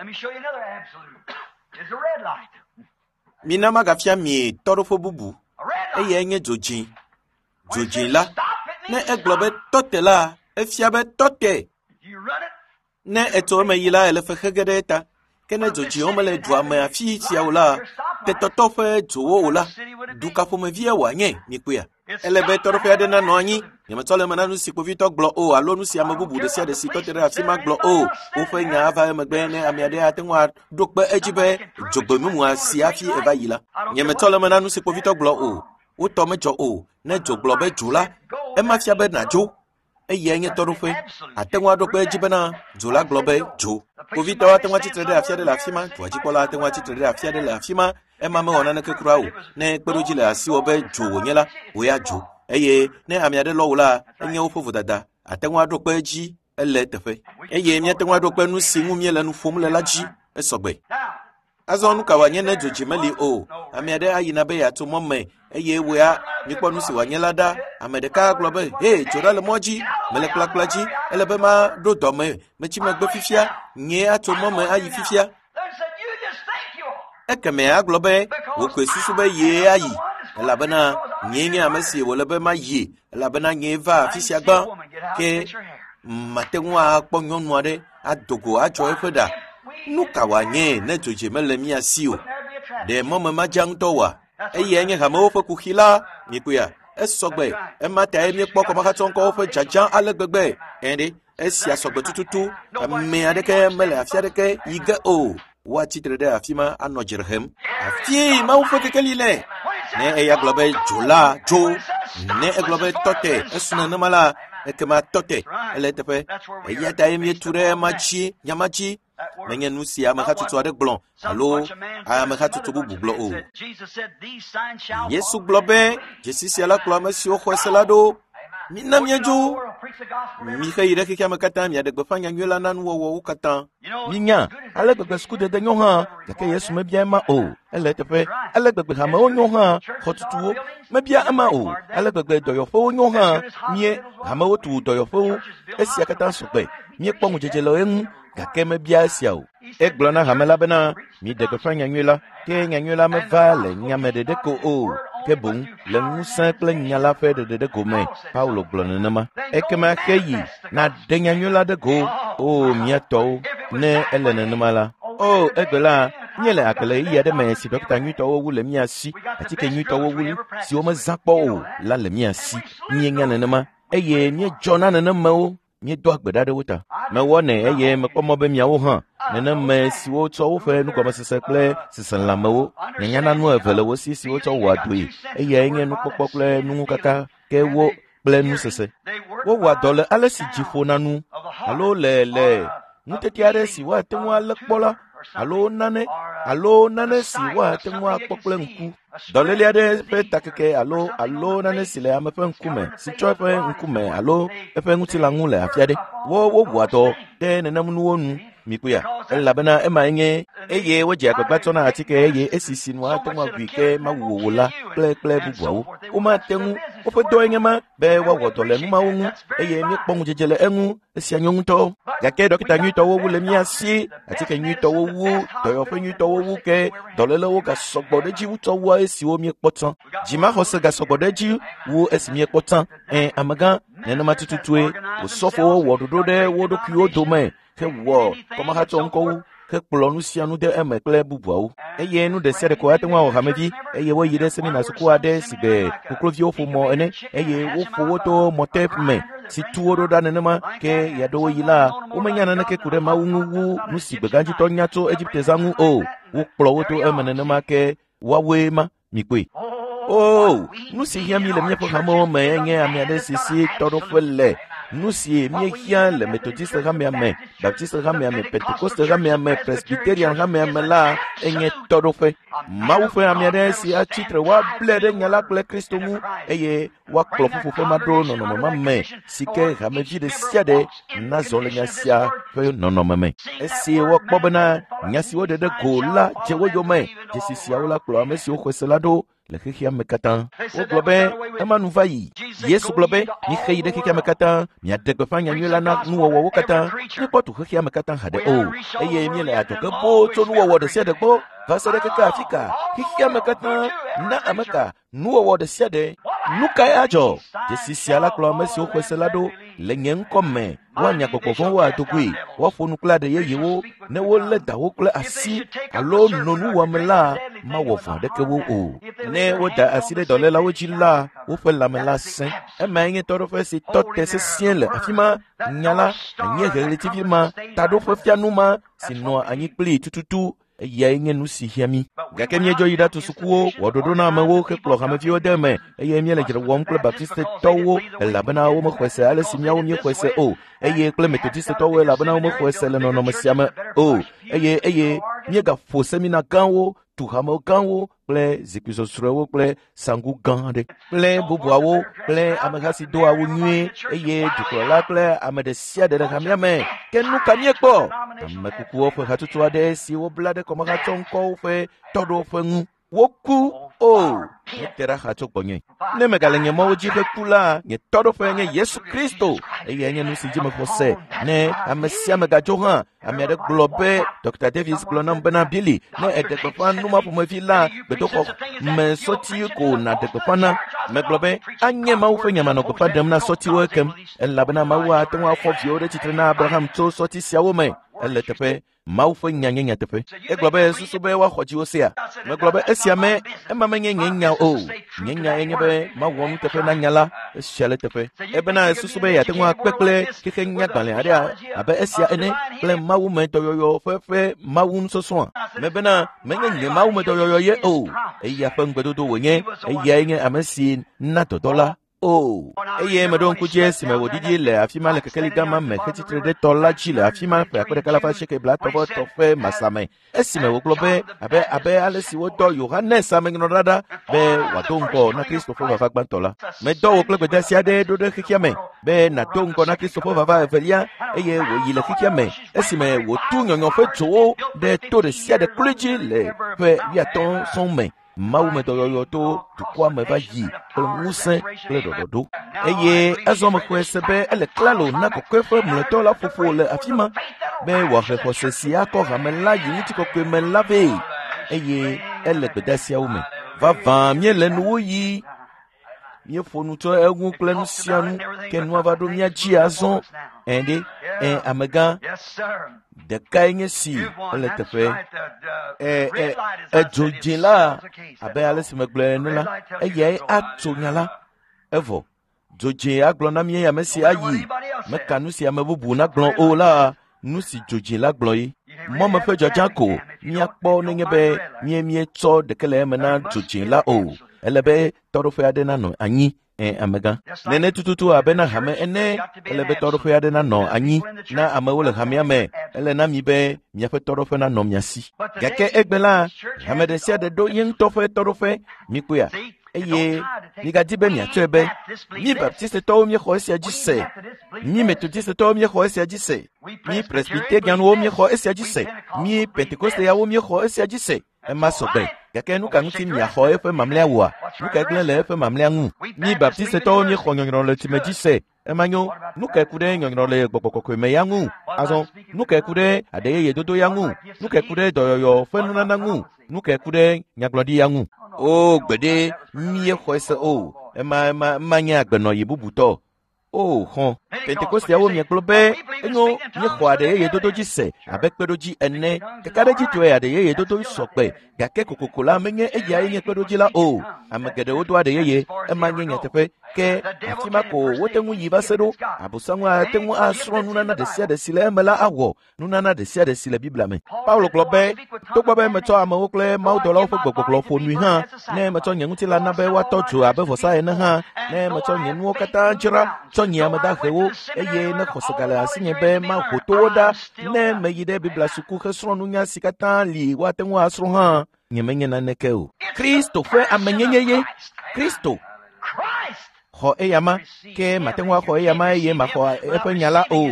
Mina magafia mi tɔɖoƒe bubu. Eyae nye dzodzĩ. Dzodzĩ la, ne egblɔ be tɔte la, efia be tɔte. Ne etso eme yi la, ele fexe ge ɖe eta. Ke ne dzodzĩwo mele dua me afi sia o la, tetɔtɔ ƒe dzowo o la, du ka ƒomevie wòanye, mikpɔea? Ele be tɔɖoƒe aɖe nanɔ anyi. Nyemetsɔ le eme na nu si kpovitɔ gblɔ o alo nu si ame bubu ɖe sia ɖe si tɔ te ɖe afi ma gblɔ o. Woƒe nya ava emegbe ne ame aɖe ate ŋu aɖo kpe edzi be dzogbemumua si hafi eva yi la. Nyemetsɔ le eme na nu si kpovitɔ gblɔ o. Wotɔ medzɔ o. Ne dzo gblɔ be dzo la, ema fia be nàdzo. Eyae nye tɔɖoƒe. Ate ŋu aɖo kpe edzi bena dzo la gblɔ be dzo. Kpovitɔwo ate ŋu atsitre ɖe afi aɖe le afi ma. Dua dzikpɔla ate ŋu atsitre ɖe afi aɖe le afi ma. Ema mewɔ naneke kura o. Ne kpeɖodzi le asiwò be dzo wònye la, wò ya dzo. Eye ne ame aɖe lɔ wò la, enye woƒe vodada. Ate ŋu aɖo kpe edzi ele teƒe. Eye míate ŋu aɖo kpe nu si ŋu míele nu ƒom le la dzi esɔgbe. Azɔ nu ka wòanye ne dzodzi meli o? Ame aɖe ayina be yeatso mɔ me eye wòya mikpɔ nu si wòanye la ɖa. Ame ɖeka agblɔ be, he, dzo ɖa le mɔ dzi, mele kplakpla dzi, ele be maɖo dɔme, metsi megbe fifia, nyee atso mɔ me ayi fifia. Ekemɛ agblɔ be, wò koe susu be yee ayi, elabena nyee nye ame si wòle be mayi, elabena nyee va afi sia gbã. Ke mate ŋu akpɔ nyɔnu aɖe ado go atsɔ eƒe ɖa. Nu ka wòanye ne dzodzi mele mía si o? Ɖe mɔme madza ŋutɔ oa? Eyae nye hamewo ƒe kuxi la, mikpɔea? Esɔgbe. Ema tae míekpɔ kɔmahatsɔŋkɔwo ƒe dzadzã ale gbegbe. Ɛ̃ ɖe, esia sɔgbe tututu. Ame aɖeke mele afi aɖeke yi ge o. Woatsi tre ɖe afi ma anɔ dzre hem. Afie Mawu ƒe kekeli le. Ne eya gblɔ be dzo la dzo, ne egblɔ be tɔ te esu nenema la, ekema tɔ te ele eteƒe. Eya tae míetu ɖe ema dzi, nya ma dzi. Menye nu si amehatsotso aɖe gblɔ alo amehatsotso bubu gblɔ o. Yesu gblɔ be dzesi sia la kplɔ ame siwo xɔe se la ɖo. Mina míadzo. Mixe yi ɖe xexea me katã miaɖe gbeƒã nyanyui la na nuwɔwɔwo katã. Minya, ale gbegbe sukudede nyo hã, gake Yesu mebia ema o. Ele eteƒe. Ale gbegbe hamewo nyo hã, xɔtutuwo mebia ema o. Ale gbegbe dɔyɔƒewo nyo hã, mie hamewo tu dɔyɔƒewo. Esia katã sɔgbe. Míekpɔ ŋudzedze le eŋu, gake mebia esia o. Egblɔ na hame la bena, miɖe gbeƒã nyanyui la, ke nyanyui la meva le nyame ɖeɖe ko o, ke boŋ le ŋusẽ kple nya la ƒe ɖeɖe gome. Paulo gblɔ nenema. Ekema xe yi nàɖe nyanyui la ɖe go. O mía tɔwo, ne ele nenema la. O egbe la, míele agbe le ɣeyiɣi aɖe me si ɖɔkita nyuitɔwo wu le mía si, atike nyuitɔwo wu siwo mezã kpɔ o la le mía si. Míenya nenema eye míedzɔ na nenemewo. Míedoa gbe ɖa ɖe wo ta. Mewɔnɛ eye mekpɔ mɔ be miawo hã neneme siwo tsɔ woƒe nugɔmesese kple seselãmewo nyanya nu eve le wo si siwo tsɔ wɔa dɔe eyae nye nukpɔkpɔ kple nuŋukaka ke wo kple nusese. Wowɔa dɔ le ale si dzi ƒona nu alo le le nutete aɖe si woate ŋu alé kpɔ la alo nane alo nane si woate ŋu akpɔ kple ŋku. Dɔléle aɖe ƒe takeke alo alo nane si le ame ƒe ŋkume si tsɔ eƒe ŋkume alo eƒe ŋutilã ŋu le afi aɖe. Wo wowɔa dɔ ɖe nenem nuwo nu mikpɔea elabena emae nye eye wodzea agbagba tsɔna atike eye esi si nu ate ŋu agui ke mawu wò la kple kple bubuawo. Womate ŋu woƒe dɔe nye ma be woawɔ dɔ le nu mawo ŋu eye míekpɔ ŋudzedze le eŋu esia nyo ŋutɔ. Gake ɖɔkita nyuitɔwo wu le mía si, atike nyuitɔwo wu, dɔyɔƒe nyuitɔwo wu ke dɔlélewo gasɔgbɔ ɖe edzi wu tsɔ wua esiwo míekpɔ tsã. Dzimaxɔse gasɔgbɔ ɖe edzi wu esi míekpɔ tsã. Ẽ, amegã, nenema tututue osɔfowo wɔ ɖoɖo ɖe wo ɖokuiwo dome hewɔ kɔmahatsɔ ŋkɔwo hekplɔ nu sia nu de eme kple bubuawo. Eye nu ɖe sia ɖe ko ate ŋu awɔ hamevi eye woyi ɖe semina suku aɖe si gbe kokloviwo ƒo mɔ ene eye woƒo wo to mɔte me si tu wo ɖo ɖa nenema ke ɣeaɖewoɣi la womenya naneke ku ɖe Mawu ŋu wu nu si gbegãdzitɔ nya tso Egipte zã ŋu o. Wokplɔ wo to eme nenema ke woawoe ma mikpɔe. O, nu si hiã mi le míaƒe hamewo me nye ame aɖe si si tɔɖoƒe le. Nu si míehiã le Methodist hamea me, Baptist hamea me, Pentecost hamea me, Presbyterian hamea me la enye tɔɖoƒe. Mawu ƒe ame aɖe si atsi tre woable ɖe nya la kple Kristo ŋu eye woakplɔ ƒuƒoƒe ma ɖo nɔnɔme ma me si ke hamevi ɖe sia ɖe nazɔ le nya sia ƒe nɔnɔme me. Esi wokpɔ bena nya si woɖe ɖe go la dze wo yome, dzesi siawo la kplɔ ame siwo xɔe se la ɖo le xexea me katã. Wogblɔ be ema nu va yi. Yesu gblɔ be mixe yi ɖe xexea me katã, miaɖe gbeƒã nyanyui la na nuwɔwɔwo katã. Míekpɔ tu xexea me katã haɖe o eye míele adzɔge boo tso nuwɔwɔ ɖe sia ɖe gbɔ va se ɖe keke afi ka xexea me katã na ame ka nuwɔwɔ ɖe sia ɖe. Nu kae adzɔ? Dzesi sia la kplɔ ame siwo xɔe se la ɖo le nye ŋkɔ me. Woanya gbɔgbɔ vɔ̃wo ado goe, woaƒo nu kple aɖe yeyewo ne wolé dawo kple asi alo no nuwɔame la mawɔ vɔ̃ aɖeke wo o. Ne woda asi ɖe dɔlélawo dzi la, woƒe lãme la sẽ. Emae nye tɔɖoƒe si tɔ te sesĩe le afi ma. Nya la, anyieheɣletivi ma, taɖoƒefianu ma si nɔa anyi kplii tututu eyae nye nu si hiã mí. Gake míedzɔ yi ɖatu sukuwo, wɔ ɖoɖo na amewo hekplɔ hameviwo de eme eye míele dzre wɔm kple Baptistetɔwo elabena womexɔe se ale si míawo míexɔe se o eye kple Methodistetɔwo elabena womexɔe se le nɔnɔme sia me o eye eye míegaƒo semina gãwo, tu hamewo gãwo kple zikpui sɔsrɔ̃ewo kple sanku gã aɖe kple bubuawo kple ameha si do awu nyuie eye dukplɔla kple ame ɖe sia ɖe le hamea me. Ke nu ka míekpɔ? Ame kukuwo ƒe hatsotso aɖe si wobla ɖe kɔmahatsɔŋkɔwo ƒe tɔɖoƒe ŋu. Woku o, mete ɖa xa tso gbɔnye. Ne megale nye mɔwo dzi heku la, nye tɔɖoƒe nye Yesu Kristo eyae nye nu si dzi mexɔ se. Ne ame sia ame gadzo hã, ame aɖe gblɔ be Dr. Davis gblɔ nam bena Billy, ne èɖe gbeƒã nu ma ƒomevi la, gbedoxɔ me sɔti ko nàɖe gbeƒã na. Megblɔ be anye Mawu ƒe nya manɔ gbeƒã ɖem na sɔtiwo ekem, elabena Mawu ate ŋu afɔ viwo ɖe tsitre na Abraham tso sɔti siawo me. Ele teƒe. Mawu ƒe nya nye nyateƒe. Egblɔ be susu be woaxɔ dziwo sea. Megblɔ be esia me ema menye nye nya o. Nye nya ye nye be mawɔ nuteƒe na nya la esia le teƒe. Ebena susu be yeate ŋu akpe kple xexe nyagbalẽ aɖe abe esia ene kple Mawu me dɔyɔyɔ ƒe Mawu nusɔsrɔ̃a. Mebena menye nye Mawu me dɔyɔyɔ ye o. Eya ƒe ŋugbedodo wònye. Eyae nye ame si na dɔdɔ la. O, eye meɖo ŋku dzi esime wòɖiɖi le afi ma le kekeli gama me hetsitre ɖe tɔ la dzi le afi ma ƒe akpe ɖeka alafa asieke blaetɔ̃ ƒe masame esime wògblɔ be abe ale si wodɔ Yohanes amenyrɔɖa ɖa be wòado ŋgɔ na Kristo ƒe vava gbãtɔ la. Medɔ wò kple gbedeasi aɖe ɖo ɖe xexea me be nàdo ŋgɔ na Kristo ƒe vava evelia eye wòyi le xexea me esime wòtu nyɔnyɔ ƒe dzowo ɖe to ɖe sia ɖe kloe dzi le ƒe 50 sɔŋ me. Mawu me dɔyɔyɔ to dukɔa me va yi kple ŋusẽ kple ɖɔɖɔɖo. Eye azɔ mexɔe se be ele klalo na kɔkɔeƒe mlɔetɔ la ƒoƒo le afi ma be wòahe xɔse si akɔ hame la yi ŋutikɔkɔe me la vɛ. Eye ele gbedeasiawo me. Vavã míele nuwuɣi. Míeƒo nu tso eŋu kple nu sia nu ke nua va ɖo mía dzi azɔ. Ẽ ɖe, ẽ amegã. Ɖekae nye si ele teƒe. Edzo dzĩ la abe ale si megblɔe ene la, eyae atso nya la. Evɔ dzo dzĩ agblɔ na mí ame si ayi. Meka nu si ame bubu nagblɔ o la, nu si dzo dzĩ la gblɔ ye. Mɔme ƒe dzɔdzã ko míakpɔ nenye be míetsɔ ɖeke le eme na dzo dzĩ la o. Ele be tɔɖoƒe aɖe nanɔ anyi. Amegã. Nene tututu abe na hame ene, ele be tɔɖoƒe aɖe nanɔ anyi na amewo le hamea me. Ele na mi be miaƒe tɔɖoƒe nanɔ mia si. Gake egbe la, hame ɖe sia ɖe ɖo ye ŋutɔ ƒe tɔɖoƒe. Mikpɔea? Eye migadi be miatsɔe be mi Baptistetɔwo míexɔ esia dzi se, mi Metodistetɔwo míexɔ esia dzi se, mi Presbyterianwo míexɔ esia dzi se, mi Pentekosteawo míexɔ esia dzi se. Ema sɔgbe. Gake nu ka ŋuti miaxɔ eƒe mamlɛa woa? Nu kae gblẽ le eƒe mamlɛa ŋu? Mi Baptistetɔwo míexɔ nyɔnyrɔ le tsime dzi se. Ema nyo. Nu kae ku ɖe nyɔnyrɔ le gbɔgbɔ kɔkɔe me ya ŋu? Azɔ, nu kae ku ɖe aɖe yeye dodo ya ŋu? Nu kae ku ɖe dɔyɔyɔ ƒe nunana ŋu? Nu kae ku ɖe nyagblɔɖi ya ŋu? O, gbeɖe, míexɔe se o. Ema nye agbenɔɣi bubutɔ. O, xɔ. Pentekosteawo miegblɔ be enyo míexɔ aɖe yeye dodo dzi se abe kpeɖodzi ene. Kakaɖedzitɔe aɖe yeye dodo sɔgbe, gake kokoko la menye eyae nye kpeɖodzi la o. Ame geɖewo do aɖe yeye, ema nye nyateƒe. Ke afi ma ko wote ŋu yi va se ɖo. Abosam ate ŋu asrɔ̃ nunana ɖe sia ɖe si le eme la awɔ nunana ɖe sia ɖe si le Biblia me. Paulo gblɔ be, togbɔ be metsɔ amewo kple mawudɔlawo ƒe gbɔgbɔgblɔ ƒo nui hã, ne metsɔ nye ŋutilã na be woatɔ dzo abe vɔsa ene hã, ne metsɔ nye nuwo katã dzra tsɔ nyi ame dahewo, eye ne xɔse gale asinye be maho towo ɖa, ne meyi ɖe Biblia suku hesrɔ̃ nunya si katã li woate ŋu asrɔ̃ hã, nyemenye naneke o. Kristo ƒe amenyenye ye. Kristo xɔ eyama, ke mate ŋu axɔ eyama eye maxɔ eƒe nya la o.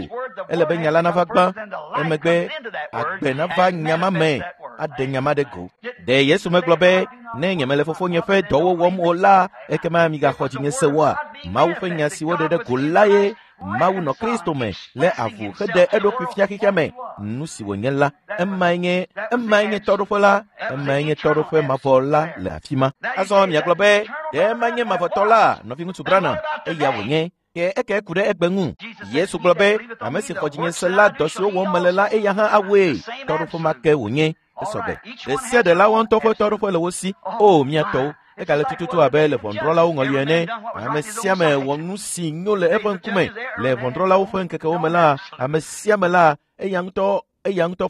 Ele be nya la nava gbã, emegbe agbe nava nya ma me, aɖe nya ma ɖe go. Ɖe Yesu megblɔ be, ne nyemele fofonye ƒe dɔwo wɔm o la, ekema migaxɔ dzinye se oa? Mawu ƒe nya si woɖe ɖe go la ye Mawu nɔ Kristo me le avu heɖe eɖokui fia xexea me. Nu si wònye la, emae nye tɔɖoƒe la, emae nye tɔɖoƒe mavɔ la le afi ma. Azɔ miagblɔ be, ɖe ema nye mavɔtɔ la, nɔviŋutsu Branham, eya wònye. Ke eke ku ɖe egbe ŋu. Yesu gblɔ be, ame si xɔ dzinye se la, dɔ siwo wɔm mele la, eya hã awɔe. Tɔɖoƒe ma ke wònye. Esɔgbe. Ɖe sia ɖe la woa ŋutɔ ƒe tɔɖoƒe le wo si. O, mía tɔwo. Egale tututu abe le ʋɔnudrɔ̃lawo ŋɔli ene. Ame sia ame wɔ nu si nyo le eƒe ŋkume. Le ʋɔnudrɔ̃lawo ƒe ŋkekewo me la, ame sia ame la, eya ŋutɔ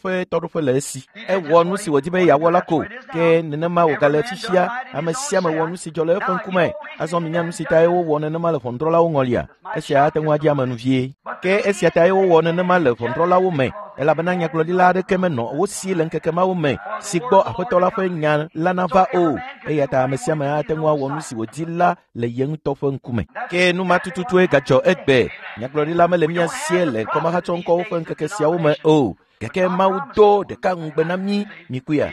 ƒe tɔɖoƒe le esi. Ewɔ nu si wòdi be yeawɔ la ko. Ke nenema wògale fifia. Ame sia ame wɔ nu si dzɔ le eƒe ŋkume. Azɔ minya nu si tae wowɔ nenema le ʋɔnudrɔ̃lawo ŋɔlia. Esia ate ŋu adze ame nu vie. Ke esia tae wowɔ nenema le ʋɔnudrɔ̃lawo me, elabena nyagblɔɖila aɖeke menɔ wo si le ŋkeke mawo me si gbɔ Aƒetɔ la ƒe nya la nava o. Eya ta ame sia ame ate ŋu awɔ nu si wòdi la le ye ŋutɔ ƒe ŋkume. Ke nu ma tututue gadzɔ egbe. Nyagblɔɖila mele mía sie le kɔmahatsɔŋkɔwo ƒe ŋkeke siawo me o. Gake Mawu do ɖeka ŋugbe na mí, mikuya,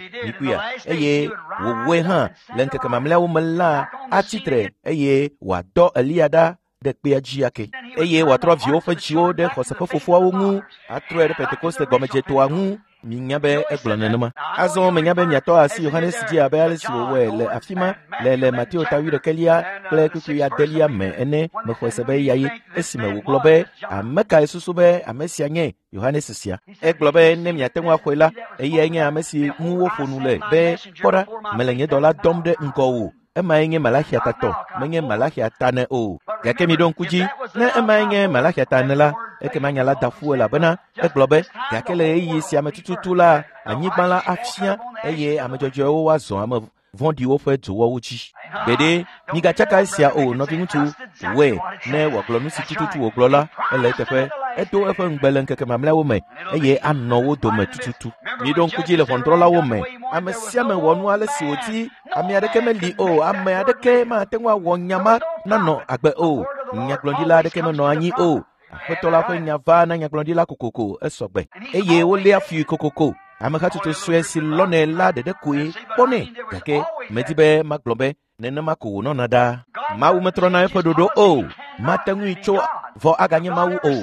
eye wòwɔe hã le ŋkeke mamlɛawo me la atsitre eye wòadɔ Eliya ɖa ɖe kpea dzi ake. Eye wòatrɔ viwo ƒe dziwo ɖe xɔse ƒe fofoawo ŋu, atrɔe ɖe Pentekoste gɔmedzetoa ŋu. Minya be egblɔ nenema. Azɔ menya be miatɔ asi Yohanes dzi abe ale si wòwɔe le afi ma le Mateo ta 21 kple kpukpui 8 me ene. Mexɔe se be eyae esime wògblɔ be ame kae susu be ame sia nye Yohanes sia. Egblɔ be ne miate ŋu axɔe la, eyae nye ame si ŋu woƒo nu le be kpɔ ɖa, mele nye dɔla dɔm ɖe ŋgɔwò. Emae nye Malaxia tatɔ, menye Malaxia ta ne o. Gake miɖo ŋku dzi, ne emae nye Malaxia ta ne la, ekema nya la da ƒu elabena egblɔ be gake le ɣeyiɣi sia me tututu la, anyigba la afia eye ame dzɔdzɔewo woazɔ ame vɔ̃ɖiwo ƒe dzowɔwo dzi. Gbeɖe, migatsaka esia o, nɔviŋutsu, wɔe ne wòagblɔ nu si tututu wògblɔ la, ele eteƒe. Edo eƒe ŋugbe le ŋkeke mamlɛawo me eye anɔ wo dome tututu. Miɖo ŋku dzi le ʋɔnudrɔ̃lawo me. Ame sia ame wɔ nu ale si wòdi. Ame aɖeke meli o. Ame aɖeke mate ŋu awɔ nya ma nanɔ agbe o. Nyagblɔɖila aɖeke menɔ anyi o. Aƒetɔ la ƒe nya va na nyagblɔɖila kokoko esɔgbe eye woléa fui kokoko. Amehatsotso sue si lɔnɛ la ɖeɖe koe kpɔnɛ gake medi be magblɔ be nenema ko wònɔna ɖaa. Mawu metrɔna eƒe ɖoɖo o. Mate ŋui tso vɔ aganye Mawu o.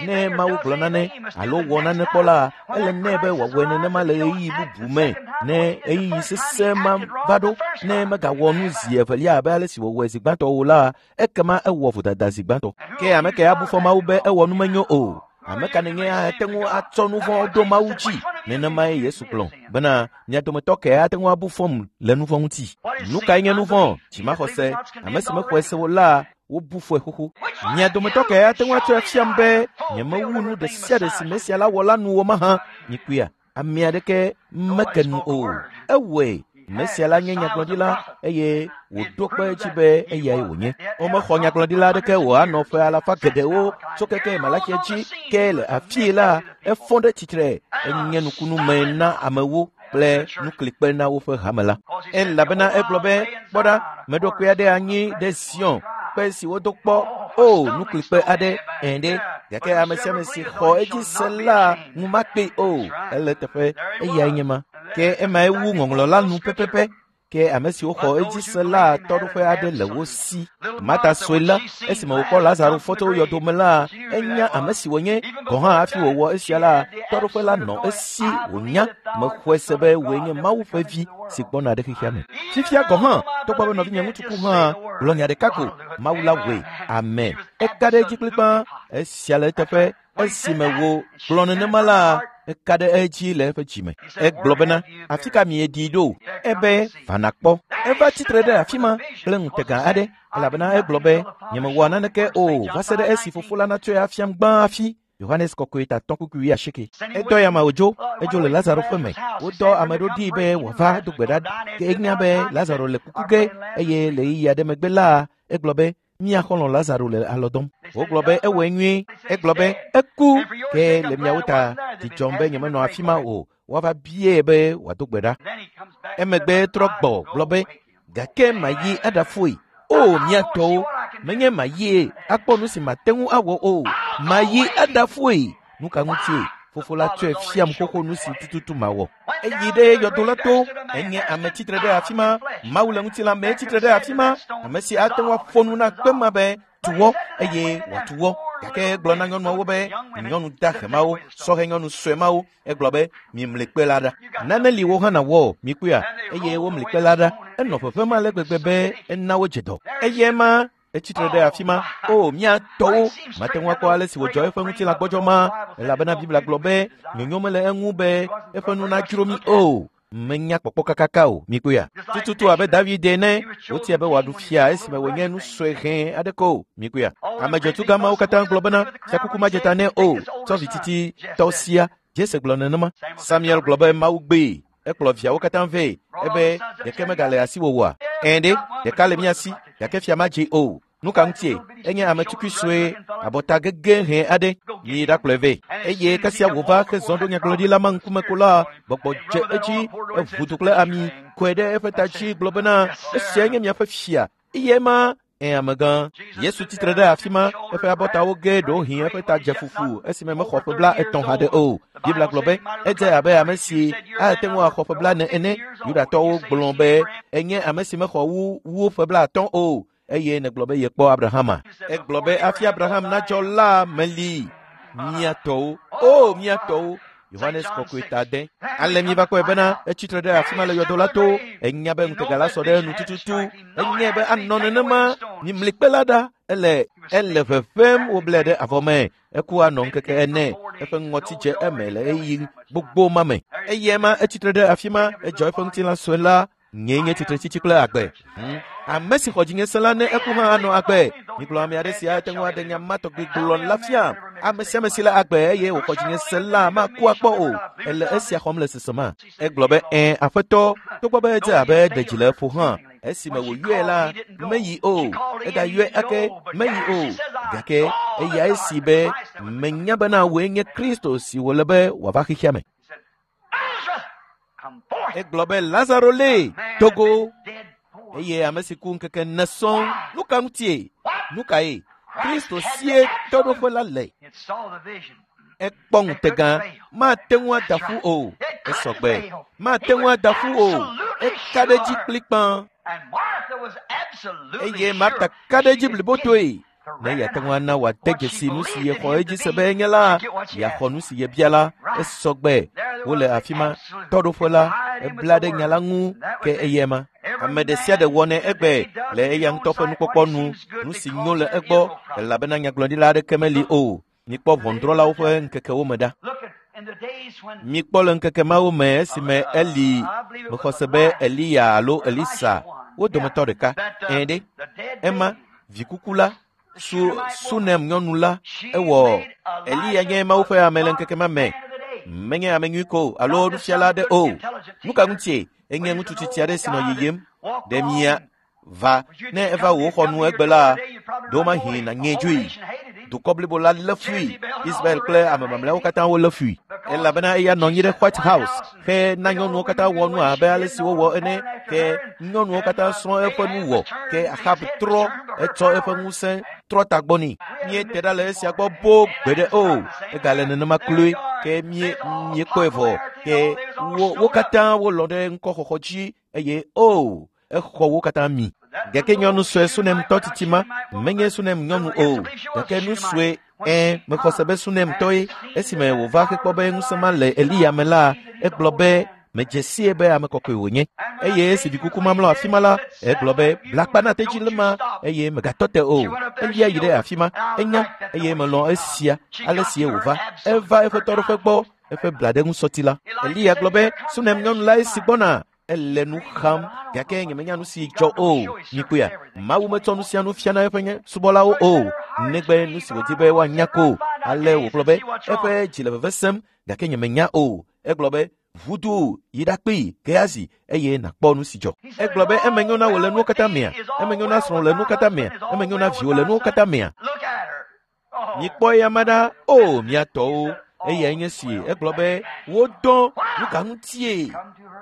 Ne Mawu gblɔ nane alo wɔ nane kpɔ la, ele nɛ be wòawɔe nenema le ɣeyiɣi bubu me. Ne ɣeyiɣi sesẽ ma va ɖo, ne megawɔ nu zi evelia abe ale si wòwɔe zi gbãtɔ o la, ekema ewɔ vodada zi gbãtɔ. Ke ame kae abu fɔ Mawu be ewɔ nu menyo o? Ame ka nènye ate ŋu atsɔ nu vɔ̃ ɖo Mawu dzi? Nenemae Yesu gblɔ bena mia dometɔ kae ate ŋu abu fɔm le nu vɔ̃ ŋuti? Nu kae nye nu vɔ̃? Dzimaxɔse. Ame si mexɔe se o la, wobu fɔe xoxo. Mia dometɔ kae ate ŋu atsɔe afiam be nyemewu nu ɖe sia ɖe si Mesia la wɔ la nu o mahã? Mikpɔea, ame aɖeke meke nu o. Ewɔe. Mesia la nye nyagblɔɖila eye wòɖo kpe edzi be eyae wònye. Womexɔ nyagblɔɖila aɖeke wòanɔ ƒe alafa geɖewo tso keke Malaxia dzi ke le afii la, efɔ ɖe tsitre enye nukunu me na amewo kple nuklikpe na woƒe hame la. Elabena egblɔ be, kpɔ ɖa, meɖo kpe aɖe anyi ɖe Zion, kpe si wodo kpɔ, o nuklikpe aɖe, ɛ̃ ɖe, gake ame sia ame si xɔ edzi se la ŋu makpee o. Ele teƒe, eyae nye ma. Ke emae wu ŋɔŋlɔ la nu pɛpɛpɛ. Ke ame siwo xɔ edzi se la tɔɖoƒe aɖe le wo si. Marta sue la, esime wòkpɔ Lazaro fɔ tso yɔdo me la, enya ame si wònye. Gɔ̃ hã hafi wòwɔ esia la, tɔɖoƒe la nɔ esi wònya. Mexɔe se be wòe nye Mawu ƒe vi si gbɔna ɖe xexea me. Fifia gɔ̃ hã, togbɔ be nɔvinye ŋutsu ku hã, gblɔ nya ɖeka ko, Mawu la wɔe. Amen. Eka ɖe edzi kplikpaa. Esia le eteƒe. Esime wògblɔ nenema la, eka ɖe edzi le eƒe dzime. Egblɔ bena, afi ka mieɖii ɖo? Ebe, va nàkpɔ. Eva tsitre ɖe afi ma kple ŋutega aɖe, elabena egblɔ be, nyemewɔa naneke o va se ɖe esi fofo la natsɔe afiam gbã hafi. Yohanes kɔkɔe ta 3:8. Edɔ ya ma wòdzo, edzo le Lazaro ƒe me. Wodɔ ame ɖo ɖi be wòava do gbe ɖa. Ke enya be Lazaro le kuku ge eye le ɣeyiɣi aɖe megbe la, egblɔ be, mía xɔlɔ̃ Lazaro le alɔ dɔm. Wogblɔ be ewɔe nyuie. Egblɔ be eku. Ke le miawo ta, dzi dzɔm be nyemenɔ afi ma o. Woava biae be wòado gbe ɖa. Emegbe trɔ gbɔ gblɔ be, gake mayi aɖafoe. O, mía tɔwo, menye mayie akpɔ nu si mate ŋu awɔ o. Mayi aɖafoe. Nu ka ŋutie? Fofo la tsɔe fiam xoxo nu si tututu mawɔ. Eyi ɖe yɔdo la to. Enye ame tsitre ɖe afi ma. Mawu le ŋutilã me tsitre ɖe afi ma. Ame si ate ŋu aƒo nu na kpe ma be tuwɔ eye wòatuwɔ. Gake egblɔ na nyɔnuawo be, nyɔnu dahe mawo, sɔhɛ nyɔnu sue mawo, egblɔ be, mimli kpe la ɖa. Nane li wo hã nawɔ, mikpɔea, eye womli kpe la ɖa. Enɔ ʋeʋẽm ale gbegbe be ena wodze dɔ. Eye ema etsitre ɖe afi ma. O, mía tɔwo, mate ŋu akpɔ ale si wòdzɔ eƒe ŋutilã gbɔdzɔ ma, elabena Biblia gblɔ be nyonyo mele eŋu be eƒe nu nadzro mí o. Menya kpɔkpɔ kakaka o, mikpɔea. Tututu abe David ene, wotia be wòaɖu fia esime wònye nu sue hɛ̃ aɖeke o, mikpɔea. Ame dzɔtsu mawo katã gblɔ bena fiakuku madze ta nɛ o, tsɔ vi titi tɔ sia. Jese gblɔ nenema. Samuel gblɔ be Mawu gbee. Ekplɔ viawo katã vɛ ebe ɖeke megale asiwò oa? Ɛ̃ ɖe, ɖeka le mía si, gake fia madze o. Nu ka ŋutie? Enye ame tukui sue, abɔta gege hɛ̃ aɖe. Miyi ɖakplɔe vɛ. Eye kasia wòva hezɔ ɖo nyagblɔɖila ma ŋkume ko la, gbɔgbɔ dze edzi, eʋu du kple ami, kɔe ɖe eƒe ta dzi gblɔ bena, esiae nye miaƒe fia. Eye ema ẽ amegã. Yesu tsitre ɖe afi ma, eƒe abɔtawo ge ɖewohĩ eƒe ta dze fufu esime mexɔ ƒe 30 haɖe o. Biblia gblɔ be edze abe ame si ate ŋu axɔ ƒe 40 ene. Yudatɔwo gblɔ be enye ame si mexɔ wu ƒe 50 o. Eye nègblɔ be yekpɔ Abrahama. Egblɔ be hafi Abraham nadzɔ la meli. Mía tɔwo, o mía tɔwo, Yohanes kɔkɔe ta 6. Ale míeva kpɔe bena etsitre ɖe afi ma le yɔdo la to. Enya be ŋutega la sɔ ɖe enu tututu. Enyae be anɔ nenema. Mimli kpe la ɖa. Ele ele ʋeʋẽm woblae ɖe avɔ me. Eku anɔ ŋkeke 4. Eƒe ŋɔti dze eme le ɣeyiɣi gbogbo ma me. Eyae ma etsitre ɖe afi ma. Edzɔ eƒe ŋutilã sue la. Nyee nye tsitretsitsi kple agbe. Ame si xɔ dzinye se la ne eku hã anɔ agbe. Migblɔ ame aɖe si ate ŋu aɖe nya ma tɔgbi gblɔ la fia. Ame sia ame si le agbe eye wòxɔ dzinye se la maku akpɔ o. Ele esia xɔm le sesema. Egblɔ be ɛ̃ aƒetɔ, togbɔ be edze abe ɖe dzi le eƒo hã. Esime wòyɔe la, meyi o. Egayɔe ake, meyi o. Gake eya esi be menya bena wòe nye Kristo si wòle be wòava xexea me. Egblɔ be Lazaro lé dogo eye ame si ku ŋkeke 4 sɔŋ. Nu ka ŋutie? Nu kae? Kristo sie tɔɖoƒe la le. Ekpɔ ŋutega, mate ŋu ada ƒu o. Esɔgbe, mate ŋu ada ƒu o. Eka ɖe edzi kplikpã. Eye Marta ka ɖe edzi blibotoe. Ne yeate ŋu ana wòade dzesi nu si yexɔ edzi se be enye la, yeaxɔ nu si yebia la, esɔgbe. Wole afi ma, tɔɖoƒe la, ebla ɖe nya la ŋu ke eyae ma. Ame ɖe sia ɖe wɔnɛ egbe le eya ŋutɔ ƒe nukpɔkpɔ nu, nu si nyo le egbɔ, elabena nyagblɔɖila aɖeke meli o. Mikpɔ ʋɔnudrɔ̃lawo ƒe ŋkekewo me ɖa. Mikpɔ le ŋkeke mawo me esime Eli mexɔ se be Eliya alo Elisa wo dometɔ ɖeka. Ɛ̃ ɖe, ema vikuku la, Sunem nyɔnu la, ewɔ Eliya nye Mawu ƒe ame le ŋkeke ma me. Menye ame nyui ko alo nufiala aɖe o. Nu ka ŋutie? Enye ŋutsu tsitsi aɖe si nɔ yiyim. Ɖe mia va ne eva wò xɔ nu egbe la, ɖewomahi nànyee dzoe. Dukɔ blibo la lé fui. Israel kple ame mamlɛawo katã wolé fui. Elabena eya nɔ anyi ɖe White House ke na nyɔnuwo katã wɔ nu abe ale si wowɔ ene. Ke nyɔnuwo katã srɔ̃ eƒe nu wɔ. Ke Ahab trɔ etsɔ eƒe ŋusẽ trɔ tagbɔ nɛ. Míete ɖa le esia gbɔ boo gbeɖe o. Egale nenema kloe. Ke míekpɔe vɔ. Ke wo katã wolɔ̃ ɖe ŋkɔxɔxɔ dzi eye o exɔ wo katã mi. Gake nyɔnu sue Sunemtɔ tsitsi ma menye Sunem nyɔnu o. Gake nu sue mexɔ se be Sunemtɔe. Esime wòva hekpɔ be ŋusẽ ma le Eliya me la, egblɔ be medze sie be ame kɔkɔe wònye. Eye esi vikuku ma mlɔ afi ma la, egblɔ be blakpa na tedzi le ma eye megatɔ te o. Elia yi ɖe afi ma, enya eye melɔ̃ esia ale sie wòva. Eva eƒe tɔɖoƒe gbɔ, eƒe blaɖeŋusɔti la. Eliya gblɔ be Sunem nyɔnu la esi gbɔna. Ele nu xam, gake nyemenya nu si dzɔ o. Mikpɔea, Mawu metsɔ nu sia nu fiana eƒe nye subɔlawo o, negbe nu si wòdi be woanya ko. Ale wògblɔ be eƒe dzi le veve sem, gake nyemenya o. Egblɔ be ʋudu yi ɖakpee Gehazi eye nàkpɔ nu si dzɔ. Egblɔ be eme nyo na wò le nuwo katã mea? Eme nyo na srɔ̃wò le nuwo katã mea? Eme nyo na viwò le nuwo katã mea? Mikpɔ eya ma ɖa, o mia tɔwo. Eyae nye si egblɔ be wodɔ nu ka ŋutie?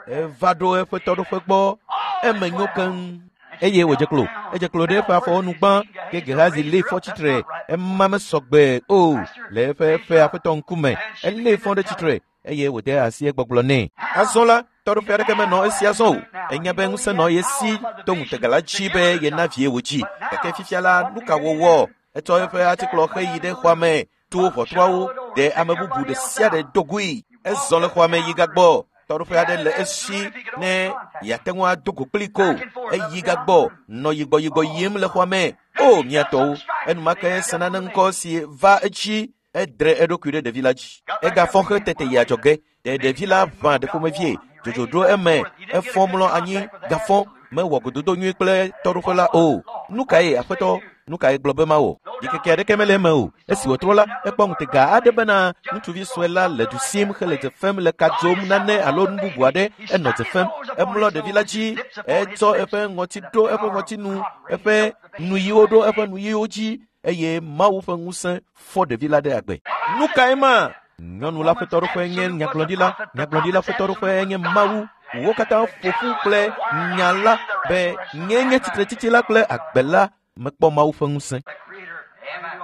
Eva ɖo eƒe tɔɖoƒe gbɔ. Eme nyo keŋ. Eye wòdze klo. Edze klo ɖe eƒe afɔwo nu gbã. Ke Gehazi lée fɔ tsitre. Ema mesɔgbe o le eƒe aƒetɔ ŋkume. Elée fɔ ɖe tsitre eye wòde asi egbɔgblɔ nɛ. Azɔ la, tɔɖoƒe aɖeke menɔ esi azɔ o. Enya be ŋusẽ nɔ ye si to ŋutega la dzi be yena vie wòdzi. Gake fifia la, nu ka wòwɔ? Etsɔ eƒe atikplɔ heyi ɖe xɔa me to ʋɔtruawo ɖe ame bubu ɖe sia ɖe do goe. Ezɔ le xɔa me yi gagbɔ. Tɔɖoƒe aɖe le esi ne yeate ŋu ado go kpli ko. Eyi gagbɔ nɔ yigbɔyigbɔ yim le xɔa me. O mia tɔwo, enumake ese nane ŋkɔ si va edzi. Edre eɖokui ɖe ɖevi la dzi. Egafɔ xe tete yi adzɔge. Ɖe ɖevi la ʋã ɖe ƒomevie. Dzodzo ɖo eme. Efɔ mlɔ anyi gafɔ. Mewɔ gododo nyui kple tɔɖoƒe la o. Nu kae aƒetɔ? Nu kae gblɔ be mawɔ? Ɖikeke aɖeke mele eme o. Esi wòtrɔ la, ekpɔ ŋutega aɖe bena ŋutsuvi sue la le du sim hele dze fem le ka dzom nane alo nu bubu aɖe. Enɔ dze fem. Emlɔ ɖevi la dzi. Etsɔ eƒe ŋɔti ɖo eƒe ŋɔtinu, eƒe nuyiwo ɖo eƒe nuyiwo dzi eye Mawu ƒe ŋusẽ fɔ ɖevi la ɖe agbe. Nu kae ma? Nyɔnu la ƒe tɔɖoƒe nye nyagblɔɖila, nyagblɔɖila ƒe tɔɖoƒe nye Mawu. Wo katã ƒo ƒu kple nya la be nye nye tsitretsitsi la kple agbe la mekpɔ Mawu ƒe ŋusẽ.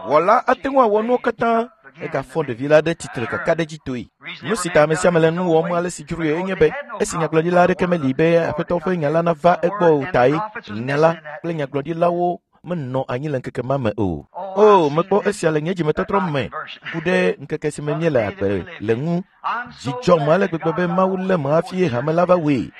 Wɔla ate ŋu awɔ nuwo katã. Egafɔ ɖevi la ɖe tsitre kakaɖedzitɔe. Nu si ta ame sia ame le nu wɔm ale si dzroe enye be esi nyagblɔɖila aɖeke meli be Aƒetɔ ƒe nya la nava egbɔ o tae nya la kple nyagblɔɖilawo menɔ anyi le ŋkeke ma me o. O, mekpɔ esia le nye dzimetɔtrɔ me ku ɖe ŋkeke si me míele agbe le ŋu. Dzi dzɔm ale gbegbe be Mawu lém hafi hame la va wɔe.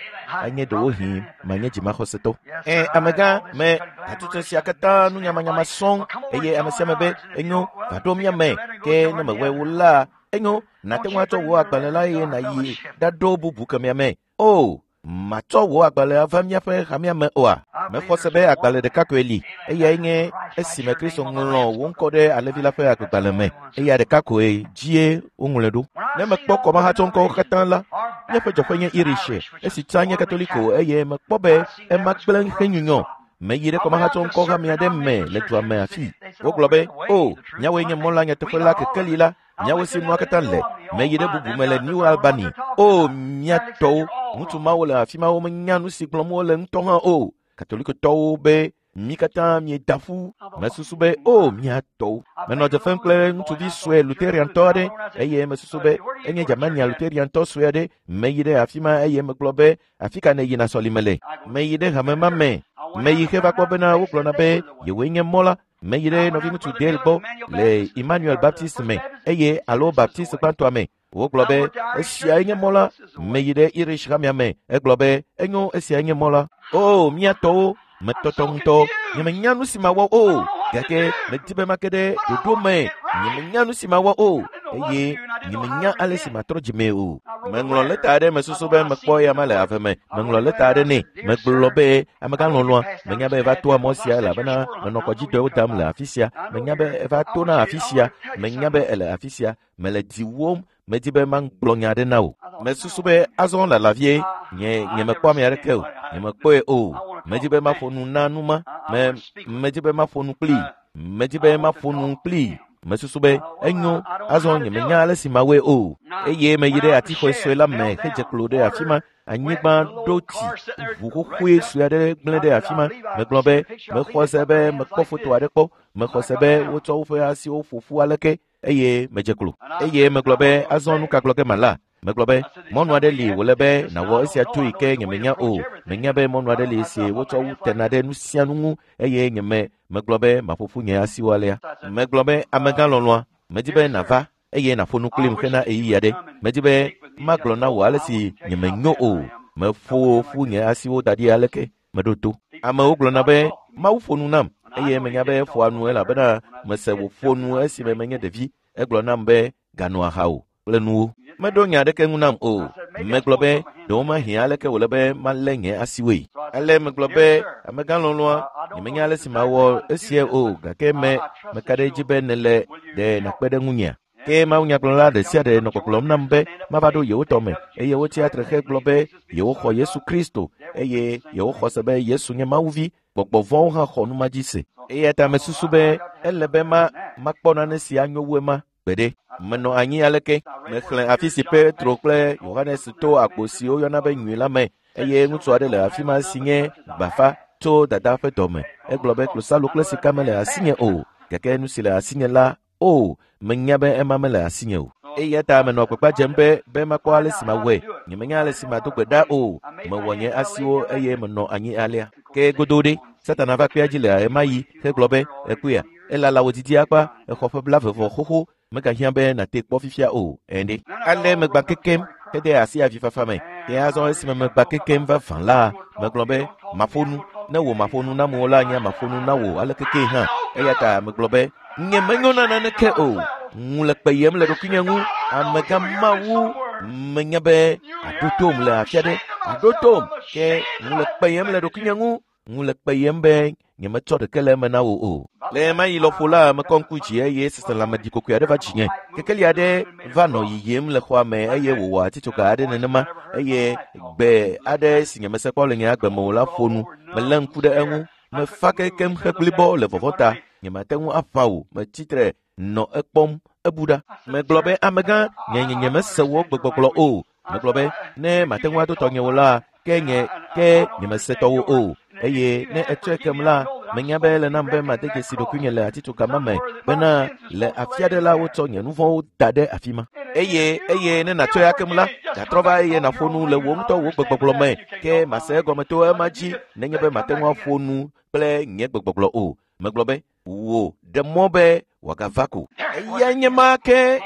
Anye ɖewohĩ manye dzimaxɔsetɔ. Ẽ, amegã, me hatsotso sia katã nu nyamanyama sɔŋ eye ame sia ame be enyo va ɖo mía me ke ne mewɔe wo la, enyo nàte ŋu atsɔ wò agbalẽ la eye nàyi ɖaɖo bubu kemɛa me. O, matsɔ wò agbalẽ ava míaƒe hamea me oa? Mexɔ se be agbalẽ ɖeka koe li eyae nye esime Kristo ŋlɔ wò ŋkɔ ɖe alẽvi la ƒe agbegbalẽ me. Eya ɖeka koe dzie woŋlɔe ɖo. Ne mekpɔ kɔmahatsɔŋkɔwo katã la, míaƒe dzɔƒe nye Irish, esi tsã nye Katoliko eye mekpɔ be ema gblẽ henyunyɔ. Meyi ɖe kɔmahatsɔŋkɔ hame aɖe me le dua me afii. Wogblɔ be, o, míawoe nye mɔ la nyateƒe la kekeli la, míawo si nua katã le. Meyi ɖe bubu me le New Albany. O, mía tɔwo, ŋutsu mawo le afi ma womenya nu si gblɔm wole ŋutɔ hã o. Katolikotɔwo be mí katã mieda ƒu. Mesusu be, o, mía tɔwo. Menɔ dze fem kple ŋutsuvi sue Lutheriantɔ aɖe eye mesusu be enye Germania Lutheriantɔ sue aɖe. Meyi ɖe afi ma eye megblɔ be, afi ka nèyina sɔlime le? Meyi ɖe hame ma me. Meyi heva kpɔ bena wogblɔna be yewoe nye mɔ la. Meyi ɖe nɔviŋutsu Dale gbɔ le Emmanuel Baptist me eye alo Baptist gbãtɔa me. Wogblɔ be esiae nye mɔ la. Meyi ɖe Irish hamea me. Egblɔ be enyo esiae nye mɔ la. O, mía tɔwo, metɔtɔ ŋutɔ. Nyemenya nu si mawɔ o gake medi be make ɖe ɖoɖo me. Nyemenya nu si mawɔ o eye nyemenya ale si matrɔ dzimee o. Meŋlɔ lɛta aɖe mesusu be mekpɔ eya ma le ave me. Meŋlɔ lɛta aɖe nɛ. Megblɔ be amegã lɔlɔ̃a, menya be eva toa mɔ sia elabena menɔ kɔdzidɔwo dam le afi sia. Menya be eva tona afi sia. Menya be ele afi sia. Mele diwòm. Medi be magblɔ nya aɖe na wò. Mesusu be azɔ lala vie. Nye nyemekpɔ ame aɖeke o. Nyemekpɔe o. Medi be maƒo nu na nu ma. Me medi be maƒo nu kplii. Medi be maƒo nu kplii. Mesusu be enyo azɔ nyemenya ale si mawɔe o. Eye meyi ɖe atixɔe sue la me hedze klo ɖe afi ma. Anyigba ɖo tsi ʋu xoxoe sue aɖe gblẽ ɖe afi ma. Megblɔ be mexɔ se be mekpɔ foto aɖe kpɔ. Mexɔ se be wotsɔ woƒe asiwo ƒo ƒu aleke eye medze klo. Eye megblɔ be azɔ nu ka gblɔ ge mala? Megblɔ be mɔnu aɖe li wòle be nàwɔ esia tsoe ke nyemenya o. Menya be mɔnu aɖe li si wotsɔ wu tena ɖe nu sia nu ŋu eye nyeme megblɔ be maƒo ƒu nye asiwo alea. Megblɔ be amegã lɔlɔ̃a, medi be nàva eye nàƒo nu kplim hena ɣeyiɣi aɖe. Medi be magblɔ na wò ale si nyemenyo o. Meƒo ƒu nye asiwo da ɖi aleke meɖo to. Amewo gblɔna be Mawu ƒo nu nam eye menya be eƒoa nu elabena mese wòƒo nu esime menye ɖevi. Egblɔ nam be ganɔ aha o kple nuwo. Meɖo nya aɖeke ŋu nam o. Megblɔ be ɖewomahi aleke wòle be malé nye asiwoe. Ale megblɔ be amegã lɔlɔ̃a, nyemenya ale si mawɔ esia o gake me meka ɖe edzi be nèle ɖe nàkpe ɖe ŋunyea. Ke mawunyagblɔla ɖe sia ɖe nɔ gbɔgblɔm nam be mava ɖo yewo tɔ me eye wotsi atre hegblɔ be yewoxɔ Yesu Kristo eye yewoxɔ se be Yesu nye Mawuvi. Gbɔgbɔ vɔ̃wo hã xɔ nu ma dzi se. Eya ta mesusu be ele be ma makpɔ nane si anyo wu ema gbeɖe. Menɔ anyi aleke. Mexlẽ afi si Petro kple Yohanes to agbo si woyɔna be nyui la me eye ŋutsu aɖe le afi ma si nye gbafa tso dada ƒe dɔme. Egblɔ be klosalo kple sika mele asinye o gake nu si le asinye la o menya be ema mele asinye o. Eya ta menɔ agbagba dzem be be makpɔ ale si mawɔe. Nyemenya ale si mado gbe ɖa o. Mewɔ nye asiwo eye menɔ anyi alea. Ke godoo ɖe, Satana va kpea dzi le ɣemaɣi hegblɔ be, ekpɔea, elala wò didi akpa, exɔ ƒe blaeve vɔ xoxo, megahiã be nàte kpɔ fifia o. Ẽ ɖe. Ale megbã kekem hede asi avifafa me. Ke azɔ esime megbã kekem vavã la, megblɔ be, maƒo nu. Ne wò maƒo nu nam o la, nye maƒo nu na wò aleke kee hã. Eya ta megblɔ be, nyemenyo na naneke o. Ŋu le kpeyem le ɖokuinye ŋu. Amegã Mawu, menya be aɖo tom le afi aɖe. Aɖo tom. Ke ŋu le kpeyem le ɖokuinye ŋu. Ŋu le kpeyem be nyemetsɔ ɖeke le eme na wò o. Le ɣemaɣi lɔƒo la, mekɔ ŋku dzi eye seselãme ɖikokoe aɖe va dzinye. Kekeli aɖe va nɔ yiyim le xɔa me eye wòwɔ atitsoga aɖe nenema eye gbe aɖe si nyemese kpɔ le nye agbe me o la ƒo nu. Melé ŋku ɖe eŋu. Mefa kekem heblibɔ le vɔvɔ̃ ta. Nyemate ŋu aʋã o. Metsi tre nɔ ekpɔm ebu ɖa. Megblɔ be amegã nye nye nyemese wò gbegbɔgblɔ o. Megblɔ be ne mate ŋu ado tɔnye o la, ke nye ke nyemese tɔwò o. Eye ne etsɔe kem la, menya be ele nam be made dzesi ɖokuinye le atitsoga ma me bena le afi aɖe la wotsɔ nye nu vɔ̃wo da ɖe afi ma. Eye eye ne nàtsɔe akem la, gatrɔ va eye nàƒo nu le wò ŋutɔ wò gbegbɔgblɔ me. Ke mase egɔme to ema dzi nenye be mate ŋu aƒo nu kple nye gbegbɔgblɔ o. Megblɔ be, Wò ɖe mɔ be wòagava ko. Eyae nye ma ke.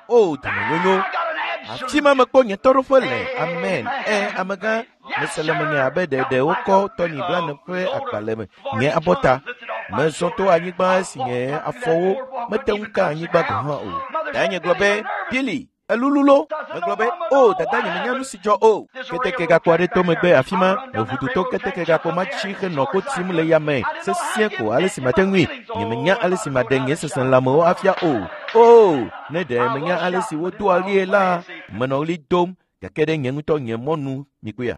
O, dɔmenyonyo. Afi ma mekpɔ nye tɔɖoƒe le. Amen. Amegã, mese le menye abe ɖe wokɔ tɔnyi blane ƒe agbalẽ me nye abɔta. Mezɔ to anyigba esi nye afɔwo mete ŋu ka anyigba gɔ̃ hã o. Danye gblɔ be, Billy, elululo. Megblɔ be, o, dada nye menya nu si dzɔ o. Keteke gakpo aɖe to megbe afi ma, meʋu to keteke gakpo ma dzi henɔ ko tim le yame sesĩe ko ale si mate ŋui. Nye menya ale si maɖe nye seselãmewo afia o. O, ne ɖe menya ale si wodoa ɣlie la, menɔ ɣli dom gake ɖe nye ŋutɔ nye mɔnu mikpɔea.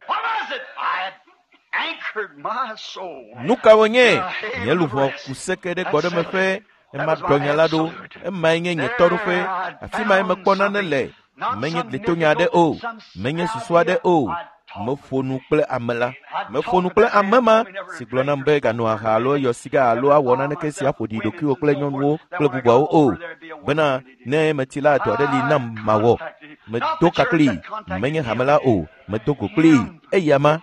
Nu ka wònye? Nye luʋɔ ku seke ɖe gbɔɖemeƒe ema ɖɔ nya la ɖo. Emae nye nye tɔɖoƒe. Afi mae mekpɔ nane le. Menye glitonya aɖe o. Menye susu aɖe o. Meƒo nu kple ame la. Meƒo nu kple ame ma si gblɔ nam be ganɔ aha alo yɔ siga alo awɔ naneke si aƒo ɖi ɖokuiwò kple nyɔnuwo kple bubuawo o. Bena ne meti la dɔ aɖe li nam mawɔ. Medo ka kplii. Menye hame la o. Medo go kplii. Eya ma,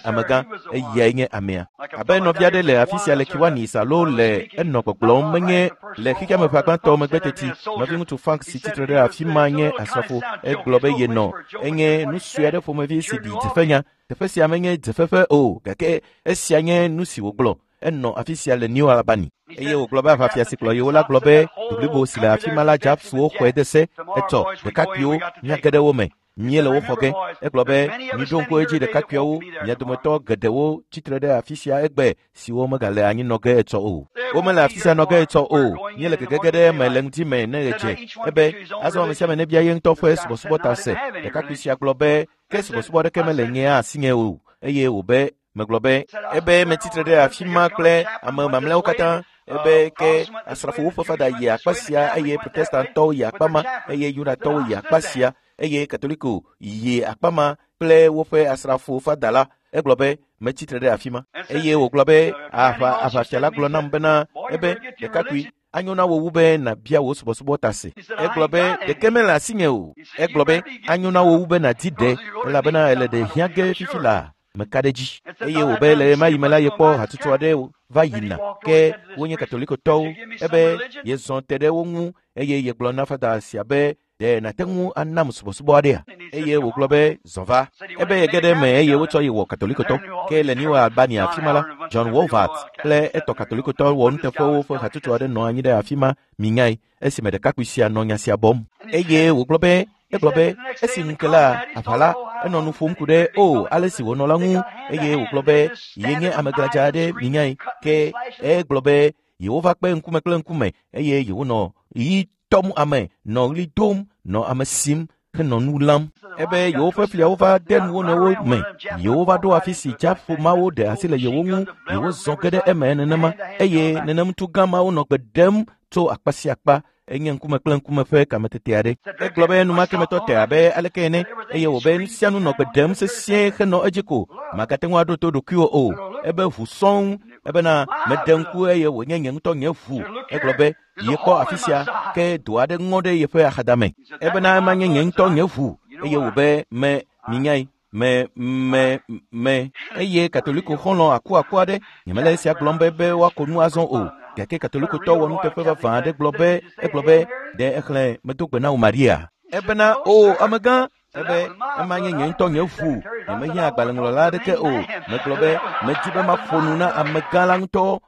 amegã, eyae nye amea. Abe nɔvi aɖe le afi sia le Kiwanis alo le enɔ gbɔgblɔm menye le xexeame ƒe agbãtɔ megbe teti. Nɔviŋutsu Frank si tsitre ɖe afi ma nye asrafo. Egblɔ be yenɔ. Enye nu sue aɖe ƒomevi si ɖi dzefenya. Teƒe sia menye dzefefe o, gake esia nye nu si wògblɔ. Enɔ afi sia le New Albany. Eye wògblɔ be aʋafia si kplɔ yewo la gblɔ be du blibo si le afi ma la Japswo xɔe de se. Etsɔ ɖekakpuiwo míage ɖe wo me. Míele wo xɔ ge. Egblɔ be miɖo ŋku edzi ɖekakpuiawo, mia dometɔ geɖewo tsitre ɖe afi sia egbe siwo megale anyi nɔ ge etsɔ o. Womele afi sia nɔ ge etsɔ o. Míele gegege ɖe eme le ŋdi me ne ɣe dze. Ebe azɔ ame sia ame nebia ye ŋutɔ ƒe subɔsubɔ ta se. Ɖekakpui sia gblɔ be ke subɔsubɔ aɖeke mele nye asinye o. Eye wòbe megblɔ be ebe metsitre ɖe afi ma kple ame mamlɛawo katã. Ebe ke asrafowo ƒe fada yi akpa sia eye protestantɔwo yi akpa ma eye yudatɔwo yi akpa sia eye katoliko yi akpa ma kple woƒe asrafo fada la. Egblɔ be metsitre ɖe afi ma. Eye wògblɔ be aʋafia la gblɔ nam bena ebe ɖekakpui anyo na wò wu be nàbia wò subɔsubɔ ta se. Egblɔ be ɖeke mele asinye o. Egblɔ be anyo na wò wu be nàdi ɖe elabena ele ɖe hiã ge fifi laa. Meka ɖe dzi. Eye wòbe le ɣemaɣi me la yekpɔ hatsotso aɖe va yina ke wonye katolikotɔwo. Ebe yezɔ te ɖe wo ŋu eye yegblɔ na fada sia be ɖe nàte ŋu anam subɔsubɔ aɖea? Eye wògblɔ be zɔ va. Ebe yege ɖe eme eye wotsɔ ye wɔ katolikotɔ. Ke le New Albany afi ma la, John Wolvert kple etɔ katolikotɔ wɔnuteƒewo ƒe hatsotso aɖe nɔ anyi ɖe afi ma minyae esime ɖekakpui sia nɔ nya sia bɔm. Eye wògblɔ be egblɔ be esi ŋu ke la aʋa la enɔ nu ƒom ku ɖe o ale si wònɔ la ŋu eye wògblɔ be yenye ame gladza aɖe minyae ke egblɔ be yewova kpe ŋkume kple ŋkume eye yewonɔ ɣi tɔm ame nɔ ɣli dom nɔ ame sim henɔ nu lãm. Ebe yewoƒe fliawo va de nu wo nɔewo me. Yewo va ɖo afi si dzaƒo mawo ɖe asi le yewo ŋu, yewozɔ ge ɖe eme nenema eye nenemtu gã mawo nɔ gbe ɖem tso akpa sia akpa. Enye ŋkume kple ŋkume ƒe kametete aɖe. Egblɔ be enumake metɔ te abe aleke ene eye wòbe nu sia nu nɔ gbe ɖem sesĩe henɔ edzi ko. Magate ŋu aɖo to ɖokuiwò o. Ebe ʋu sɔŋ ebena meɖe ŋku eye wònye nye ŋutɔ nye ʋu. Egblɔ be yekpɔ afi sia ke do aɖe ŋɔ ɖe yeƒe axadame. Ebena ema nye nye ŋutɔ nye ʋu eye wòbe me minyae me me me eye katoliko xɔlɔ̃ akuaku aɖe nyemele esia gblɔm be woako nu azɔ o gake katolikotɔ wɔnuteƒe vavã aɖe gblɔ be egblɔ be ɖe exlẽ medo gbe na wò Maria. Ebena o amegã ebe ema nye nye ŋutɔ nye ʋu nyemehiã agbalẽŋlɔla aɖeke o. Megblɔ be medi be maƒo nu na amegã la ŋutɔ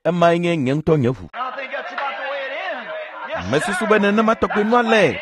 emae nye nye ŋutɔ nye ʋu. Mesusu be nenema tɔgbe nua le.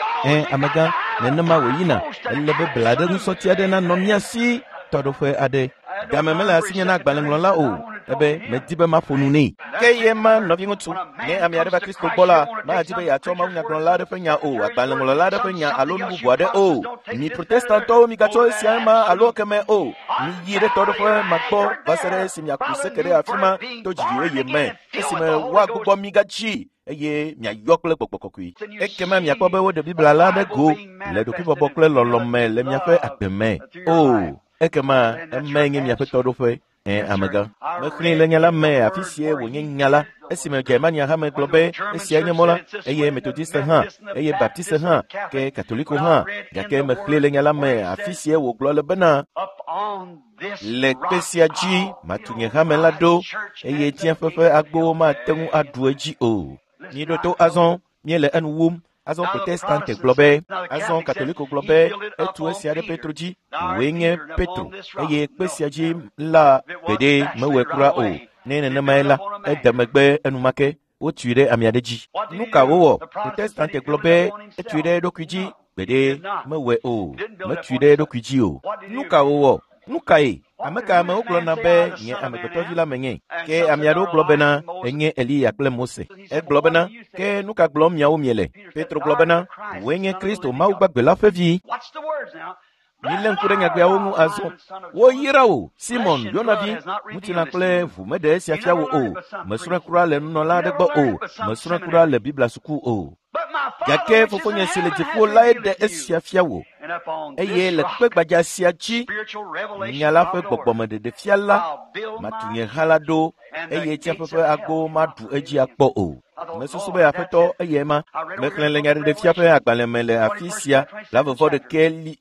Amegã, nenema wòyina. Ele be bla ɖe ŋusɔti aɖe nanɔ mía si tɔɖoƒe aɖe. Game mele asinye na agbalẽŋlɔla o. Ebe medi be maƒo nu nɛ. Ke ye ma nɔviŋutsu, ne ame aɖe va Kristo gbɔ la, madi be yeatsɔ mawunyagblɔla aɖe ƒe nya o, agbalẽŋlɔla aɖe ƒe nya alo nu bubu aɖe o. Mi protestantɔwo migatsɔ esia ma alo ekeme o. Miyi ɖe tɔɖoƒe ma gbɔ va se ɖe esi miaku seke ɖe afi ma to dzidzi yeye me esime woagbugbɔ mi gadzi eye miayɔ kple gbɔgbɔ kɔkɔe. Ekema miakpɔ be woɖe Biblia la ɖe go le ɖokuibɔbɔ kple lɔlɔ̃ me le miaƒe agbe me. O, ekema emae nye miaƒe tɔɖoƒe. Ẽ, amegã. Mexlẽe le nya la me afi sie wònye nya la. Esime Germania hame gblɔ be esiae nye mɔ la, eye Metodiste hã, eye Baptiste hã, ke Katoliko hã. Gake mexlẽe le nya la me afi sie wògblɔ le bena, le kpe sia dzi matu nye hame la ɖo, eye tsiẽƒe ƒe agbowo mate ŋu aɖu edzi o. Míeɖo to azɔ, míele enu wum. Azɔ Protestante gblɔ be, azɔ Katoliko gblɔ be, etu esia ɖe Petro dzi, wòe nye Petro, eye kpe sia dzi la gbeɖe mewɔe kura o. Ne nenemae la, ede megbe enumake, wotui ɖe ame aɖe dzi. Nu ka wowɔ? Protestante gblɔ be, etui ɖe eɖokui dzi, gbeɖe mewɔe o, metui ɖe eɖokui dzi o. Nu ka wowɔ? Nu kae? Ame ka amewo gblɔna be nye amegbetɔvi la menye? Ke ame aɖewo gblɔ bena enye Eliya kple Mose. Egblɔ bena, ke nu ka gblɔm miawo miele? Petro gblɔ bena, wòe nye Kristo Mawu gbagbe la ƒe vi. Milé ŋku ɖe nyagbeawo ŋu azɔ. Woyra wò, Simon, Yona vi, ŋutilã kple ʋu meɖe esia fia wò o. Mesrɔ̃e kura le nunɔla aɖe gbɔ o. Mesrɔ̃e kura le Biblia suku o. Gake fofonye si le dziƒo lae ɖe esia fia wò. Eye le kpe gbadza sia dzi, nya la ƒe gbɔgbɔmeɖeɖefia la, matu nye ha la ɖo, eye tsiẽƒe ƒe agbowo maɖu edzi akpɔ o. Mesusu be Aƒetɔ eyae ma. Mexlẽ le nyaɖeɖefia ƒe agbalẽ me le afi sia, 22,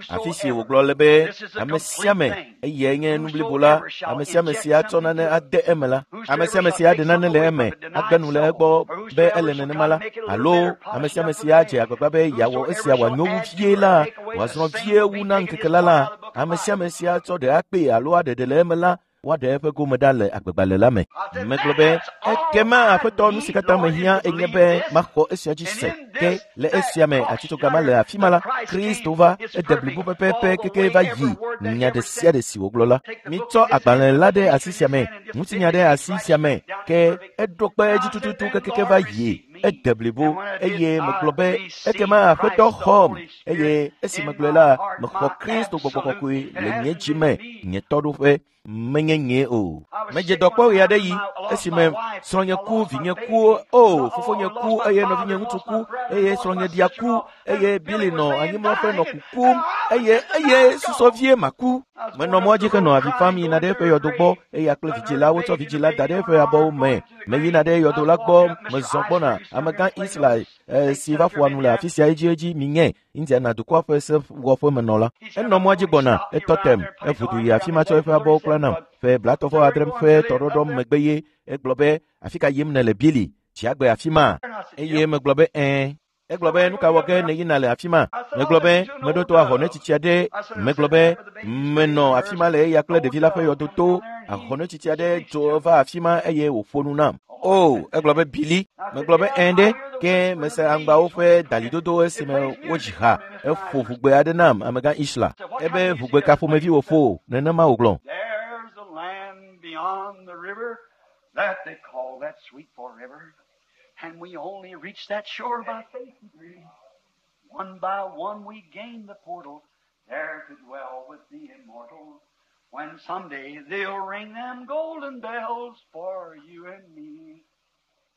afi si wògblɔ le be, ame sia ame, eyae nye nu blibo la, ame sia ame si atsɔ nane ade eme la, ame sia ame si aɖe nane le eme, agbe nu le egbɔ be ele nenema la, alo ame sia ame si adze agbagba be yeawɔ esia wòanyo wu vie la, wòazrɔ̃ vie wu na ŋkeke la la, ame sia ame si atsɔ ɖe akpee alo aɖe ɖe le eme la, woaɖe eƒe gome ɖa le agbegbalẽ la me. Megblɔ be, ekema Aƒetɔ, nu si katã mehiã enye be maxɔ esia dzi se. Ke le esia me atitsoga ma le afi ma la, Kristo va, ede blibo pɛpɛpɛ keke va yi nya ɖe sia ɖe si wògblɔ la. Mitsɔ agbalẽ la ɖe asi sia me, ŋutinya ɖe asi sia me, ke eɖo kpe edzi tututu kekeke va yi, ede blibo, eye megblɔ be, ekema Aƒetɔ xɔm, eye esi megblɔe la, mexɔ Kristo gbɔgbɔ kɔkɔe le nye dzi me, nye tɔɖoƒe. Menye nye o. Medze dɔ kpɔ ɣe aɖe yi esime srɔ̃nye ku, vinye ku, o fofonye ku, eye nɔvinye ŋutsu ku, eye srɔ̃nye ɖia ku, eye Billy nɔ anyimlɔƒe nɔ kukum, eye susɔ vie maku. Menɔ mɔa dzi henɔ avi fam yina ɖe eƒe yɔdo gbɔ, eya kple vidzĩ la wotsɔ vidzĩ la da ɖe eƒe abɔwo me. Meyina ɖe yɔdo la gbɔ, mezɔ gbɔna. Amegã Isla si va ƒoa nu le afi sia edziedzi minye Indiana dukɔa ƒe sewɔƒemenɔla. Enɔ mɔa dzi gbɔna, etɔ tem, eʋu du yi afi ma tsɔ eƒe abɔwo kpla nam. Ƒe 36 ƒe tɔɖɔɖɔ megbe ye egblɔ be, afi ka yim nèle Billy? Tsi agbe afi ma? Eye megblɔ be, ɛ̃. Egblɔ be, nu ka wɔ ge nèyina le afi ma? Megblɔ be, meɖo to ahɔnetsitsi aɖe. Megblɔ be, menɔ afi ma le eya kple ɖevi la ƒe yɔdo to. Ahɔnetsitsi aɖe dzo va afi ma eye wòƒo nu nam. O, egblɔ be, Billy. Megblɔ be, ɛ̃ ɖe, ke mese aŋgbawo ƒe dalidodo esime wodzi ha. Eƒo ʋugbe aɖe nam, amegã Isla. Ebe ʋugbe ka ƒomevi wòƒo? Nenema wògblɔ. There's a land beyond the river that they call that sweet forever. And we only reach that shore by faith and grace. One by one we gain the portal, there to dwell with the immortals. When someday they'll ring them golden bells for you and me.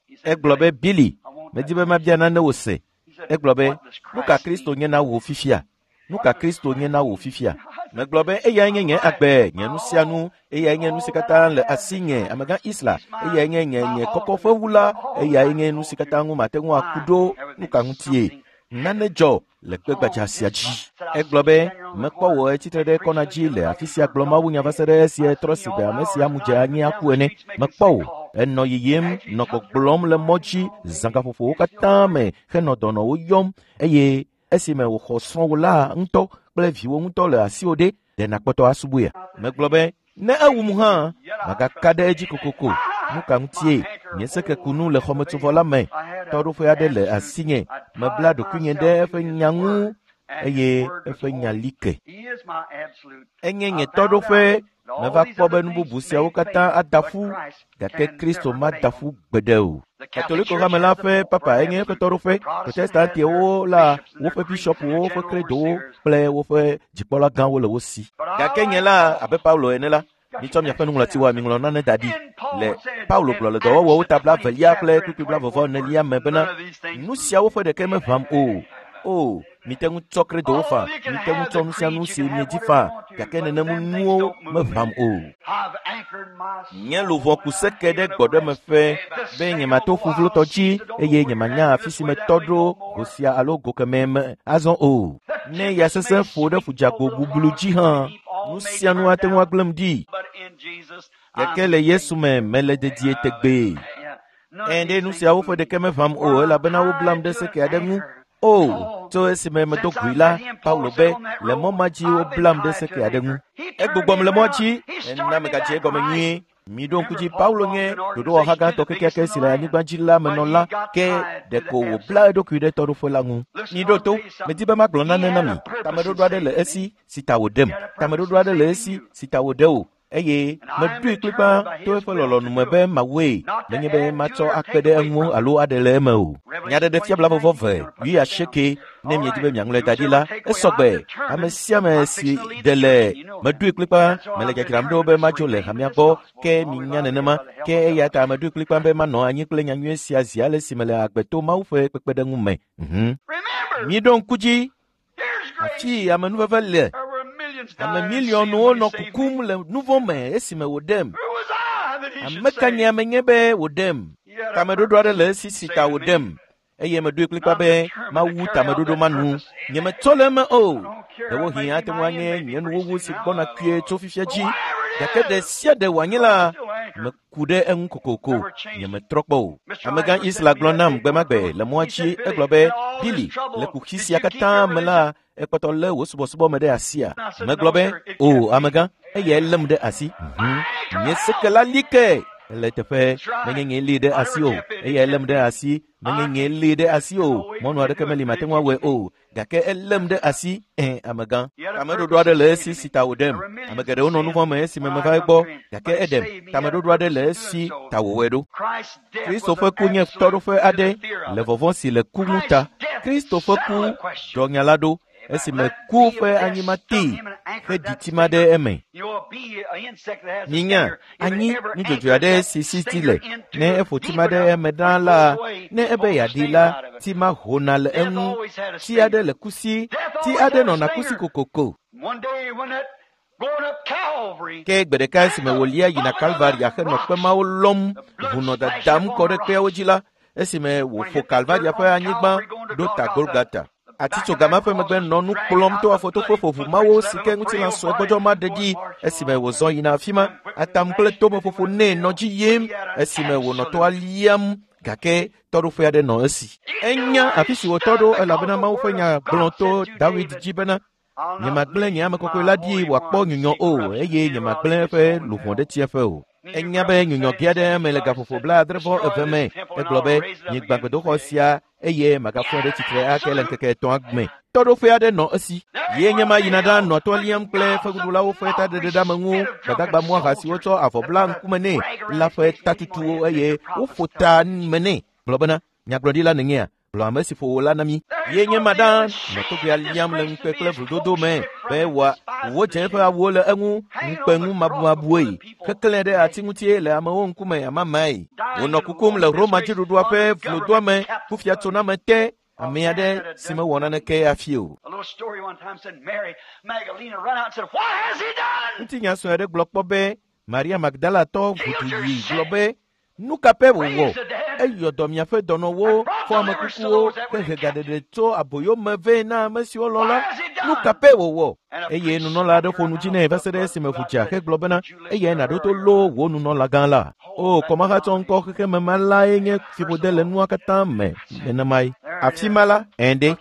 He said, Egblɔ be, Billy, I want medi that. be mabia nane wò se. He said, Egblɔ be, what does nu ka Christ Kristo mean? nye na wò fifia? Nu ka Kristo nye na wò fifia? Megblɔ be eyae nye nye agbe, nye nu sia nu, eyae nye nu si katã le asinye, amegã Isla, eyae nye nye nye kɔkɔƒewu la, eyae nye nu si katã ŋu mate ŋu aku ɖo, nu ka ŋutie? Nane dzɔ le kpe gbadza sia dzi. Egblɔ be, mekpɔ wò etsitre ɖe kɔna dzi le afi sia gblɔ mawunya va se ɖe esie trɔ si be ame sia mu dze anyi aku ene. Mekpɔ wò, enɔ yiyim, nɔ gbɔgblɔm le mɔ dzi zãgaƒoƒowo katã me henɔ dɔnɔwo yɔm, eye esime wòxɔ srɔ̃wò la ŋutɔ kple viwò ŋutɔ le asiwò ɖe, ɖe nàkpɔtɔ asubɔea? Megblɔ be, ne ewum hã, magaka ɖe edzi kokoko. Nu ka ŋutie? Nye sekekunu le xɔmetsovɔ la me. Tɔɖoƒe aɖe le asinye. Mebla ɖokuinye ɖe eƒe nya ŋu eye eƒe nya li ke. He is my absolute. Enye nye tɔɖoƒe. Meva kpɔ be nu bubu siawo katã ada ƒu, gake Kristo mada ƒu gbeɖe o. Katoliko hame la ƒe papa enye eƒe tɔɖoƒe. Protestantiwo la woƒe bishɔpuwo, woƒe kredowo kple woƒe dzikpɔla gãwo le wo si. Gake nye la, abe Paulo ene la, mitsɔ miaƒe nuŋlɔtiwoa miŋlɔ nane da ɖi. Le Paulo gblɔ le dɔwɔwɔwo ta 22 kple kpukpui 44 me bena, nu siawo ƒe ɖeke meʋãm o. O, Mite ŋu tsɔ kredowo faa, mite ŋu tsɔ nu sia nu si miedzi faa, gake nenem nuwo meʋãm o. Nye luʋɔ ku seke ɖe gbɔɖemeƒe be nyemato ƒuvlotɔ dzi eye nyemanya afi si metɔ ɖo go sia alo go kemɛ me azɔ o. Ne ya sesẽ ƒo ɖe ƒudzagbo bublu dzi hã, nu sia nu ate ŋu agblẽm ɖi. Gake le Yesu me mele dedie tegbee. Ẽ ɖe nu siawo ƒe ɖeke meʋãm o elabena woblam ɖe seke aɖe ŋu. O, tso esime medo goe la, Paulo be, le mɔ ma dzi woblam ɖe seke aɖe ŋu. Egbugbɔm le mɔa dzi, ena megadze egɔme nyuie. Miɖo ŋku dzi, Paulo nye ɖoɖowɔha gãtɔ kekeake si le anyigba dzi la menɔla, ke ɖeko wòbla eɖokui ɖe tɔɖoƒe la ŋu. Miɖo to, medi be magblɔ nane na mi. Tameɖoɖo aɖe le esi si ta wòɖem. Tameɖoɖo aɖe le esi si ta wòɖe wò. Eye meɖoe kplikpaa to eƒe lɔlɔ̃nu me be mawɔe, nenye be matsɔ akpe ɖe eŋu alo aɖe le eme o. Nyaɖeɖefia blaeve wuiasieke ne miedi be miaŋlɔe da ɖi la, esɔgbe. Ame sia ame si ɖe le meɖoe kplikpaa mele dzadzram ɖo be madzo le hamea gbɔ, ke minya nenema. Ke eya ta meɖoe kplikpaa be manɔ anyi kple nyanyui sia zi ale si mele agbe to Mawu ƒe kpekpeɖeŋu me. Miɖo ŋku dzi, afi amenuveve le. Ame miliɔnwo nɔ kukum le nu vɔ̃ me esime wòɖem. Ame ka nye ame nye be wòɖem? Tameɖoɖo aɖe le esi si ta wòɖem. Eye meɖoe kplikpaa be mawu tameɖoɖo ma nu. Nyemetsɔ le eme o. Ɖewohĩ ate ŋu anye nye nuwuwu si gbɔna kpuie tso fifia dzi. Gake ɖe sia ɖe wòanye la, meku ɖe eŋu kokoko. Nyemetrɔ kpɔ o. Amegã Isla gblɔ nam gbe ma gbe le mɔa dzi. Egblɔ be, Billy, le kuxi sia katã me la, ekpɔtɔ lé wò subɔsubɔ me ɖe asia. Megblɔ be, o amegã, eyae lém ɖe asi. Nye seke la li ke. Ele teƒe, menye nye lée ɖe asi o. Eyae lém ɖe asi, menye nye lée ɖe asi o. Mɔnu aɖeke meli mate ŋu awɔe o. Gake elém ɖe asi, ẽ amegã. Tameɖoɖo aɖe le esi si ta wòɖem. Ame geɖewo nɔ nu vɔ̃ me esime meva egbɔ, gake eɖem. Tameɖoɖo aɖe le esi ta wòwɔe ɖo. Kristo ƒe ku nye tɔɖoƒe aɖe le vɔvɔ̃ si le ku ŋu ta. Kristo ƒe ku ɖɔ nya la ɖo esime ku ƒe anyima tee heɖi tima ɖe eme. Minya, anyi nudzodzoe aɖe si si ti le. Ne eƒo tima ɖe eme ɖaa la, ne ebe yeaɖi la, tima hona le eŋu. Ti aɖe le kusi, ti aɖe nɔna kusi kokoko. Ke gbe ɖeka esime wòlia yina Kalvaria henɔ kpe mawo lɔm ʋu nɔ dadam kɔ ɖe kpeawo dzi la, esime wòƒo Kalvaria ƒe anyigba ɖo ta Golgata. Atitsoga ma ƒe megbe nɔ nu kplɔm to afɔtoƒe ƒoʋu mawo si ke ŋutilã sue gbɔdzɔ ma ɖe ɖi esime wòzɔ yina afi ma. Atam kple tomeƒoƒo nɛ nɔ dzi yim esime wònɔ toa liam gake tɔɖoƒe aɖe nɔ esi. Enya afi si wòtɔ ɖo elabena Mawu ƒe nya gblɔ to Dawid dzi bena, nyemagblẽ nye ame kɔkɔe la ɖi wòakpɔ nyunyɔ o eye nyemagblẽ eƒe luʋɔ ɖe tsiẽƒe o. Enya be nyunyɔ ge aɖe eme le gaƒoƒo 70.2 me. Egblɔ be, migbã gbedoxɔ sia eye magafɔe ɖe tsitre ake le ŋkeke etɔ̃a me. Tɔɖoƒe aɖe nɔ esi. Ye nye ma yina ɖa nɔ toa liam kple fewuɖulawo ƒe taɖeɖeɖeameŋu, gbadagba muaha siwo tsɔ avɔ bla ŋkume nɛ la ƒe tatutuwo eye woƒo ta me nɛ. Gblɔ bena, nyagblɔɖila nènyea? Gblɔ ame si ƒo wò la na mí. Ye nye ma ɖa nɔ togbea liam le ŋukpe kple vlododo me be wòa wodze eƒe awuwo le eŋu ŋukpe ŋu mabumabuwoe. Keklẽ ɖe ati ŋutie le amewo ŋkume amamae. Wònɔ kukum le Roma dziɖuɖua ƒe vlodoame kufiatsoname te ame aɖe si mewɔ naneke hafi o. Ŋutinya sue aɖe gblɔ kpɔ be Maria Magdalatɔ ʋudu yi gblɔ be, nu ka pɛ wòwɔ? Eyɔ dɔ miaƒe dɔnɔwo, fɔ ame kukuwo, hehe gaɖeɖe tso aboyo me vɛ na ame siwo lɔ̃ la. Nu ka pɛ wòwɔ? Eye nunɔla aɖe ƒo nu dzi nɛ va se ɖe esime ʋu dza hegblɔ bena, eyae nàɖo to loo wò nunɔlagã la. O, kɔmahatsɔ ŋkɔ xexeme ma lae nye fiƒode le nua katã me nenemae. Afi ma la, ẽ ɖe,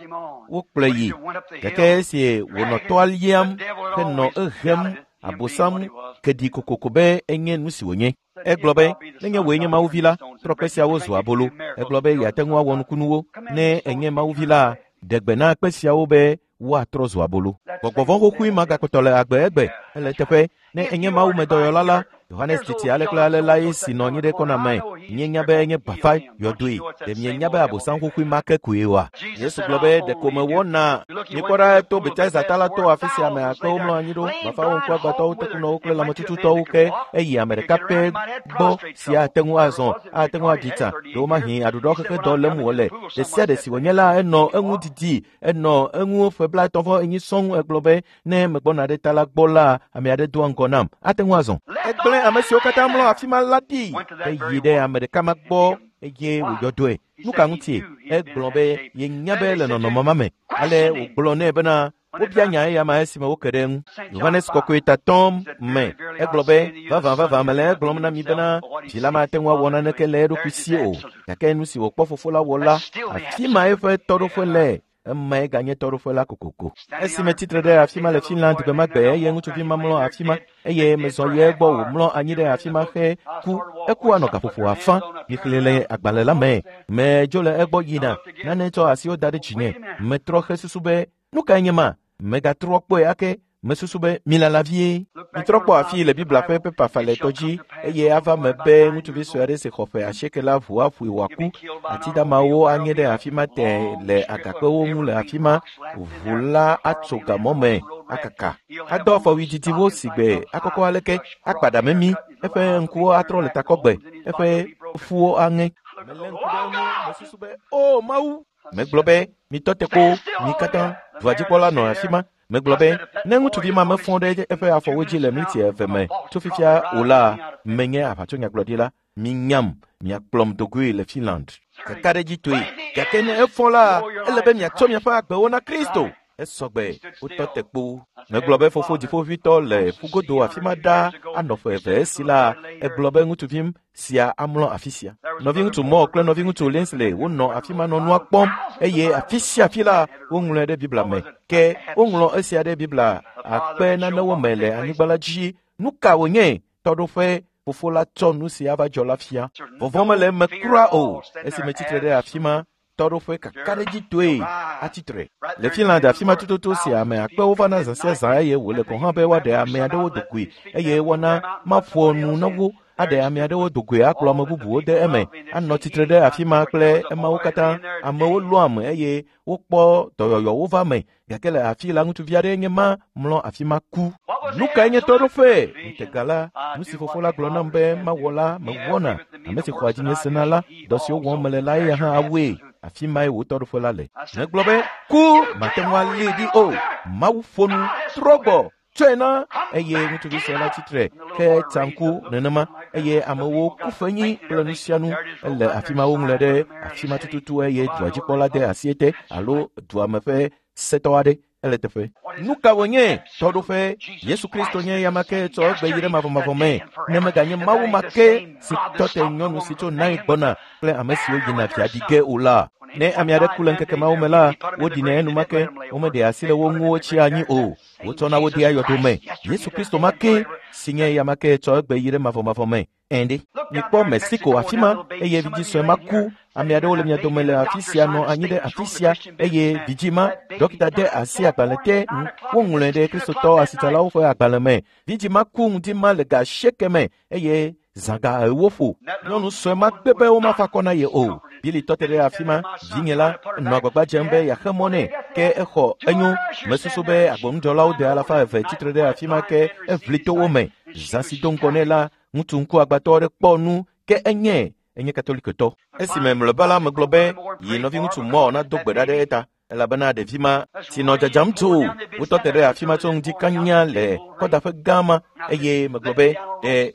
wokplɔe yi. Gake esi wònɔ toa liam henɔ ehem Abosam ke ɖi kokoko be enye nu si wònye. Egblɔ be, nenye wòe nye Mawu vi la, trɔ kpe siawo zu abolo. Egblɔ be yeate ŋu awɔ nukunuwo. Ne enye Mawu vi la, ɖe gbe na kpe siawo be woatrɔ zu abolo. Gbɔgbɔ vɔ̃ xoxoe ma gakpɔtɔ le agbe egbe. Ele teƒe, ne enye Mawu me dɔyɔla la, Yohanes titi ale kple ale lae si nɔ anyi ɖe kɔna me. Mienya be enye bafa yɔdoe. Ɖe mienya be abosam xoxoe ma ke koe oa? Yesu gblɔ be ɖeko mewɔna. Mikpɔ ɖa eto Betesda ta la to afi sia ame akpewo mlɔ anyi ɖo, bafawo, ŋkuagbãtɔwo, tekunɔwo kple lãmetututɔwo ke eyi ame ɖeka pɛ gbɔ si ate ŋu azɔ, ate ŋu aɖi tsa, ɖewomahi aɖuɖɔ xexe dɔ lém wòle. Ɖe sia ɖe si wònye la, enɔ eŋu didi, enɔ eŋu ƒe 35 sɔŋ. Egblɔ be ne megbɔna ɖe ta la gbɔ la, ame aɖe doa ŋgɔ nam, ate ŋu azɔ. Egblẽ ame siwo katã mlɔ afi ma la ɖi heyi ɖe ame ɖeka ma gbɔ eye wòyɔ dɔe. Nu ka ŋutie? Egblɔ be yenya be le nɔnɔme ma me. Ale wògblɔ nɛ bena wobia nya eya ma esime woke ɖe eŋu. Yohanes Kɔkɔe tatɔm me egblɔ be vavã vavã mele egblɔm na mi bena vi la mate ŋu awɔ naneke le eɖokui si o, gake nu si wòkpɔ fofo la wɔ la, afi ma eƒe tɔɖoƒe le. Emae ganye tɔɖoƒe la kokoko. Esime tsitre ɖe afi ma le Finland gbe ma gbe eye ŋutsuvi ma mlɔ afi ma eye mezɔ yi egbɔ wòmlɔ anyi ɖe afi ma he ku. Eku anɔ gaƒoƒo afã. Mixlẽe le agbalẽ la me. Medzo le egbɔ yina. Nane tsɔ asiwo da ɖe dzinye. Metrɔ hesusu be nu kae nye ma? Megatrɔ kpɔe ake. Mesusu be milala vie. Mitrɔ kpɔ afii le Biblia ƒe pepa falɛtɔ dzi eye ava me be ŋutsuvi sue aɖe si xɔ ƒe 8 la ʋu aƒoe wòaku. Ati damawo anye ɖe afi ma te le agakpewo ŋu le afi ma. Ʋu la atso gamɔ me akaka. Adɔ afɔwui didiwo si gbe akɔkɔ aleke, akpa ɖa memi, eƒe ŋkuwo atrɔ le takɔgbe, eƒe ƒuwo aŋe. Melé ŋku ɖe eŋu, mesusu be, O Mawu! Megblɔ be, mitɔ te ko, mi katã. Dua dzikpɔla nɔ afi ma. Megblɔ be, ne ŋutsuvi ma mefɔ ɖe eƒe afɔwo dzi le miniti 2 me tso fifia o la, menye aʋatsonyagblɔɖila. Minyam, miakplɔm dogoe le Finland. Kakaɖedzitɔe. Gake ne efɔ la, ele be miatsɔ miaƒe agbewo na Kristo. Esɔgbe, wotɔ te kpo. Megblɔ be fofo dziƒoʋĩtɔ le ƒugodo afi ma ɖaa anɔ ƒe 2 esi la, egblɔ be ŋutsuvim sia amlɔ afi sia. Nɔviŋutsu Moore kple nɔviŋutsu Linsley wonɔ afi ma nɔ nua kpɔm eye afi sia afi la woŋlɔe ɖe Biblia me. Ke woŋlɔ esia ɖe Biblia akpe nanewo me le anyigba la dzi. Nu ka wònye? Tɔɖoƒe fofo la tsɔ nu si ava dzɔ la fia. Vɔvɔ̃ mele eme kura o. Esime tsitre ɖe afi ma, tɔɖoƒe kakaɖedzitɔe atsitre. Le Finland afi ma tututu si ame akpewo vana zã sia zã eye wòle gɔ̃ hã be woaɖe ame aɖewo dogoe eye woana maƒo nu na wo aɖe ame aɖewo dogoe akplɔ ame bubuwo de eme, anɔ tsitre ɖe afi ma kple emawo katã. Amewo lɔ̃ ame eye wokpɔ dɔyɔyɔwo va me, gake le afi la ŋutsuvi aɖee nye ma mlɔ afi ma ku. Nu kae nye tɔɖoƒe? Ŋutega la, nu si fofo la gblɔ nam be mawɔ la mewɔna. Ame si xɔa dzinye sena la, dɔ siwo wɔm mele la eya hã awɔe. Afi mae wò tɔɖoƒe la le. Megblɔ be ku mate ŋu alée ɖi o. Mawu ƒo nu, trɔ gbɔ, tsɔe na. Eye ŋutsuvi sue la tsitre ke tsa ŋku nenema eye amewo ku fenyi kple nu sia nu. Ele afi ma woŋlɔe ɖe afi ma tututu eye dua dzikpɔla de asi ete alo dua me ƒe setɔ aɖe ele teƒe. Nu ka wònye? Tɔɖoƒe. Yesu Kristo nye eya ma ke tsɔ egbe yi ɖe mavɔmavɔ me. Ne meganye Mawu ma ke si tɔ te nyɔnu si tso Nain gbɔna kple ame siwo yina via ɖi ge o la. Ne ame aɖe ku le ŋkeke mawo me la, woɖinɛ enumake, womeɖea asi le wo ŋu wotsia anyi o. Wotsɔna wo dea yɔdo me. Yesu Kristo ma ke si nye eya ma ke tsɔ egbe yi ɖe mavɔmavɔ me. Ɛnde, mikpɔ Mexico afi ma eye vidzĩ sue ma ku. Ame aɖewo le mia dome le afi sia nɔ anyi ɖe afi sia eye vidzĩ ma, dɔkita de asi agbalẽ te nu. Woŋlɔe ɖe Kristotɔ asitsalawo ƒe agbalẽ me. Vidzĩ ma ku ŋdi ma le ga 8 me eye zã ga 4 ƒo. Nyɔnu sue ma gbe be womafa akɔ na ye o. Billy tɔ te ɖe afi ma. Vinye la nɔ agbagba dzem be yeaxe mɔ nɛ ke exɔ enyo. Mesusu be agbonudzɔlawo de 200 tsitre ɖe afi ma ke eʋli to wo me. Zã si do ŋgɔ nɛ la, ŋutsu ŋkuagbãtɔ aɖe kpɔ nu ke enye katolikotɔ. Esime mlɔeba la megblɔ be yi nɔviŋutsu Moore nado gbe ɖa ɖe eta elabena ɖevi ma si nɔ dzadzam tso wotɔ te ɖe afi ma tso ŋdi kanya le kɔdaƒe gã ma eye megblɔ be ɖe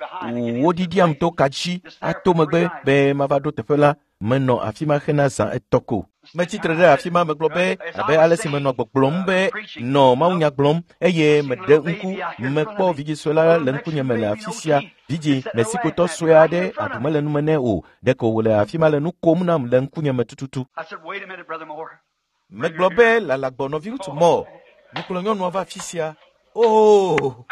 woɖiɖiam to ka dzi ato megbe be mava ɖo teƒe la. Menɔ afi ma hena zã 3 ko. Metsitre ɖe afi ma megblɔ be abe ale si menɔ gbɔgblɔm be nɔ mawunya gblɔm eye meɖe ŋku mekpɔ vidzĩ sue la le ŋkunye me le afi sia. Vidzĩ Mexicotɔ sue aɖe aɖu mele nume nɛ o. Ɖeko wòle afi ma le nu kom nam le ŋkunye me tututu. Megblɔ be lala gbɔ nɔviŋutsu Moore. Mikplɔ nyɔnua va afi sia. Oo!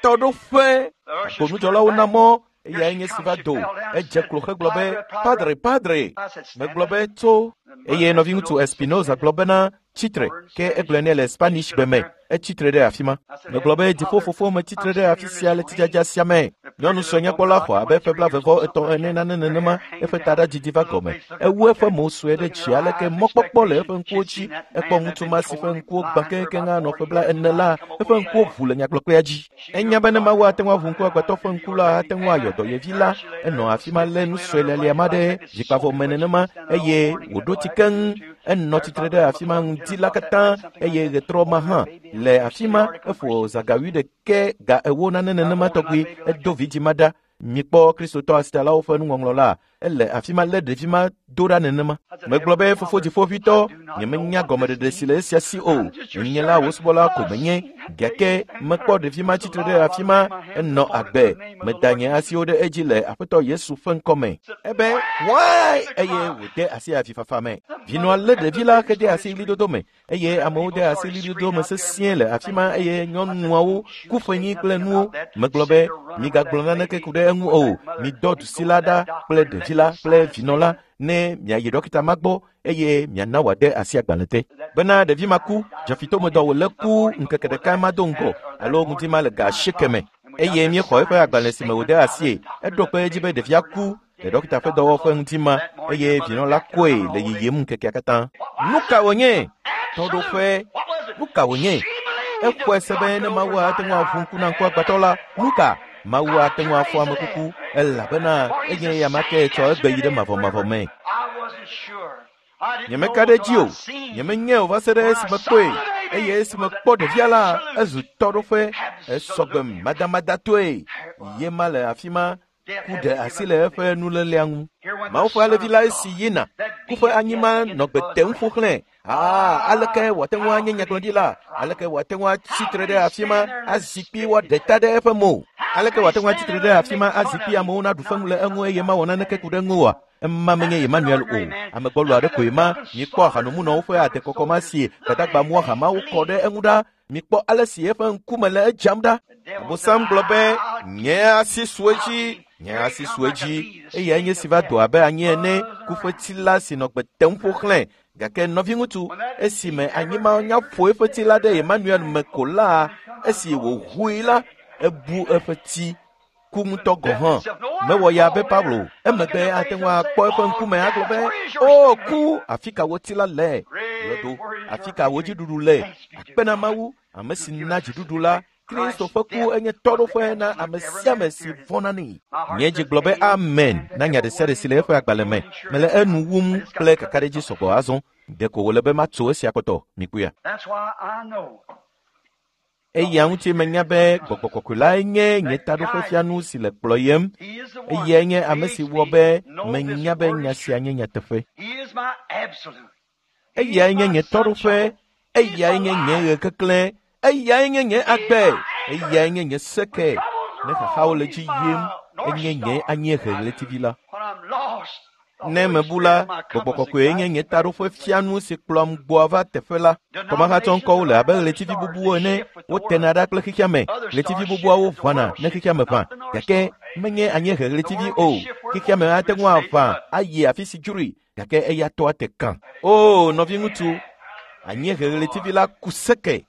Tɔɖoƒe! Agbonudzɔlawo na mɔ eyae nye si va do. Edze klo hegblɔ be, Padre, padre! Megblɔ be, tso. Eye nɔviŋutsu Espinoza gblɔ bena, tsitre, ke egblɔe nɛ le Spanish gbe me. Etsitre ɖe afi ma. Megblɔ be, dziƒo fofo metsitre ɖe afi sia le tsidzadza sia me. Nyɔnu sue nyakpɔla xɔ abe ƒe 33 ene nane nenema, eƒe taɖa didi va gɔme. Ewu eƒe mo sue ɖe dzi aleke mɔkpɔkpɔ le eƒe ŋkuwo dzi. Ekpɔ ŋutsu ma si ƒe ŋkuwo gbã keŋkeŋ anɔ ƒe 40 la, eƒe ŋkuwo ʋu le nyagblɔkpea dzi. Enya be ne Mawu ate ŋu aʋu ŋku agbetɔ ƒe ŋku la, ate ŋu ayɔ dɔ yevi la. Enɔ afi ma lé nu sue lialia ma ɖe dzikpavɔ me nenema eye wòɖo tsi keŋ. Enɔ tsitre ɖe afi ma ŋdi la katã eye ɣetrɔ ma hã le afi ma. Eƒo zã ga 8 ga 4 nane nenema tɔgbi. Edo vidzĩ ma ɖa. Mikpɔ Kristotɔ asitalawo ƒe nuŋɔŋlɔ la, ele afi ma lé ɖevi ma do ɖa nenema. Megblɔ be, Fofo dziƒoʋĩtɔ, nyemenya gɔmeɖeɖe si le esia si o. Nye la wò subɔla ko menye, gake mekpɔ ɖevi ma tsitre ɖe afi ma, enɔ agbe. Meda nye asiwo ɖe edzi le Aƒetɔ Yesu ƒe ŋkɔme. Ebe, Wai! Eye wòde asi avifafa me. Vinɔa lé ɖevi la hede asi ɣlidodo me eye amewo de asi ɣlidodo me sesĩe le afi ma eye nyɔnuawo ku ƒenyi kple nuwo. Megblɔ be, migagblɔ naneke ku ɖe eŋu o. Midɔ dusi la ɖa kple ɖevi la kple vinɔ la ne miayi ɖɔkita ma gbɔ eye miana wòade asi agbalẽ te. Bena ɖevi ma ku, dzefitomedɔ wòlé ku ŋkeke ɖeka ma do ŋgɔ alo ŋdi ma le ga 8 me. Eye míexɔ eƒe agbalẽ si me wòde asie. Eɖo kpe edzi be ɖevia ku le ɖɔkita ƒe dɔwɔƒe ŋdi ma eye vinɔ la kɔe le yiyim ŋkekea katã. Nu ka wònye? Tɔɖoƒe. Nu ka wònye? Exɔe se be ne Mawu ate ŋu aʋu ŋku na ŋku agbetɔ la, nu ka? Mawu ate ŋu afɔ ame kuku elabena enye eya ma ke tsɔ egbe yi ɖe mavɔmavɔ me. Nyemeka ɖe edzi o. Nyemenyae o va se ɖe esime kpɔe eye esime kpɔ ɖevia la, ezu tɔɖoƒe. Esɔgbe madamadatɔe. Ye ma le afi ma ku ɖe asi le eƒe nulélea ŋu. Mawu ƒe alevi la esi yina. Ku ƒe anyima nɔ gbe tem ƒo xlẽe. Aleke wòate ŋu anye nyagblɔɖila? Aleke wòate ŋu atsi tre ɖe afi ma azi kpi woaɖe ta ɖe eƒe mo? Aleke wòate ŋu atsi tre ɖe afi ma azi kpi amewo naɖu feŋu le eŋu eye mawɔ naneke ku ɖe eŋu oa? Ema menye Emmanuel o. Ame gbɔlo aɖe koe ma. Mikpɔ ahanomunɔwo ƒe adekɔkɔ ma si gbadagba mu ahamawo kɔ ɖe eŋu ɖa. Mikpɔ ale si eƒe ŋkume le edzam ɖa. Abosam gblɔ be, nye asi su edzi, nye asi su edzi. Eyae nye si va do abe anyi ene, ku ƒe tsi la si nɔ gbe tem ƒo xlẽe. Gake nɔviŋutsu, esime anyima nya ƒo eƒe tsi la ɖe Emmanuel me ko la, esi wòʋui la, ebu eƒe tsi ku ŋutɔ gɔ̃ hã. Mewɔ ya be Paulo emegbe ate ŋu akpɔ eƒe ŋkume agblɔ be, o ku, afi ka wò tsi la le? Yɔdo, afi ka wò dziɖuɖu le? Akpe na Mawu, ame si na dziɖuɖu la. Kristo ƒe ku enye tɔɖoƒe na ame sia ame si vɔ̃na nɛ. Nye dzi gblɔ be amen na nya ɖe sia ɖe si le eƒe agbalẽ me. Mele enu wum kple kakaɖedzi sɔgbɔ azɔ. Ɖeko wòle be matso esia kpɔtɔ, mikpɔea. Eya ŋuti menya be gbɔgbɔ kɔkɔe lae nye nye taɖoƒefianu si le kplɔyem. Eyae nye ame si wɔ be menya be nya sia nye nyateƒe. Eyae nye nye tɔɖoƒe, eyae nye nye ɣekeklẽ, eyae nye nye agbe, eyae nye nye seke. Ne xaxawo le dzi yim, enye nye anyiehe ɣletivi la. Ne mebu la, gbɔgbɔ kɔkɔe nye nye taɖoƒefianu si kplɔam gbɔa va teƒe la. Kɔmahatsɔ ŋkɔwo le abe ɣletivi bubuwo ene, wotena ɖa kple xexea me. Ɣletivi bubuawo ʋãna ne xexea me ʋã, gake menye anyiehe ɣletivi o. Xexea me ate ŋu aʋã ayi afi si dzroe, gake eya tɔ ate kã. O nɔviŋutsu, anyiehe ɣletivi la ku seke.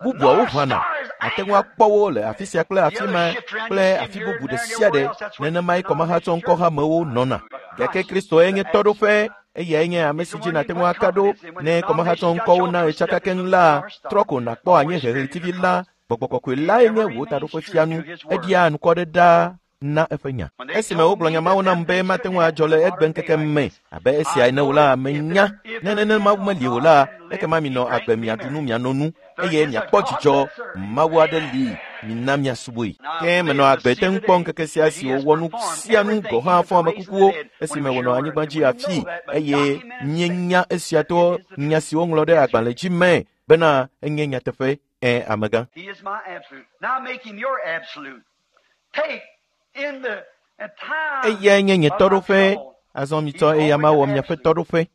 Bubuawo ʋãna, ate ŋu akpɔ wo le afi sia kple afi ma kple afi bubu ɖe sia ɖe. Nenemae kɔmahatsɔ ŋkɔhamewo nɔna. Gake Kristoe nye tɔɖoƒe, eyae nye ame si dzi nàte ŋu aka ɖo. Ne kɔmahatsɔ ŋkɔwo na ɣetsaka keŋ la, trɔ ko nàkpɔ anyiehe ɣletivi la. Gbɔgbɔ kɔkɔe lae nye wò taɖoƒefianu. Eɖia anukɔ ɖe ɖaa na eƒe nya. Esime wogblɔ nya mawo nam be mate ŋu adzɔ le egbe ŋkeke me abe esia ene o la, menya. Ne nenema Mawu meli o la, ekema minɔ agbe miaɖu nu miano nu eye miakpɔ dzidzɔ. Mawu aɖe li, mina miasubɔe. Ke menɔ agbe te ŋu kpɔ ŋkeke sia si wòwɔ nu sia nu gɔ̃ hã fɔ ame kukuwo esime wònɔ anyigba dzi afii eye míenya esia to nya si woŋlɔ ɖe agbalẽ dzi me bena enye nyateƒe. Ẽ, amegã. He is my absolute. Now make him your absolute. Take in the time Eyae nye nye of my tɔɖoƒe. trouble. Azɔ mitsɔ eya ma wɔ miaƒe tɔɖoƒe.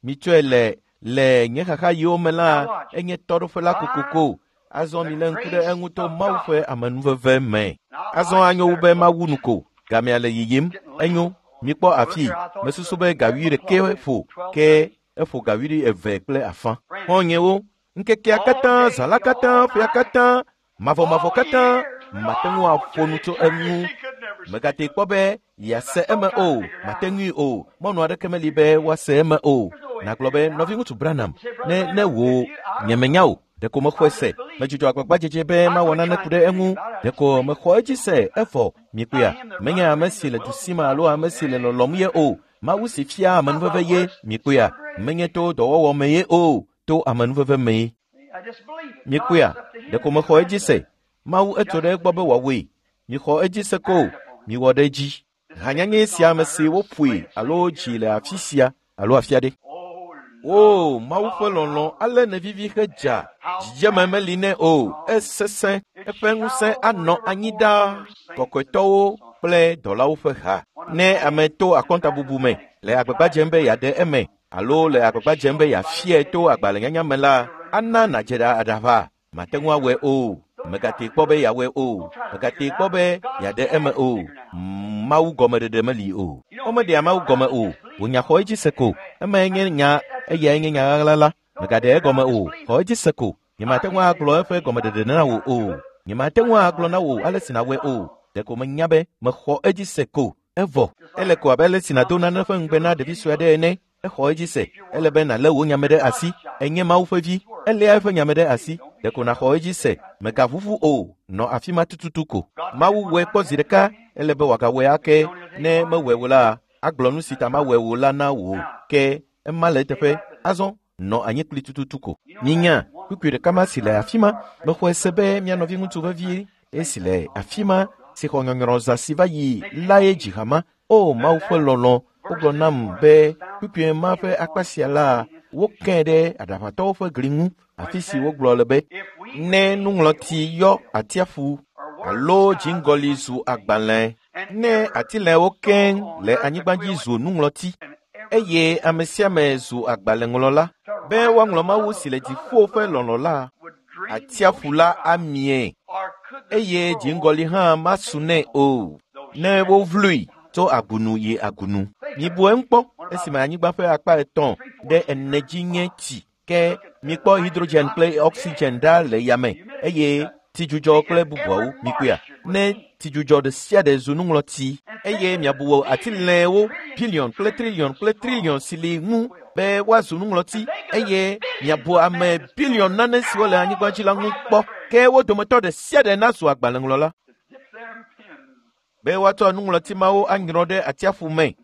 Mitsɔe le nye xaxaɣiwo me la, enye tɔɖoƒe la kokoko. Azɔ milé ŋku ɖe eŋu to Mawu ƒe amenuveve me. Azɔ anyo wu be mawu nu ko. Gamea le yiyim. Enyo. Mikpɔ afii. Mesusu be ga 11 ƒo, ke eƒo ga 12:30. Xɔ̃nyewo, ŋkekea katã, zã la katã, ƒea katã, mavɔmavɔ katã, mate ŋu aƒo nu tso eŋu. Mègate kpɔ be yease eme o, mate ŋui o, mɔnu aɖeke meli be woase eme o. Nàgblɔ be nɔviŋutsu Branham, ne ne wò nyemenya o, ɖeko mexɔe se. Medzudzɔ agbagbadzedze be mawɔ nane ku ɖe eŋu. Ɖeko mexɔ edzi se evɔ. Mikpɔea, menye ame si le du sim alo ame si le lɔlɔm ye o. Mawu si fia amenuveve ye. Mikpɔea, menye to dɔwɔwɔ me ye o, to amenuveve mee. Mikpɔea, ɖeko mexɔ edzi se. Mawu etso ɖe egbɔ be wòawɔe. Mixɔ edzi se ko, miwɔ ɖe edzi. Hanyanye sia ame si woƒoe alo dzi le afi sia alo afi aɖe. O, Mawu ƒe lɔlɔ̃ ale nevivi hedza. Dzidzeme meli nɛ o, esesẽ. Eƒe ŋusẽ anɔ anyi ɖaa. Kɔkɔetɔwo kple dɔlawo ƒe ha. Ne ame to akɔntabubu me le agbagba dzem be yeaɖe eme alo le agbagba dzem be yeafiae to agbalẽnyanya me la, ana nàdze aɖaʋa. Mate ŋu awɔe o. Mègate kpɔ be yeawɔe o. Mègate kpɔ be yeaɖe eme o. Mawu gɔmeɖeɖe meli o. Womeɖea Mawu gɔme o. Wò nya xɔ edzi se ko. Emae nye nya, eyae nye nya ɣaɣla la. Mègaɖe egɔme o. Xɔ edzi se ko. Nyemate ŋu agblɔ eƒe gɔmeɖeɖe na wò o. Nyemate ŋu agblɔ na wò ale si nàwɔe o. Ɖeko menya be mexɔ edzi se ko. Evɔ. Ele ko abe ale si nàdo nane ƒe ŋugbe na ɖevi sue aɖe ene. Exɔ edzi se. Ele be nàlé wò nyame ɖe asi. Enye Mawu ƒe vi. Eléa eƒe nyame ɖe asi. Ɖeko nàxɔ edzi se. Mègaʋuʋu o. Nɔ afi ma tututu ko. Mawu wɔe kpɔ zi ɖeka. Ele be wòagawɔe ake. Ne mewɔe o la, agblɔ nu si ta mawɔe o la na wò. Ke ema le eteƒe. Azɔ, nɔ anyi kpli tututu ko. Minya, kpukpui ɖeka ma si le afi ma. Mexɔe se be mía nɔviŋutsu vevie esi le afi ma si xɔ nyɔnyrɔ zã si va yi lae dzi hama. O, Mawu ƒe lɔlɔ̃, wogblɔ nam be kpukpui ma ƒe akpa sia la, wokee ɖe aɖaʋatɔwo ƒe gli ŋu, afi si wogblɔ le be, ne nuŋlɔti yɔ atsiaƒu alo dziŋgɔli zu agbalẽ, ne atilɛwo keŋ le anyigba dzi zu nuŋlɔti, eye ame sia ame zu agbalẽŋlɔla, be woaŋlɔ Mawu si le dziƒo ƒe lɔlɔ̃ la, atsiaƒu la amie, eye dziŋgɔli hã masu nɛ o, ne wovlui tso agunu yi agunu. Mibu eŋu kpɔ esime anyigba ƒe akpa etɔ̃ ɖe ene dzi nye tsi, ke mikpɔ hydrogen kple oxygen ɖa le yame eye tsidzudzɔ kple bubuawo. Mikpɔea, ne tsidzudzɔ ɖe sia ɖe zu nuŋlɔti eye miabu atilɛwo biliɔn kple triliɔn kple triliɔn si li ŋu be woazu nuŋlɔti eye miabu ame biliɔn nane siwo le anyigba dzi la ŋu kpɔ, ke wo dometɔ ɖe sia ɖe nazu agbalẽŋlɔla be woatsɔ nuŋlɔti mawo anyrɔ ɖe atsiaƒu me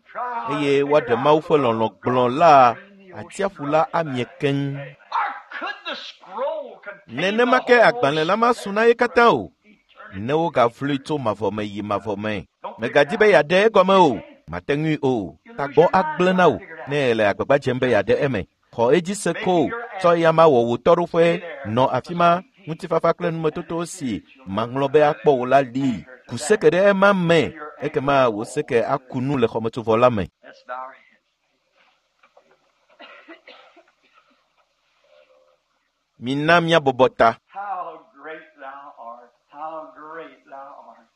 eye woaɖe Mawu ƒe lɔlɔ̃ gblɔ la, atsiaƒu la amie keŋ. Nenema ke agbalẽ la masu na ye katã o, ne wogavlui tso mavɔ me yi mavɔ me. Mègadi be yeaɖe egɔme o, mate ŋui o. Tagbɔ agblẽ na wò ne èle agbagba dzem be yeaɖe eme. Xɔ edzi se ko, tsɔ eya ma wɔ wò tɔɖoƒe, nɔ afi ma, ŋutifafa kple numetoto si maŋlɔ be akpɔ wò la li. Ku seke ɖe ema me, ekema wò seke aku nu le xɔmetsovɔ la me. Let's bow our heads. Mina míabɔbɔ ta. How great thou art. How great thou art.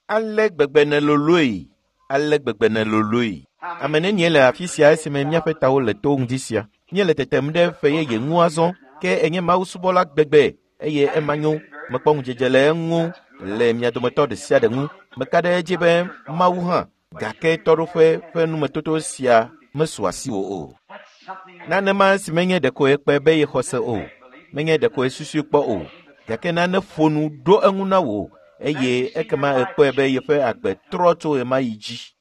Ale gbegbe nèloloe, ale gbegbe nèloloe. Ame nenie le afi sia esime míaƒe tawo le to ŋdi sia. Míele tetem ɖe ƒe yeye ŋu azɔ, ke enye Mawu subɔla gbegbe eye ema nyo. Mekpɔ ŋudzedze le eŋu le mia dometɔ ɖe sia ɖe ŋu. Meka ɖe edzi be Mawu hã, gake tɔɖoƒe ƒe numetoto sia mesu asiwò o. That's something Nanema si menye ɖeko ekpe be yexɔ se o, menye ɖeko esusui kpɔ o, gake nane ƒo nu ɖo eŋu na wò eye ekema ekpɔe be yeƒe agbe trɔ tso ɣemaɣi dzi.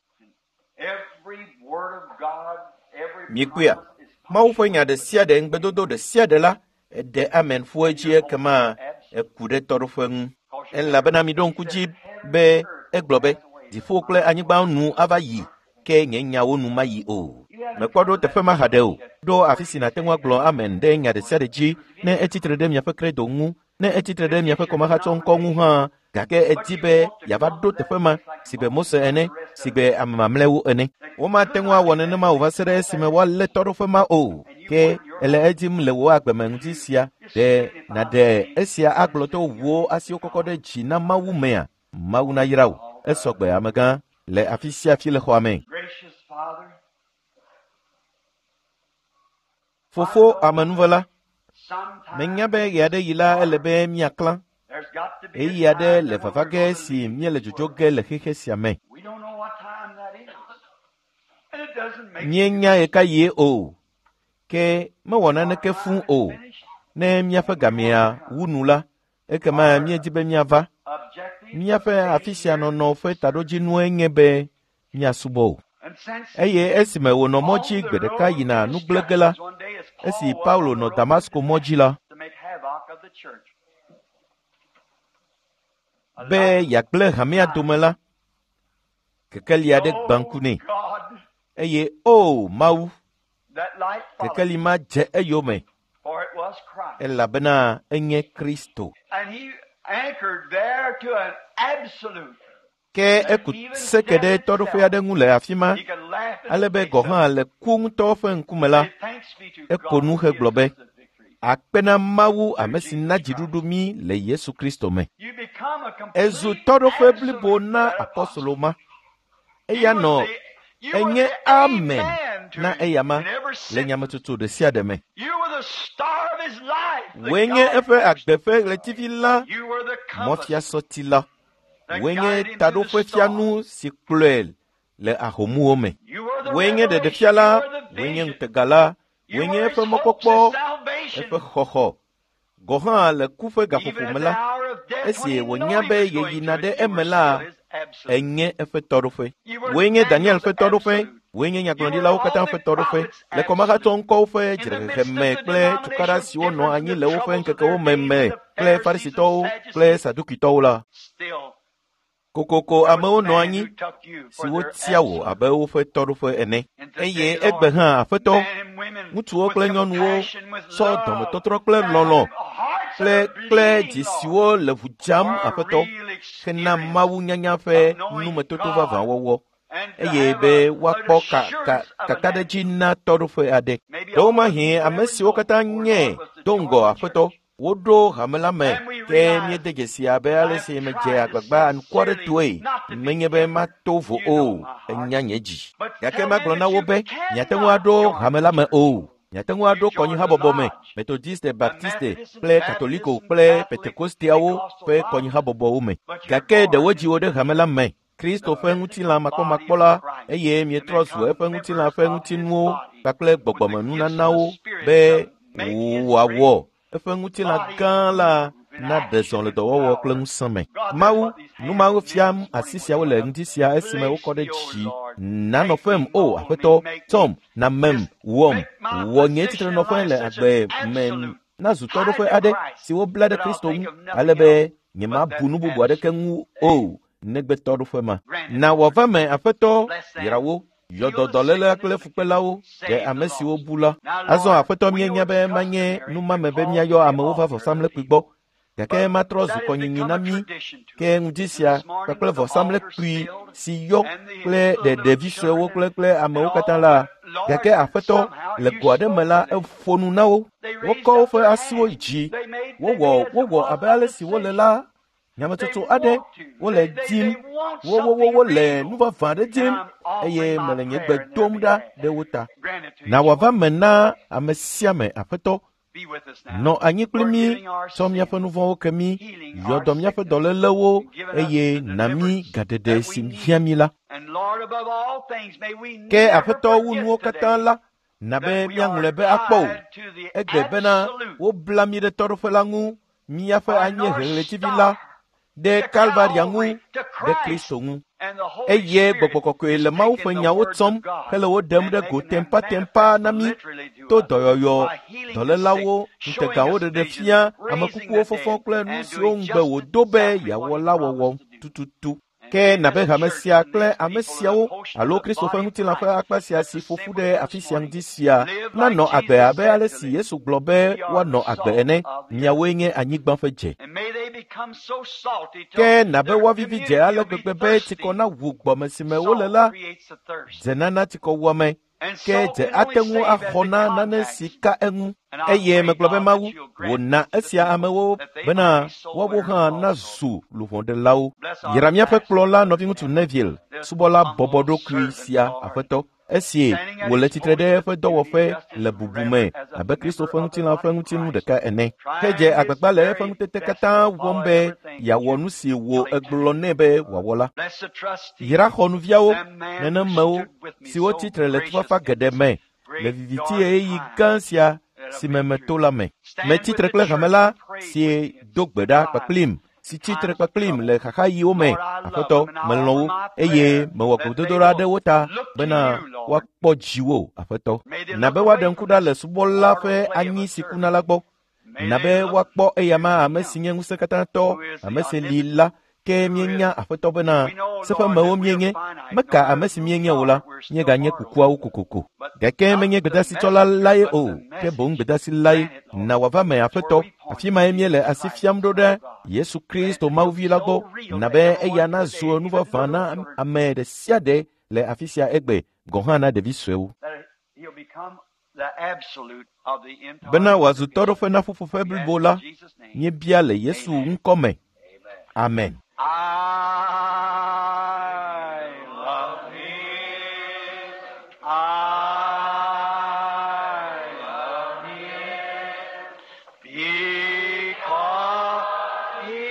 every word of God, every Mikpɔea, promise is Mawu ƒe nya ɖe sia ɖe, ŋugbedodo ɖe sia ɖe la, eɖe amen ƒu edzi ekema eku ɖe tɔɖoƒe ŋu. Elabena miɖo ŋku dzi be egblɔ be, dziƒo kple anyigba nu ava yi, ke nye nyawo nu mayi o. Mekpɔ ɖo teƒe ma haɖe o. Ɖo afi si nàte ŋu agblɔ amen ɖe nya ɖe sia ɖe dzi ne etsitre ɖe miaƒe kredo ŋu, ne etsitre ɖe miaƒe kɔmahatsɔŋkɔ ŋu hã, gake edi be yeava ɖo teƒe ma sigbe Mose ene, sigbe ame mamlɛwo ene. Womate ŋu awɔ nenema o va se ɖe esime woalé tɔɖoƒe ma o. Ke ele edim le wò agbeme ŋdi sia. Ɖe nàɖe esia agblɔ to wò asiwo kɔkɔ ɖe dzi na Mawu mea? Mawu nayra wò. Esɔgbe amegã le afi sia afi le xɔa me. Gracious Father, Fofo amenuvela, sometimes menya be ɣe aɖe yi la ele be míaklã. Ɣeyiɣi aɖe le vava ge si míele dzodzo ge le xexe sia me. Míenya ɣekaɣie o, ke mewɔ naneke fũu o. Ne míaƒe gamea wu nu la, ekema míedi be míava. Míaƒe afi sia nɔnɔ ƒe taɖodzinue nye be míasubɔ o. Eye esime wònɔ mɔ dzi gbe ɖeka yina nu gblẽ ge la, esi Paulo nɔ Damasko mɔ dzi la, be yeagblẽ hamea dome la, kekeli aɖe gbã ŋku nɛ. Eye o Mawu, kekeli ma dze eyome, elabena enye Kristo. Ke eku seke ɖe tɔɖoƒe aɖe ŋu le afi ma, ale be gɔ̃ hã le ku ŋutɔ ƒe ŋkume la, eko nu hegblɔ be, akpe na Mawu ame si na dziɖuɖu mí le Yesu Kristo me. Ezu tɔɖoƒe blibo na apɔstolo ma. Eya nɔ enye amen na eyama le nyametsotso ɖe sia ɖe me. Wòe nye eƒe agbe ƒe ɣletivi la, mɔfiasɔti la. Wòe nye taɖoƒefianu si kplɔe le ahomuwo me. Wòe nye ɖeɖefia la, wòe nye ŋutega la, wòe nye eƒe mɔkpɔkpɔ, eƒe xɔxɔ. Gɔ̃ hã le ku ƒe gaƒoƒo me la, esi wònya be yeyina ɖe eme la, enye eƒe tɔɖoƒe. Wòe nye Daniel ƒe tɔɖoƒe, wòe nye nyagblɔɖilawo katã ƒe tɔɖoƒe, le kɔmahatsɔ ŋkɔwo ƒe dzrehehe me kple tukaɖa siwo nɔ anyi le woƒe ŋkekewo me me kple Farisitɔwo kple Sadukitɔwo la. Kokoko amewo nɔ anyi siwo tia wò abe woƒe tɔɖoƒe ene. Eye egbe hã Aƒetɔ, ŋutsuwo kple nyɔnuwo tsɔ dɔmetɔtrɔ kple lɔlɔ̃ kple kple dzi siwo le ʋu dzam Aƒetɔ hena Mawu nyanya ƒe numetoto vavã wɔwɔ eye be woakpɔ kakaɖedzi na tɔɖoƒe aɖe. Ɖewomahi ame siwo katã nye do ŋgɔ Aƒetɔ woɖo hame la me ke míede dzesi abe ale si medze agbagba anukuaɖetɔe menye be mato vo o, enya nye dzi. Gake magblɔ na wo be miate ŋu aɖo hame la me o. Miate ŋu aɖo kɔnyihabɔbɔ me, Metodiste, Baptiste kple Katoliko kple Pentekosteawo ƒe kɔnyihabɔbɔwo me. Gake ɖe wodzi wo ɖe hame la me, Kristo ƒe ŋutilã makpɔmakpɔ la, eye mietrɔ zu eƒe ŋutilã ƒe ŋutinuwo kpakple gbɔgbɔmenunanawo be wòawɔ eƒe ŋutilã gã la naɖe zɔ le dɔwɔwɔ kple ŋusẽ me. Mawu, nu mawo fiam asi siawo le ŋdi sia esime wokɔ ɖe dzi. Nanɔ ƒem, o Aƒetɔ, tsɔm, namem, wɔm, wɔ nye tsitrenɔƒe le agbe me nazu tɔɖoƒe aɖe si wobla ɖe Kristo ŋu, ale be nyemabu nu bubu aɖeke ŋu o negbe tɔɖoƒe ma. Na wòava me, Aƒetɔ, yra wo. Yɔ dɔdɔléla kple fukpelawo ɖe ame siwo bu la. Azɔ Aƒetɔ míenya be manye numame be míayɔ amewo va vɔsamlekpui gbɔ, gake matrɔ zu kɔnyinyi na mí ke ŋdi sia kpakple vɔsamlekpui si yɔ kple ɖe ɖevi suewo kple kple amewo katã la. Gake Aƒetɔ le go aɖe me la eƒo nu na wo. Wokɔ woƒe asiwo yi dzi. Wowɔ wowɔ abe ale si wole la nyametsotso aɖe wole dim wowowowole nu vavã aɖe dim eye mele nye gbe dom ɖa ɖe wo ta. Na wòava me na ame sia ame Aƒetɔ. Nɔ anyi kpli mí, tsɔ míaƒe nu vɔ̃wo ke mí, yɔ dɔ míaƒe dɔlélewo eye na mí gaɖeɖe si hiã mí la. Ke Aƒetɔ wu nuwo katã la, na be míaŋlɔe be akpɔ o. Egbe bena wobla mí ɖe tɔɖoƒe la ŋu míaƒe anyiehe ɣletivi la ɖe Kalvaria ŋu ɖe Kristo ŋu. Eye Gbɔgbɔ Kɔkɔe le Mawu ƒe nyawo tsɔm hele wo ɖem ɖe go tempatempa na mí to dɔyɔyɔ, dɔlélawo, ŋutegawo ɖeɖe fia, ame kukuwo fɔfɔ kple nu siwo ŋugbe wòdo be yeawɔ la wɔwɔ tututu. Ke nabe hame sia kple ame siawo alo Kristo ƒe ŋutilã ƒe akpa sia si ƒo ƒu ɖe afi sia ŋdi sia nanɔ agbe abe ale si Yesu gblɔ be woanɔ agbe ene. Miawoe nye anyigba ƒe dze. Ke nabe woavivi dze ale gbegbe be tsikɔ nawu gbɔme si me wole la, dze nana tsikɔwuame ke dze ate ŋu axɔ na nane si ka eŋu. Eye megblɔ be Mawu, wòna esia amewo bena woawo hã nazu luʋɔɖelawo. Yra míaƒe kplɔla nɔviŋutsu Neville, subɔla bɔbɔɖokui sia Aƒetɔ. Esi wòle tsitre ɖe eƒe dɔwɔƒe le bubu me abe Kristo ƒe ŋutilã ƒe ŋutinu ɖeka ene. Ke dze agbagba le eƒe ŋutete katã wɔm be yeawɔ nu si wò egblɔ nɛ be wòawɔ la. Yra xɔnuviawo, nenemewo siwo tsitre le tufafa geɖe me le viviti ɣeyiɣi gã sia si me meto la me. Metsitre kple hame la si do gbe ɖa kpakplim si tsitre kpakplim le xaxaɣiwo me. Aƒetɔ, melɔ̃ wo eye mewɔ gbedodoɖa ɖe wo ta bena woakpɔ dziwò, Aƒetɔ. Na be woaɖe ŋku ɖa le subɔla ƒe anyi si kuna la gbɔ. Na be woakpɔ eyama ame si nye ŋusẽkatãtɔ, ame si li la, ke míenya Aƒetɔ bena seƒemewo míenye. Meka ame si míenye o la, míeganye kukuawo kokoko. Gake menye gbedasitsɔla lae o, ke boŋ gbedasi lae. Na wòava me, Aƒetɔ. Afi mae míele asi fiam ɖo ɖe Yesu Kristo Mawuvi la gbɔ. Na be eya nazu nu vavã na ame ɖe sia ɖe le afi sia egbe, gɔ̃ hã na ɖevi suewo. Bena wòazu tɔɖoƒe na ƒuƒoƒe blibo la, míebia le Yesu ŋkɔ me. Amen. I love him. I love him. Because he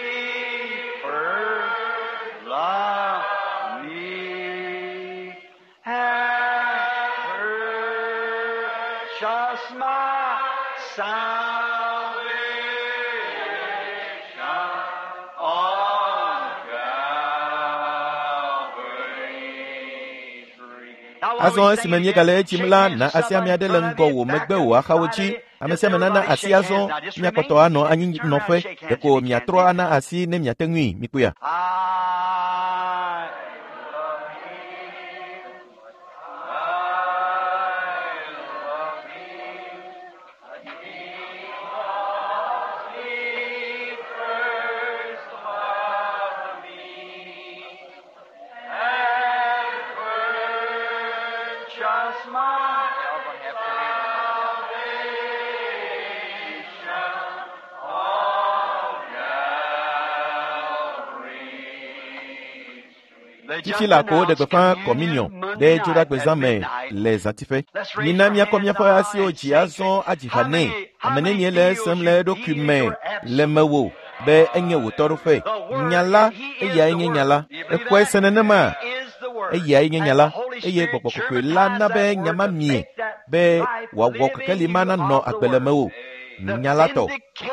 first loved me and purchased my salvation on Calvary's tree. Azɔ esime míegale edzim la, na asi ame aɖe le ŋgɔ wò megbe wò axawo dzi. Ame sia ame nana asi azɔ miakpɔtɔ anɔ anyinɔƒe. Ɖeko miatrɔ ana asi ne miate ŋui. Mikpɔea? I love him. I love him. Because he first loved me and purchased my salvation on Calvary's Fifi la ko woɖe gbeƒã kɔminiɔ ɖe dzoɖagbezã me le zãtiƒe. Mina míakɔ míaƒe asiwo dzi azɔ adzi ha nɛ. Ame nenie le esem le eɖokui me le mewò be enye wò tɔɖoƒe. Nya la, eyae nye nya la. Exɔe se nenema? Eyae nye nya la eye Gbɔgbɔ Kɔkɔe la na be nya ma mie be wòawɔ kekeli ma nanɔ agbe le mewò. Nya la tɔ,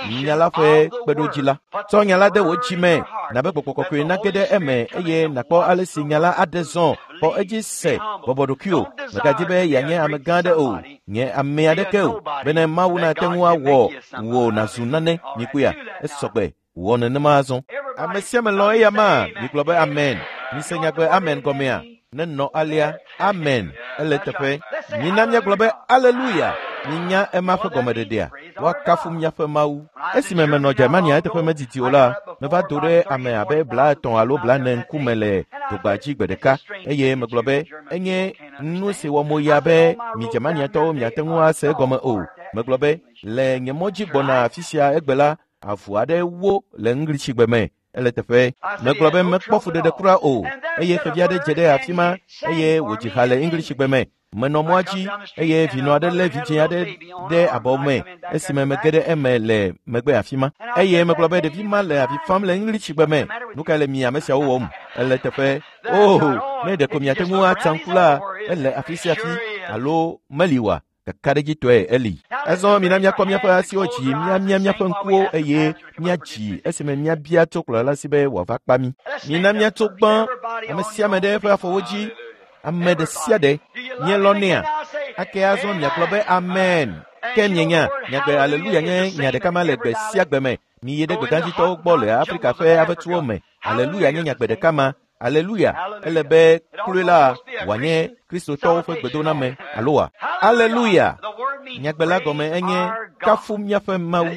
nya la ƒe kpeɖodzi la. Tsɔ nya la de wò dzi me, na be Gbɔgbɔ Kɔkɔe nage ɖe eme eye nàkpɔ ale si nya la aɖe zɔ. Xɔ edzi se, bɔbɔ ɖokuiwò. Mègadi be yeanye ame gã aɖe o, nye ame aɖeke o, bene Mawu nate ŋu awɔ wò nàzu nane. Mikpɔea? Esɔgbe. Wɔ nenema azɔ. Ame sia ame lɔ̃ eya ma. Migblɔ be amen. Mise nyagbe amen gɔmea? Nenɔ alea. Amen. Ele teƒe. Mina míagblɔ be aleluya. Minya ema ƒe gɔmeɖeɖea. Woakafu míaƒe Mawu. Esime menɔ Germania eteƒe medidi o la, meva do ɖe ame abe 50 alo 40 ŋkume le dogba dzi gbe ɖeka eye megblɔ be enye nu si wɔ moya be mi Germaniatɔwo miate ŋu ase egɔme o. Megblɔ be le nye mɔ dzi gbɔna afi sia egbe la, avu aɖe wó le Ŋglisigbe me. Ele teƒe. Megblɔ be mekpɔ fuɖeɖe kura o eye xevi aɖe dze ɖe afi ma eye wòdzi ha le Ŋglisigbe me. Menɔ mɔa dzi eye vinɔ aɖe lé vidzĩ aɖe ɖe abɔ me esime mege ɖe eme le megbe afi ma. Eye megblɔ be ɖevi ma le avi fam le Ŋglisigbe me. Nu kae le mi ame siawo wɔm? Ele teƒe. Oh, ne ɖeko miate ŋu atsa ŋku la, ele afi sia afi alo meli oa? Kakaɖedzitɔe eli. Azɔ mina míakɔ míaƒe asiwo dzi, míamia míaƒe ŋkuwo eye míadzi esime míabia tso kplɔla si be wòava kpa mí. Mina míatso gbã, ame sia ame ɖe eƒe afɔwo dzi, ame ɖe sia ɖe. Mielɔ̃nɛa? Ake azɔ miagblɔ be amen. Ke mienya, nyagbe aleluya nye nya ɖeka ma le gbe sia gbe me. Miyi ɖe gbegãdzitɔwo gbɔ le Afrika ƒe avetsuwo me. Aleluya nye nyagbe ɖeka ma. Aleluya! Ele be kloe la wòanye Kristotɔwo ƒe gbedoname alo wa? Aleluya! Nyagbe la gɔme enye kafu míaƒe Mawu.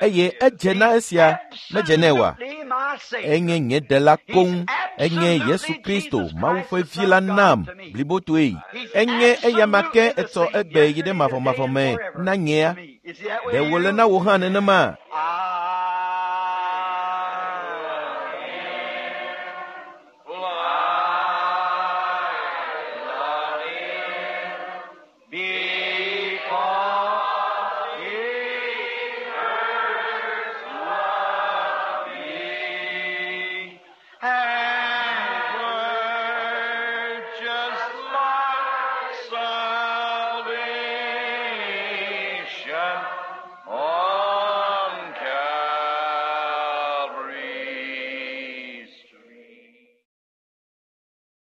Eye edze na esia, medze nɛ oa? Enye nye ɖela koŋ. Enye Yesu Kristo, Mawu ƒe Vi la nam blibotoe. Enye eyama ke etsɔ egbe yi ɖe mavɔmavɔ me na nyea. Ɖe wòle na wò hã nenema?